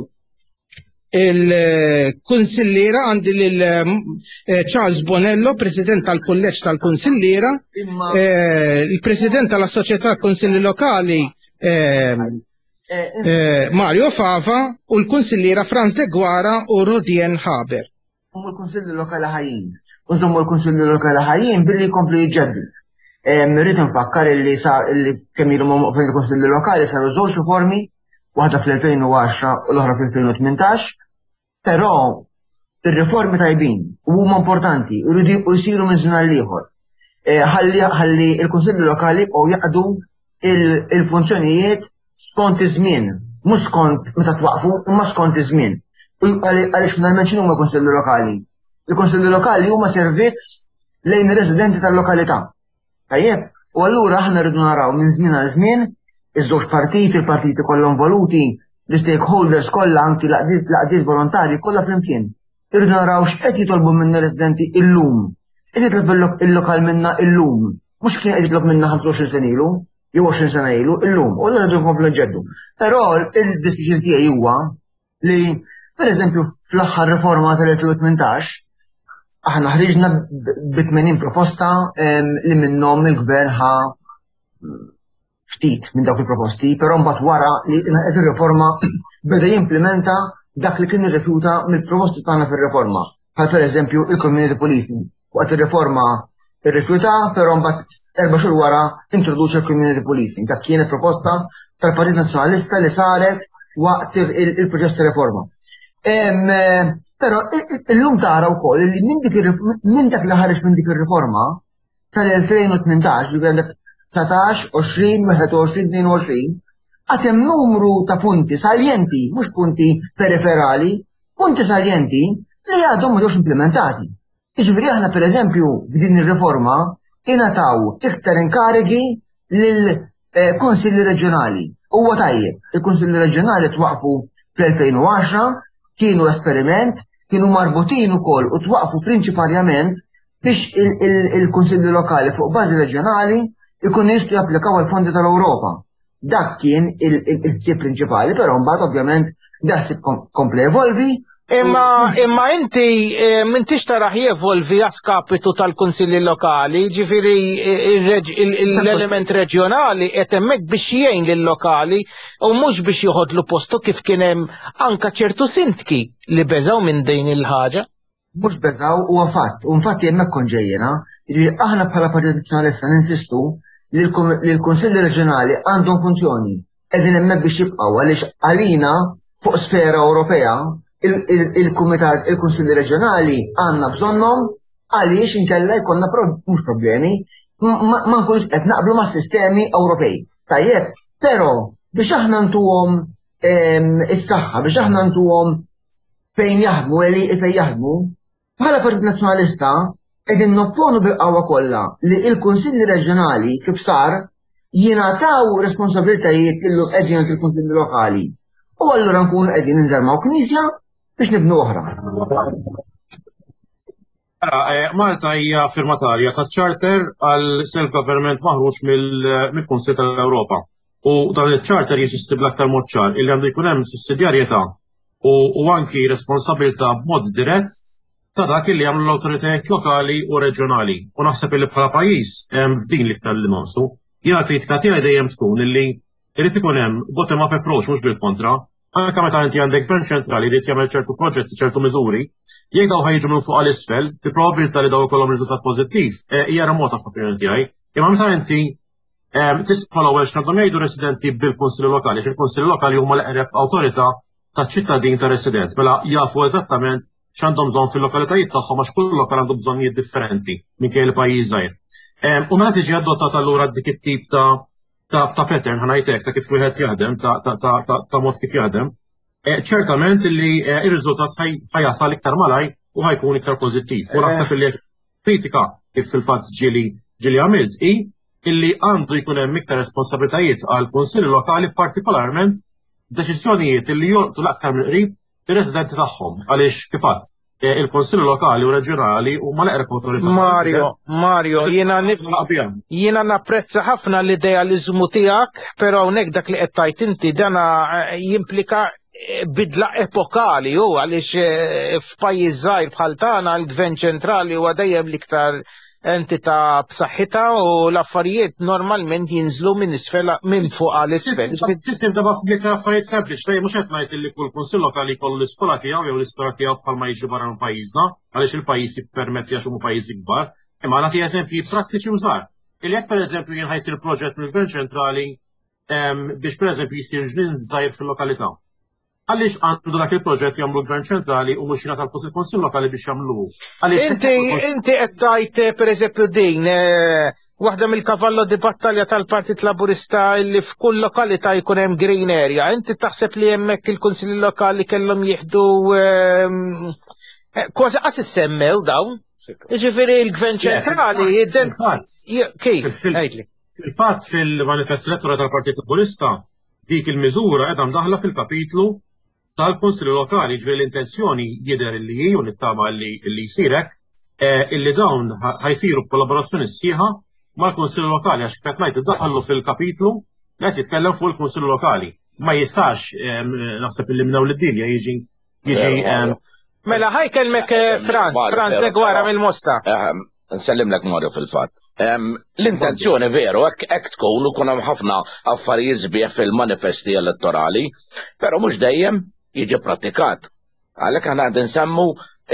il-kunsilliera. Għandi lil eh, Charles Bonello, President tal-Kulleġġ tal-Kunsilliera, eh, il-President tal-Assoċjetà Kunsilli Lokali eh, eh, Mario Fava u l-Kunsilliera Franz de Guara u Rodien Haber. Nżommu l-Kunsilli Lokali ħajjin. Nżommu l-Kunsilli Lokali ħajjin billi jkomplu jiġġeddu. Rrid nfakkar illi sa illi kemm ilhom fil-Kunsilli Lokali saru żewġ riformi, waħda fl-elfejn u għaxra u l-oħra fl-elfejn u tmintax, però ir-riformi tajbin u huma importanti u jridu jsiru minn żmien għal ieħor. Eh, ħalli ħalli il-Kunsilli Lokali u jaqdu il-funzjonijiet skont iż-żmien, mhux skont meta twaqfu, imma skont iż-żmien. U għaliex finalment x'inhu huma l-Kunsilli Lokali? Il-Kunsilli Lokali huma servizz lejn ir-residenti tal-lokalità. Tajjeb, u allura aħna rridu naraw minn żmien għal żmien iż-żewġ partiti, il-partiti kollha involuti, l-stakeholders kollha, anki l-għaqdiet volontarji kollha flimkien. Irridu naraw x'qed jitolbu minna residenti illum. X'qed jitlob il-lokal minna illum. Mhux kien qed jitlob minna ħamsa u għoxrin sena ilu, jew għoxrin sena ilu, illum. U allura rridu nkomplu nġeddu. Però il-dispjaċir tiegħi huwa li, per eżempju, fl-aħħar riforma tal-elfejn u tmintax, aħna ħriġna bi tmenin proposta li minnhom il-gvern ħa ftit minn dawk il-proposti, però mbagħad wara li qed ir-riforma beda jimplementa dak li kien irrifjuta mill-proposti tagħna fir-riforma. Bħal per eżempju il-community policing. Waqt ir-riforma irrifjuta, però mbagħad erba' xhur wara introduċa l-community policing. Dak kienet proposta tal-Partit Nazzjonalista li saret waqt il-proċess ta' riforma. Però illum tara wkoll li minn dak li ħareġ minn dik ir-riforma tal-elfejn u tmintax, ġifieri għandek dsatax, għoxrin, wieħed u għoxrin, tnejn u għoxrin, għad hemm numru ta' punti saljenti, mhux punti periferali, punti saljenti li għadhom mhux implementati. Jiġifieri aħna, per eżempju, b'din ir-riforma ingħataw iktar inkarigi lil eh, kunsilli reġjonali. Huwa tajjeb, il-kunsilli reġjonali twaqfu fl-elfejn u għaxra, kienu esperiment, kienu marbutin ukoll u twaqfu prinċiparjament biex il-kunsilli lokali fuq bażi reġjonali Ikunu jistgħu japplikaw għal fondi tal-Ewropa. Dak kien il-ħsieb prinċipali, però mbagħad ovvjament dak kompla jevolvi. Imma imma inti eh, m'intix taraħ jevolvi a skapitu tal-kunsilli lokali, ġifieri eh, l-element reġjonali qed hemmhekk biex jgħin lill-lokali u mhux biex joħodlu postu, kif kien hemm anka ċertu sindki li beżaw minn din il-ħaġa. Mhux beżaw, huwa fatt, u infatti hemmhekk kont ġejjena, aħna bħala Partit Nazzjonalista ninsistu li l-Kunsilli Reġjonali għandhom funzjoni, qegħdin hemmhekk biex jibqgħu, għaliex għalina fuq sfera Ewropea il-Kumitat il-Kunsilli Reġjonali għandna bżonnhom, għaliex inkella jkollna mhux problemi, ma nkunux qed naqblu ma' sistemi Ewropej. Tajjeb, però biex aħna ntuhom is-saħħa, biex aħna ntuhom fejn jaħdmu, eli fejn jaħdmu, bħala Partit Nazzjonalista qegħdin nopponu bil-qawwa kollha li il-Kunsilli Reġjonali kif sar jingħataw responsabilitajiet li llum qegħdin il-Kunsilli Lokali. U allura nkunu qegħdin nżarmaw knisja biex nibnu oħra. Eh, Malta hija firmatarja ta' charter għal self-government maħruġ mill-Kunsill tal-Ewropa. U dan il-charter jinsisti bl-aktar mod ċar illi għandu jkun hemm sussidjarjetà u anki responsabilità b'mod dirett ta' dak li jagħmlu l-awtoritajiet lokali u reġjonali. U naħseb illi bħala pajjiż f'din l-iktar li nonqsu. Jiena kritika tiegħi dejjem tkun illi irid ikun hemm bottom-up approach, mhux bil-kontra. Anka meta inti għandek gvern ċentrali li jagħmel ċertu proġetti, ċertu miżuri, jekk daw ħa jiġu minn fuq għal isfel, il-probabilità li daw ikollhom riżultat pożittiv eh, hija remota f'opinjoni tiegħi. Imma meta inti tisma' l-ewwel x'għandhom jgħidu residenti bil-kunsilli lokali, fil-kunsilli lokali huma l-eqreb awtorità taċ-ċittadin ta' resident, mela jafu eżattament x'għandhom bżonn fil-lokalitajiet tagħhom, għax kull lokal għandu bżonnijiet differenti minkejja l-pajjiż żgħir. U meta tiġi adottata allura dik it-tip ta' ta' ta' pattern, ħa ngħidlek, ta' kif wieħed jaħdem, ta' ta' ta' ta' mod kif jaħdem, eh, ċertament li eh, ir-riżultat ħa jasal iktar malaj u ħa jkun iktar pożittiv. U naħseb li kritika kif fil-fatt ġieli ġieli għamilt i illi għandu jkun hemm iktar responsabilitajiet għal kunsilli lokali, partikolarment deċiżjonijiet illi jolqtu l-aktar mill-qrib ir-residenti tagħhom, għaliex kif għedt, eh, il-Konsilli Lokali u Reġjonali huma l-eqreb awtorità. Mario, Mario, jiena jiena napprezza ħafna l-idealizmu tiegħek, però hawnhekk dak li qed tgħid inti dana eh, jimplika eh, bidla epokali u għaliex f'pajjiż żgħir bħal tagħna l-Gvern ċentrali huwa dejjem l-iktar entità b'saħħitha u l-affarijiet normalment jinżlu minn isfel minn fuq għal isfel. Tista' tibda b'iktar affarijiet sempliċi, tajjeb, mhux qed ngħid li kull kunsill lokali jkollu l-iskola tiegħu jew l-iskola tiegħu bħalma jiġi barra minn pajjiżna, għaliex il-pajjiż jippermetti għax huma pajjiżi kbar. Imma nagħti eżempji prattiċi u żgħar. Illi jekk pereżempju jien ħa jsir proġett mill-Gvern ċentrali biex pereżempju jsir ġnien żgħir fil-lokalità. Għaliex għandu dak il-proġett jagħmlu l-Gvern ċentrali u mhux jingħata l-flus il-Kunsill Lokali biex jagħmluhu? Inti inti qed tgħid eh, pereżempju din eh, waħda mill-cavallo di battalja tal-Partit Laburista li f'kull lokalità jkun hemm green area. Inti taħseb li hemmhekk il-Kunsilli Lokali kellhom jieħdu ehm, eh, kważi qas issemmew dawn? Jiġifieri l-Gvern ċentrali Kif? Fil-fatt, fil-manifest elettorali tal-Partit Laburista dik il-miżura qiegħda mdaħla fil-kapitlu tal-Kunsilli Lokali, ġifieri l-intenzjoni jidher li hi, u nittama li li jsir hekk, eh, illi dawn ħa jsiru b'kollaborazzjoni sħiħa mal-Kunsilli Lokali, għax kif ngħid iddaħħlu fil-kapitlu li qed jitkellem fuq il-Kunsilli Lokali. Ma jistax, naħseb illi minn hawn id-dinja jiġi jiġi Mela ħa jkellmek eh, Franz, Franz Deguara mill-Mosta. Nsellimlek, Mario, fil-fatt. L-intenzjoni veru, hekk tkun u kun hemm ħafna affarijiet sbieħ fil-manifesti elettorali, però mhux dejjem jiġi pratikat. Għalhekk aħna qed nsemmu,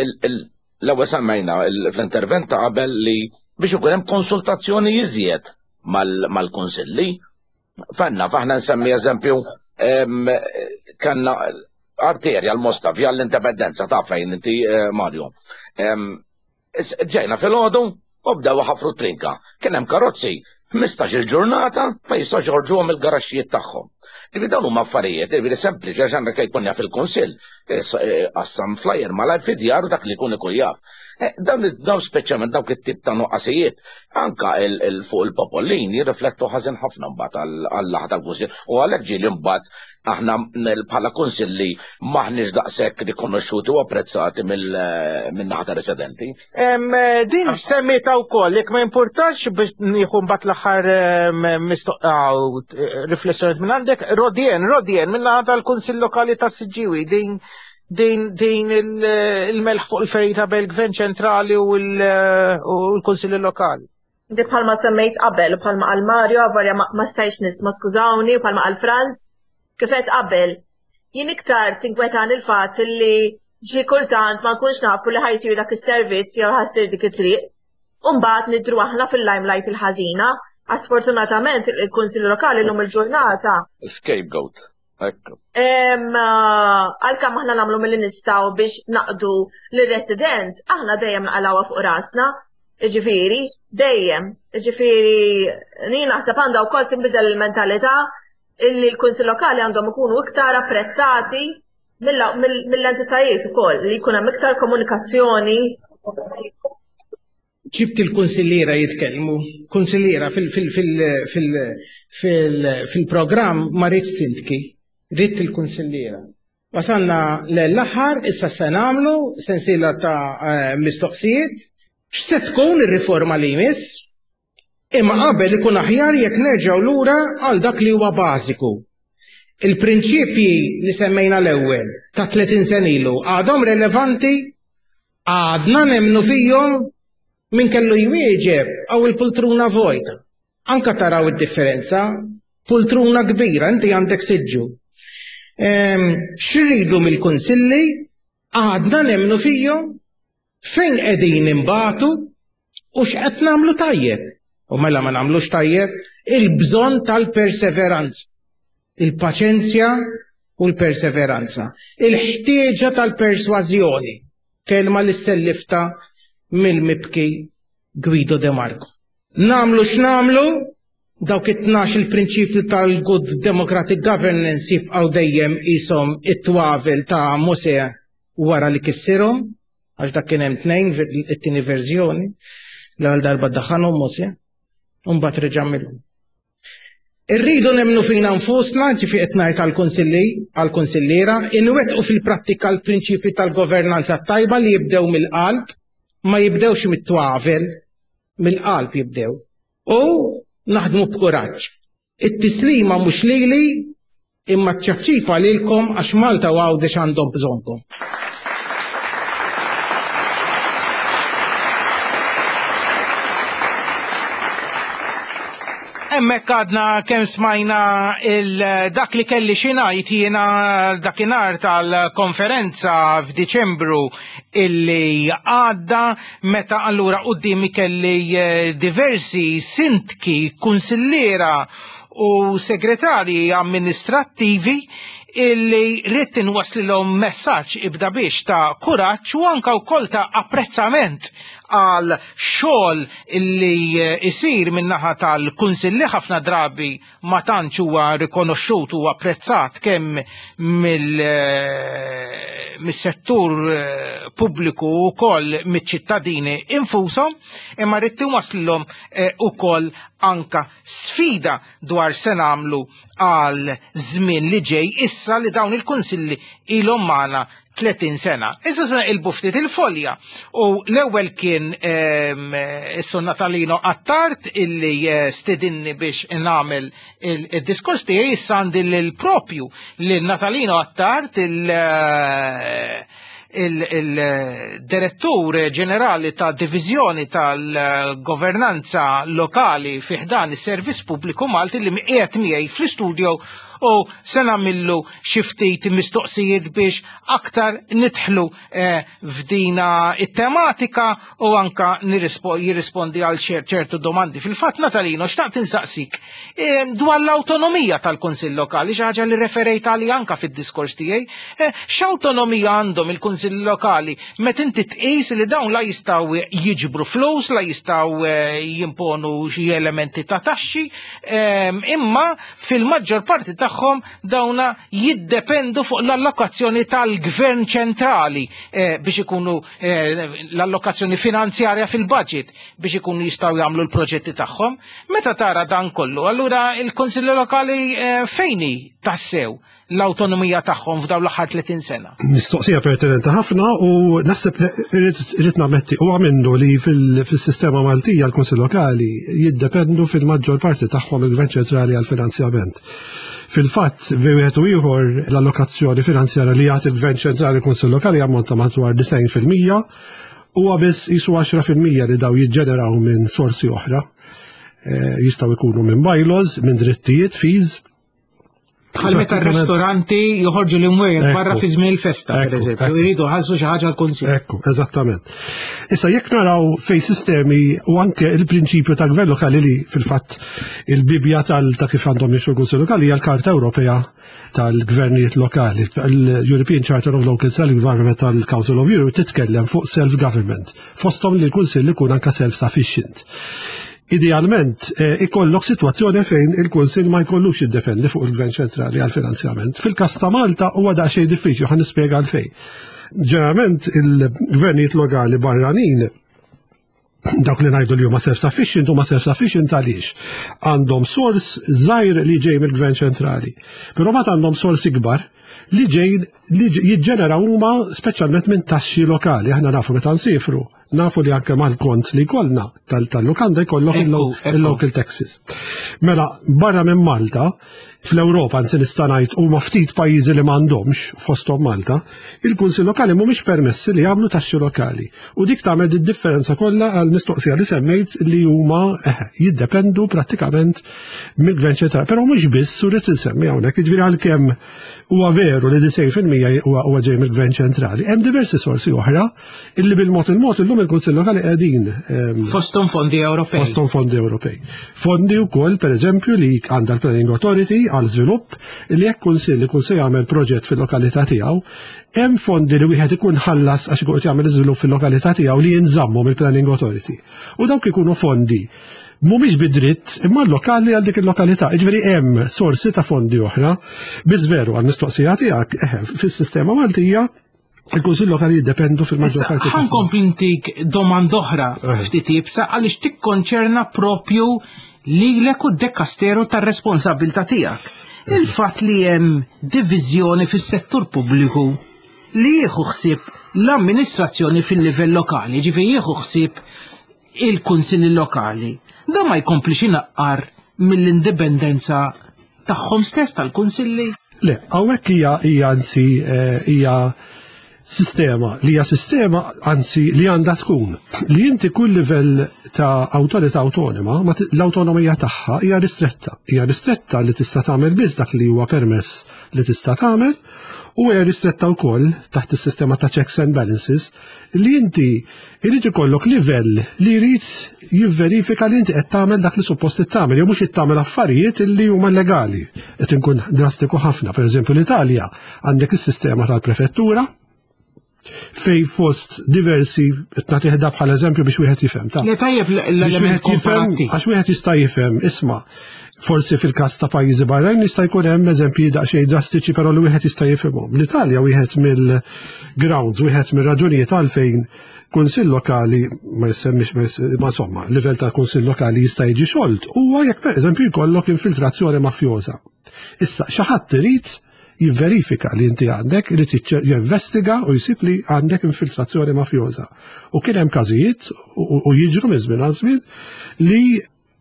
l-ewwel semmejna fl-intervent ta' qabel li biex ikun hemm konsultazzjoni iżjed mal-kunsilli. Fanna, faħna nsemmi eżempju, kanna arterja l-Mosta, via l-Indipendenza, ta' fejn inti, eh, Mario. Ġejna fil-ħodu u bdew ħafru trinka. Kien hemm karozzi ħmistax il-ġurnata ma jistgħux joħorġuhom il-garaxxijiet tagħhom. Ġifieri dawn huma affarijiet, ġifieri sempliċi għax għandek jkun jaf il-kunsill, qassam flyer malajr fid-djar u dak li jkun ikun jaf. Dawn dawn speċjalment dawk it-tip ta' nuqqasijiet anka fuq il-popolin jirriflettu ħażin ħafna mbagħad għall-laħ tal-kunsill u għalhekk ġieli mbagħad aħna bħala kunsilli m'aħniex daqshekk rikonoxxuti u apprezzati min-naħa ta' residenti. Din semmieta wkoll, jekk ma importax biex nieħu mbagħad l-aħħar riflessjoni minn għandek, Rodien, Rodien min-naħa tal-Kunsill Lokali ta' Siġġiewi, din din din il-melħ fuq il-ferita bel-Gvern ċentrali u l-Kunsilli Lokali. Di bħalma semmejt qabel, bħalma qal Mario, avolja ma stajtx nisma', skużawni, bħalma qal Franz, kif qed qabel. Jien iktar tinkwetan il-fatt li ġi kultant ma nkunx nafu li ħa jsir dak is-servizz jew ħa ssir dik it-triq. U mbagħad nidru aħna fil-limelight il-ħażina. Sfortunatament il-Kunsill Lokali llum il-ġurnata. Scapegoat. Ekku. Għalkemm aħna nagħmlu milli nistgħu biex naqdu lir-resident, aħna dejjem naqalgħuha fuq rasna. Ġifieri, dejjem. Ġifieri, jien naħseb għandha wkoll tinbidel il-mentalità illi l-Kunsill Lokali għandhom ikunu iktar apprezzati mill-entitajiet ukoll, li jkun hemm iktar komunikazzjoni. Ġibt il-kunsilliera jitkellmu, kunsilliera fil-programm ma rridx sindki, ridt il-kunsilliera. Wasalna l-aħħar, issa se nagħmlu sensiela ta' mistoqsijiet. X'se tkun ir-riforma li jmiss? Imma qabel ikun aħjar jekk nerġgħu lura għal dak li huwa bażiku. Il-prinċipji li semmejna l-ewwel ta' tletin sena ilu għadhom relevanti, għadna nemmnu fihom, min kellu jwieġeb għaw il-pultruna vojta. Anka taraw id-differenza, pultruna kbira, inti għandek siġġu. X'irridu mill-kunsilli, għadna nemmnu fihom, fejn qegħdin imbatu u x'qed nagħmlu tajjeb. U mela ma nagħmlux tajjeb, il-bżonn tal-perseveranza, il-paċenzja u l-perseveranza, il-ħtieġa tal-persważjoni, kelma li sellifta mill-mibki Guido De Marco. Namlu x'namlu, dawk it-tnax il-prinċipju tal-Good Democratic Governance jibqgħu dejjem qishom it-twavel ta' Mosè wara li kissirhom, għax dak kien hemm tnejn, it-tieni verżjoni, l-ewwel darba daħanhom Mosè, u mbagħad reġa' għamilhom. Irridu nemmnu fina nfusna, ġifi qed ngħid għall-kunsilli, għall-kunsilliera, inwettqu fil-prattika l-prinċipji tal-governanza tajba li jibdew mill-qalb, ma jibdewx mit-twavel, mill-qalb jibdew. U naħdmu b'kuraġġ. It-tislima mhux lili, imma ċ-ċapċipa lilkom għax Malta u Għawdex għandhom bżonnkom. Hemmhekk għadna kemm smajna dak li kelli xi ngħid jiena dakinhar tal-konferenza f'Diċembru illi għadda, meta allura quddiemi kelli diversi sindki, kunsilliera u segretarji amministrattivi illi rrid inwaslilhom messaġġ ibda biex ta' kuraġġ u anka wkoll ta' apprezzament għal xogħol illi isir min-naħa tal-kunsilli ħafna drabi ma tantx huwa rikonoxxut u apprezzat kemm mill-settur pubbliku wkoll miċ-ċittadini infushom, imma rrid inwaslilhom ukoll anka sfida dwar se nagħmlu għal żmien li ġej issa li dawn il-kunsilli ilhom magħna tletin sena. Issa se naqilbu ftit il-folja u l-ewwel kien is-Sur Natalino Attard illi stedinni biex nagħmel il-diskors tiegħi. Issa għandi lil propju lil Natalino Attard, il-direttur ġenerali ta' divizjoni tal-governanza lokali fi ħdan is-Servizz Pubbliku Malti, li qiegħed miegħi fl-istudio u se nagħmillu xi ftit mistoqsijiet biex aktar nidħlu f'dina it-tematika u anka jirrispondi għal ċertu domandi. Fil-fatt, Natalino, xtaqt insaqsik dwar l-awtonomija tal-Kunsill Lokali, xi ħaġa li referejt għali anka fid-diskors tiegħi. X'awtonomija għandhom il-Kunsill Lokali meta inti tqis li dawn la jistgħu jiġbru flus, la jistgħu jimponu xi elementi ta' taxxi, imma fil-maġġor parti tagħhom tagħhom dawna jiddependu fuq l-allokazzjoni tal-gvern ċentrali eh, biex ikunu eh, l-allokazzjoni finanzjarja fil-budget biex ikunu jistgħu jagħmlu l-proġetti tagħhom. Meta tara dan kollu, allura il-Kunsilli Lokali eh, fejn hi tassew l-awtonomija tagħhom f'dawn l-aħħar tletin sena? Mistoqsija pertinenti ħafna u naħseb li irrid nammetti huwa minnu li fil-sistema Maltija l-Kunsill Lokali jiddependu fil-maġġor parti tagħhom il-Gvern Ċentrali għal-finanzjament. Fil-fatt, bi wieħed u ieħor l-allokazzjoni finanzjarja li jagħti il-Gvern Ċentrali l-Kunsill Lokali jammonta madwar disgħin fil-mija, huwa biss jisu għaxra fil-mija li daw jiġġeneraw minn sorsi oħra. Eh, jistgħu jkunu minn bylaws, minn drittijiet, fees. Bħal meta r-ristoranti joħorġu l-imwejjed barra fi żmien il-festa, per eżempju, jridu ħassu xi ħaġa l-kunsill. Ekku, eżattament. Issa jekk naraw fej sistemi u anke il-prinċipju ta' gvern lokali li fil-fatt il-bibja tal ta' kif għandhom jimxu l-Kunsill Lokali hija l-Karta Ewropea tal-Gvernijiet Lokali, l-European Charter of Local Self-Government tal-Council of Europe, titkellem fuq self-government, fosthom li l-Kunsill ikun anka self-sufficient. Idealment, eh, ikollok situazzjoni fejn il-Kunsill ma jkollux jiddependi fuq il-Gvern ċentrali għal-finanzjament. Fil-kas ta' Malta huwa daqsxejn diffiċli, ħa nispjega għalfejn. Ġeneralment il-gvernijiet lokali barranin, dawk li ngħidu li huma self-sufficient, huma self-sufficient għaliex għandhom sors żgħir li ġej mill-Gvern ċentrali. Però ma għandhom sors ikbar li ġej li jiġġenera huma speċjalment minn taxxi lokali. Aħna nafu meta nsifru, nafu li anke mal-kont li jkollna tal-lukanda jkollok il-local taxes. Mela, barra minn Malta, fl-Ewropa nsi nista' ngħid huma ftit pajjiżi li m'għandhomx, fosthom Malta, il-kunsill lokali mhumiex permessi li jagħmlu taxxi lokali. U dik tagħmel id-differenza kollha għal mistoqsija li semmejt li huma eh, jiddependu prattikament mill-gvern ċentrali. Però mhux biss, u rrid insemmi hawnhekk, jiġifieri għalkemm huwa veru li disgħin fil-mija huwa ġej mill-gvern ċentrali, hemm diversi sorsi oħra illi bil-mod il-mod illum il-Kunsill Lokali qegħdin ehm, Fosthom fondi Ewropej. Fosthom fondi Ewropej. Fondi wkoll, pereżempju, li għandha l-Planning Authority għal żvilupp, li jekk kunsill ikun se jagħmel proġett fil-lokalità tiegħu, hemm fondi li wieħed ikun ħallas għax ikun qed jagħmel iżvilupp fil-lokalità tiegħu li jinżammu mill-Planning Authority. U dawk ikunu fondi mhumiex bidritt imma lokali għal dik il-lokalità. Jiġifieri hemm sorsi ta' fondi oħra. Biss veru għal mistoqsija tiegħek, eh, fis-sistema Maltija il-Kunsill Lokali jiddependu fil-maġġor parti. Ħa nkompli ntik domanda oħra ftit iebsa għaliex tikkonċerna propju lilek u d-dekasteru tar-responsabilità tiegħek. Il-fatt li hemm diviżjoni fis-settur pubbliku li jieħu ħsieb l-amministrazzjoni fil-livell lokali, ġifieri jieħu ħsieb il-kunsilli lokali, da ma jkomplix inaqqar mill-indipendenza tagħhom stess tal-kunsilli? Le, hawnhekk hija hija anzi eh, hija sistema li hija sistema anzi li għandha tkun li inti kull livell ta' awtorità awtonoma ma t- l-awtonomija tagħha hija ristretta. Hija ristretta li tista' tagħmel biss dak li huwa permess li tista' tagħmel u hija ristretta wkoll taħt is-sistema ta' checks and balances li inti irid ikollok livell li jrid jivverifika li inti qed tagħmel dak li suppost tagħmel jew mhux qed tagħmel affarijiet li huma legali. Qed inkun drastiku ħafna. Pereżempju, l-Italja għandek is-sistema tal-prefettura fej fost diversi, qed nagħtih bħala eżempju biex wieħed jifhem. Ta' Le, tajjeb biex l-element wieħed jifhem, komparattiv. għax wieħed jista' jifhem, isma', forsi fil-każ ta' pajjiżi barranin jista' jkun hemm eżempji daqsxejn drastiċi, però li wieħed jista' jifhimhom. L-Italja, wieħed mill-grounds, wieħed mir-raġunijiet għalfejn kunsill lokali ma jsemmix, ma js- ma insomma, livell ta' kunsill lokali jista' jiġi xolt huwa jekk pereżempju jkollok infiltrazzjoni mafjosa. Issa xi ħadd irid jivverifika li inti għandek, irid jiċċ- jinvestiga u jsib li għandek infiltrazzjoni mafjosa. U kien hemm każijiet u u jiġru minn żmien għal żmien li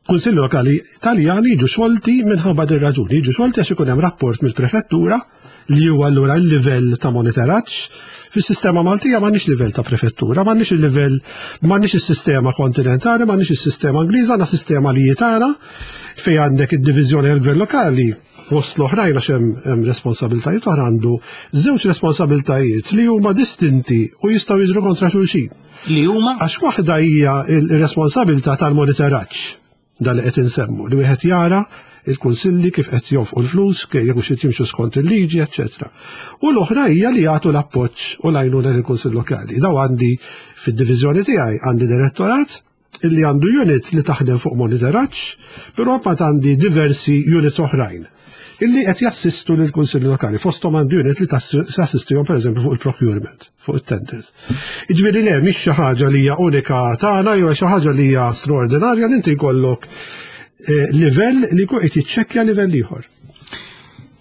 kunsilli lokali Taljani jiġu xolti minħabba din raġuni, jiġu xolti għax ikun hemm rapport mill-prefettura li huwa allura l-livell ta' monitoraġġ. Fis-sistema Maltija m'għandniex livell ta' prefettura, m'għandniex il-livell, m'għandniex is-sistema kontinentali, m'għandniex is-sistema Ingliża, għandna sistema li jitara fej għandek id-diviżjoni għal-gvern lokali fost l-oħrajn, għax hemm hemm responsabiltajiet oħra, għandu żewġ responsabiltajiet li huma distinti u jistgħu jiġru kontra xulxin. Li huma? Għax waħda hija il-responsabilità tal-monitoraġġ, dal li qed insemmu, li wieħed jara il-kunsilli kif qed jonfqu l-flus, kif jekk hux qed jimxu skont il-liġi, eċċetera. U l-oħra hija li jagħtu l-appoġġ u l-għajnuna lill-kunsill lokali. Daw għandi fid-diviżjoni tiegħi, għandi direttorat Illi għandu unit li taħdem fuq monitoraġġ, però mbagħad għandi diversi units oħrajn illi qed jassistu lill kunsilli lokali. Fosthom għandu unit li tassistihom, pereżempju, fuq il-procurement, fuq it-tenders. Jiġifieri le, mhix xi ħaġa li hija unika tagħna jew xi ħaġa li hija straordinarja li inti jkollok eh, livell li jkun qed jiċċekkja livell ieħor.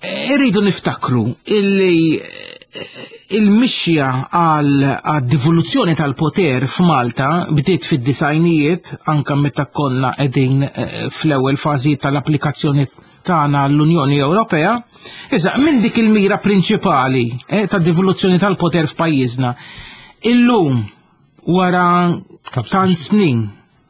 Irridu niftakru illi eh, il-mixja għal devoluzzjoni tal-poter f'Malta bdiet fid-disgħinijiet, anka meta konna qegħdin eh, fl-ewwel fażi tal-applikazzjoni tagħna l-Unjoni Ewropea. Iżda minn dik il-mira prinċipali eh, ta' devoluzzjoni tal-poter f'pajjiżna, illum, wara tant snin,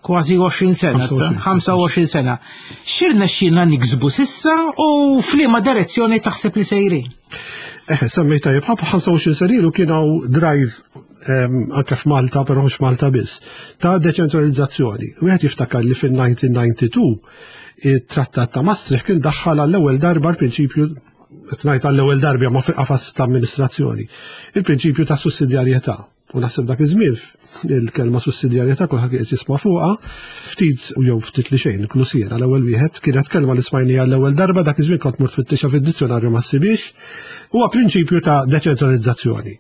kważi għoxrin sena, ħamsa u għoxrin sena, x'irnexxielna niksbu s'issa u f'liema direzzjoni taħseb li sejrin? Eh, semmejt tajjeb, ħab ħamsa u għoxrin sena ilu kien hawn drive anke f'Malta, però mhux Malta biss, ta' deċentralizzazzjoni. Wieħed jiftakar li fil-elf disa' mija u tnejn u disgħin it-Trattat ta' Maastricht kien daħħal għall-ewwel darba l-prinċipju, ngħid għall-ewwel darba ma fil-qafas ta' amministrazzjoni, il-prinċipju ta' sussidjarjetà. U naħseb dak iż-żmien il-kelma sussidjarjetà kulħadd qed jisma' fuqha ftit u jew ftit li xejn, inkluż jiena l-ewwel wieħed, kienet kelma li smajnija l-ewwel darba dak iż-żmien, kont mort fittixha fid-dizzjonarju, ma ssibix. Huwa prinċipju ta' deċentralizzazzjoni.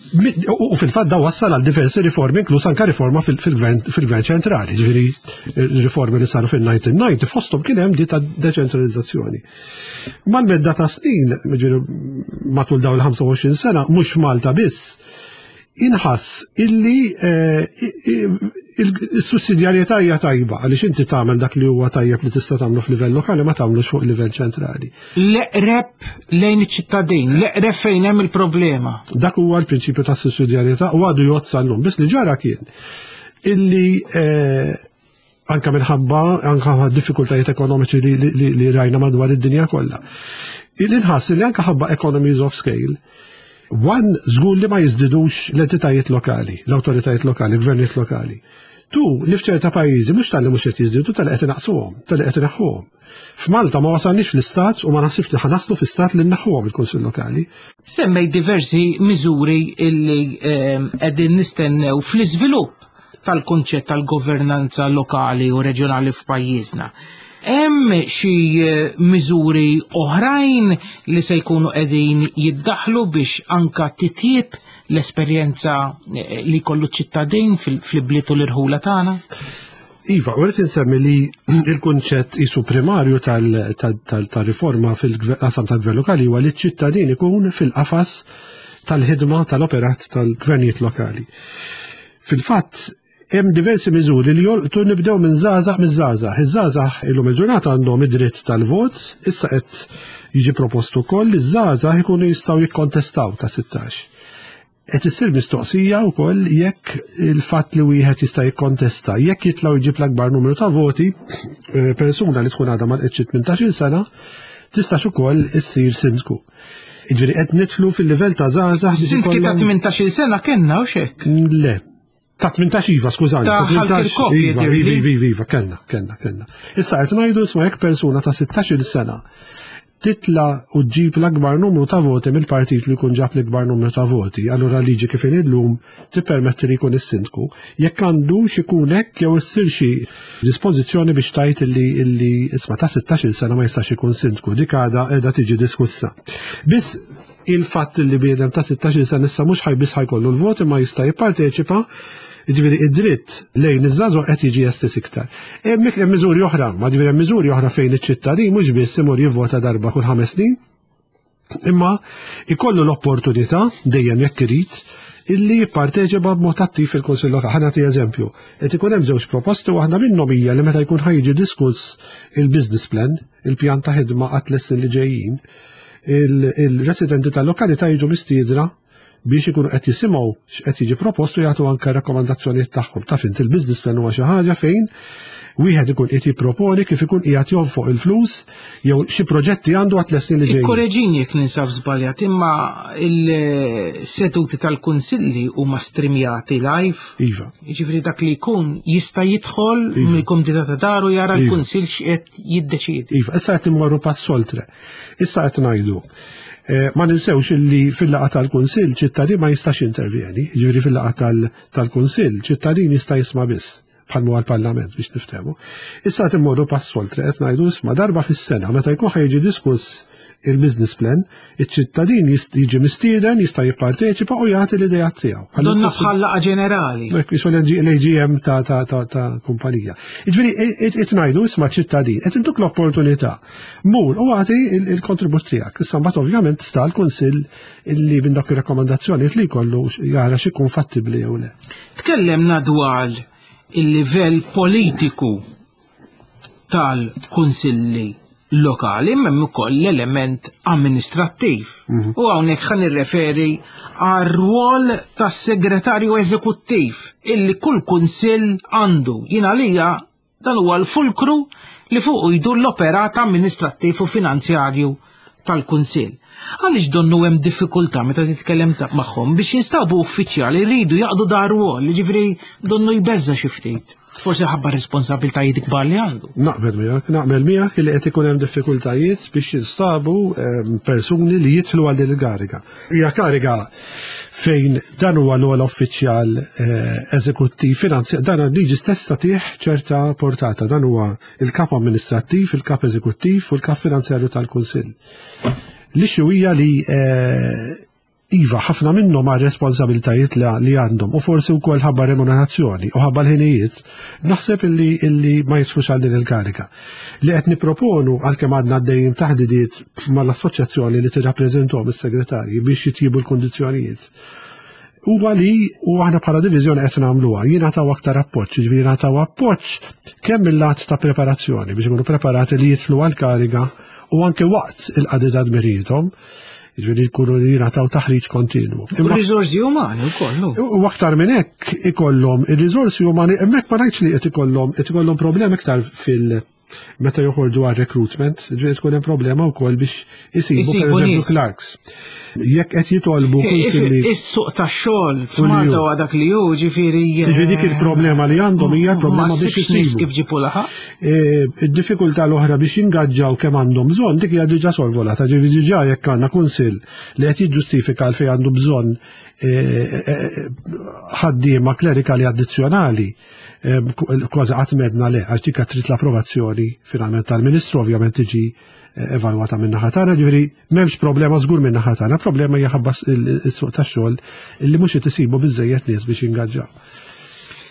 U fil-fatt da wassal għal diversi riformi, inkluż anka riforma fil-gvern ċentrali, ġifieri riformi li saru fil-elf disa' mija u disgħin, fosthom kien hemm di ta' deċentralizzazzjoni. Mal-medda ta' snin, ġifieri matul dawn il-ħamsa u għoxrin sena, mhux Malta biss, inħass illi eh, il-sussidjarjetà hija tajba għaliex inti tagħmel dak li huwa tajjeb li tista' tagħmlu f'livell lokali ma tagħmlux fuq livell ċentrali. L-eqreb lejn iċ-ċittadin, l-eqreb fejn hemm il-problema. Dak huwa l-prinċipju ta' sussidjarjetà u għadu jgħodd sal-lum. Biss li ġara kien illi eh, anka minħabba anka diffikultajiet ekonomiċi li, li, li rajna madwar id-dinja kollha, illi nħass li anka ħabba economies of scale, one, żgur li ma jiżdidux l-entitajiet lokali, l-awtoritajiet lokali, l-gvernijiet lokali. Two, li f'ċerta pajjiżi mhux talli mhux qed jiżdiedu, talli qed inaqsuhom, talli qed inaħħuhom. F'Malta ma wasalniex fl-istat u ma naħsibx li ħa naslu fl-istat li nneħħuhom il-Kunsill Lokali. Semmej diversi miżuri illi ehm, qegħdin nistennew fl-iżvilupp tal-kunċett tal-governanza lokali u reġjonali f'pajjiżna. Hemm xi eh, miżuri oħrajn li se jkunu qegħdin jiddaħlu biex anka titjib l-esperjenza eh, li kollu ċittadin fil-bliet u l-irħula tagħna? Iva, u rrid insemmi li il-kunċett isu primarju tal-riforma fil-qasam tal-gvern lokali huwa li ċ-ċittadin ikun fil-qafas tal-ħidma tal-operat tal-gvernijiet lokali. Fil-fatt, hemm diversi miżuri li jolqtu, nibdew minn żgħażagħ, miż-żgħażagħ. Iż-żgħażagħ illum il-ġurnata għandhom id-dritt tal-vot, issa qed jiġi propostu wkoll li ż-żgħażagħ ikunu jistgħu jikkontestaw ta' sittax. Qed issir mistoqsija wkoll jekk il-fatt li wieħed jista' jikkontesta, jekk jitlgħu jġib l-akbar numru ta' voti, eh, persuna li tkun għadha ma tmintax-il sena tistax ukoll issir sindku. Jiġifieri qed nidħlu fil-livell ta' żgħażagħ. Sindki ta' tmintax-il sena kellna u xek? Le. Ta' tmintax iva, skużani. Ta' tmintax, iva, iva, iva, iva, kellna, kellna, kellna. Issa qed ngħidu, isma', jekk persuna ta' sittax-il sena titla u ġġib l-akbar numru ta' voti mill-partit li jkun ġab l-akbar numru ta' voti, allura liġi kif illum tippermetti li jkun is-sindku. Jekk għandu ikun hekk jew issir xi dispożizzjoni biex tgħid illi illi isma', ta' sittax-il sena ma jistax ikun sindku, dik għadha qiegħda tiġi diskussa. Biss il-fatt li bniedem ta' sittax-il sena issa mhux ħaj biss ħa jkollu l-voti ma jista' jipparteċipa. Ġifieri id-dritt lejn iż-żgħażagħ qed jiġi estiż iktar. Hemm hemm miżuri oħra, ma ġifieri hemm miżuri oħra fejn iċ-ċittadin mhux biss imur jivvota darba kull ħames snin, imma ikollu l-opportunità dejjem, jekk irid, illi jipparteċipa b'mod attiv fil-Kunsill Lokali. Ħa nagħti eżempju. Qed ikun hemm żewġ proposti, waħda minnhom hija li meta jkun ħa jiġi diskuss il-business plan, il-pjan ta' ħidma għat li ġejjin, il-residenti tal-lokalità jiġu mistiedna biex ikunu qed jisimgħu x'qed jiġi propostu, jagħtu anke rakkomandazzjonijiet tagħhom. Taf int, il-business plan huwa xi ħaġa fejn wieħed ikun qed jipproponi kif ikun qiegħed jonfoq il-flus jew xi proġetti għandu għat snin li ġejjin. Korreġini jekk ninsab żbaljat, imma il-seduti tal-kunsilli huma streamjati live. Iva. Jiġifieri dak li jkun jista' jidħol Iva. mill-kumdità ta' daru jara Iva. l-kunsill x'qed jiddeċiedi. Iva, issa qed immorru pass oltre. Issa qed ngħidu, Eh, ma ninsewx illi fil-laqgħa tal-Kunsill ċittadin ma jistax intervjeni, ġifieri fil-laqgħa tal-Kunsill ċittadin jista' jisma' biss. bħal huwa l-Parlament biex niftehmu. Issa qed immorru pass oltre, qed ngħidu, isma', darba fis-sena meta jkun ħa jiġi diskuss il-business plan, iċ-ċittadin jiġi mistieden, jista' jipparteċipa u jagħti l-idea tiegħu. Donna bħal laqgħa ġenerali. Qisu l-A G M ta' ta' ta' ta' kumpanija. Jiġifieri qed ngħidu, isma', ċittadin, qed intuk l-opportunità. Mur u agħti il-kontribut tiegħek. Issa mbagħad ovvjament sta l-Kunsill illi minn dak ir-rakkomandazzjonijiet li jkollu jara x'ikun fattibbli jew le. Tkellemna dwar il-livell politiku tal-kunsilli lokali, imma hemm ukoll l-element amministrattiv. Mhm. U hawnhekk ħa nirreferi għar-rwol tas-segretarju eżekuttiv illi kull kunsill għandu. Jien għalija dan huwa l-fulkru li fuq jdur l-operat amministrattiv u finanzjarju tal-kunsill. Għaliex donnu hemm diffikultà meta titkellem magħhom biex jinstabu uffiċjali jridu jaqdu dan ir-rwol, ġifieri donnu jbeżza xi ftit? Forsi ħabba responsabiltajiet kbar li għandu. Naqbel miegħek, naqbel miegħek li qed ikun hemm diffikultajiet biex jinstabu ehm, persuni li jidħlu għal din il-kariga. Hija kariga fejn dan huwa l-ogħla uffiċjal eh, eżekuttiv finanzjar, dan liġi stessa tih ċerta portata, dan huwa il-kap amministrattiv, il-kap eżekuttiv u l-kap finanzjarju tal-Kunsill. L-issue hija li eh, iva, ħafna minnhom ma' responsabiltajiet li għandhom u forsi wkoll ħabba remunerazzjoni u ħabba l-ħinijiet, naħseb illi, illi ma jidħlux għal din il-karika. Li qed niproponu, għalkemm għadna għaddejjin taħdidiet mal-assoċjazzjoni li tirrappreżentahom is-segretarji biex jitjibu l-kundizzjonijiet, huwa li u aħna bħala diviżjoni qed nagħmluha, jingħataw aktar appoġġ, jiġifieri jingħataw appoġġ kemm mill-lat ta' preparazzjoni biex ikunu preparati li jidħlu għal-kariga u anke waqt il-qadi ta' dmirijiethom, ġifieri jkunu jingħataw taħriġ kontinwu. U riżorsi umani wkoll. U aktar minn hekk ikollhom ir-riżorsi umani, hemmhekk ma ngħidx li qed ikollhom qed ikollhom problemi iktar fil- meta joħorġu għal recruitment, ġifieri tkun hemm problema wkoll biex isibu pereżempju clerks. Jekk qed jitolbu kunsilli. Is-suq tax-xogħol f'Malta huwa dak li hu, ġifieri. Ġifieri dik il-problema li għandhom hija problema biex isibu. Kif ġipu laħaq? E, id-diffikultà l-oħra biex jingaġġaw kemm għandhom bżonn, dik hija diġà sorvolata, ġifieri diġà jekk għandna kunsill li qed jiġġustifika għal fejn għandu bżonn e, e, ħaddiema klerikali addizzjonali, kważi qatt m'għedna le, għax dik trid l-approvazzjoni finalment tal-Ministru, ovvjament tiġi eh, evalwata minn naħa tagħna, ġifieri m'hemmx problema żgur minn naħa tagħna, problema hija ħabba is-suq tax-xogħol illi mhux qed isibu biżejjed nies biex jingaġġaw.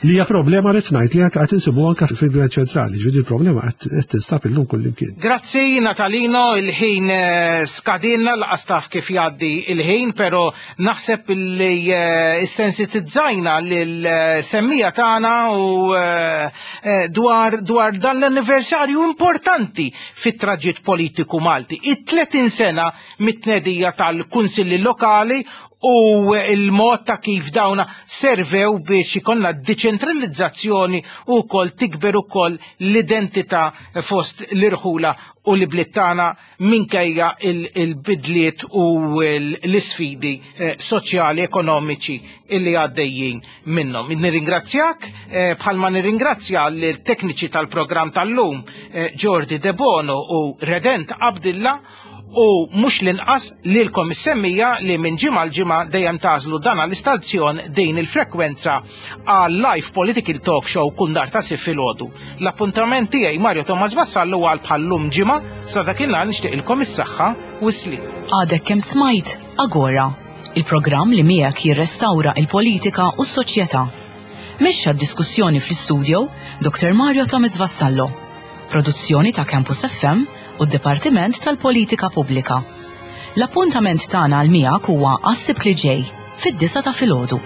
Li hija problema li tnajt li qed insibu anke fil-Gvern Ċentrali, ġifieri il-problema qed tinstab illum kullimkien. Grazzi, Natalino, il-ħin eh, skadinna, lanqas taf kif jgħaddi il-ħin, però naħseb li eh, sensitizzajna lil-semmiegħa tagħna u eh, dwar dwar dan l-anniversarju importanti fit-traġitt politiku Malti. It-tletin sena mit-tnedija tal-kunsilli lokali u il-mod ta' kif dawna servew biex ikollna deċentralizzazzjoni u kol tikber ukoll l-identità fost l-irħula u l-bliet tagħna minkejja il-bidliet u l-isfidi eh, soċjali, ekonomiċi illi għaddejjin minnhom. Nirringrazzjak eh, bħalma nirringrazzja l-tekniċi tal-programm tal-lum, eh, Jordi Debono u Redent Abdilla, u mhux l-inqas lilkom is-semmiegħa li minn ġimgħa l-ġimgħa dejjem tagħżlu dan l-istazzjon, din il-frekwenza għal live political talk show kull nhar ta' Sibt filgħodu. L-appuntament tiegħi, Mario Thomas Vassallo, għal bħallum ġimgħa. Sa dakinhar nixtieqilkom is-saħħa u s-sliem. Għadek kemm smajt Agora, il-programm li miegħek jirrestawra il-politika u s-soċjetà. Mexxa d-diskussjoni fl-studio Doktor Mario Thomas Vassallo. Produzzjoni ta' Campus F M u d-Dipartiment tal-Politika Pubblika. L-appuntament tagħna għal miegħek huwa għas-Sibt li ġej fid-disgħa ta' filgħodu.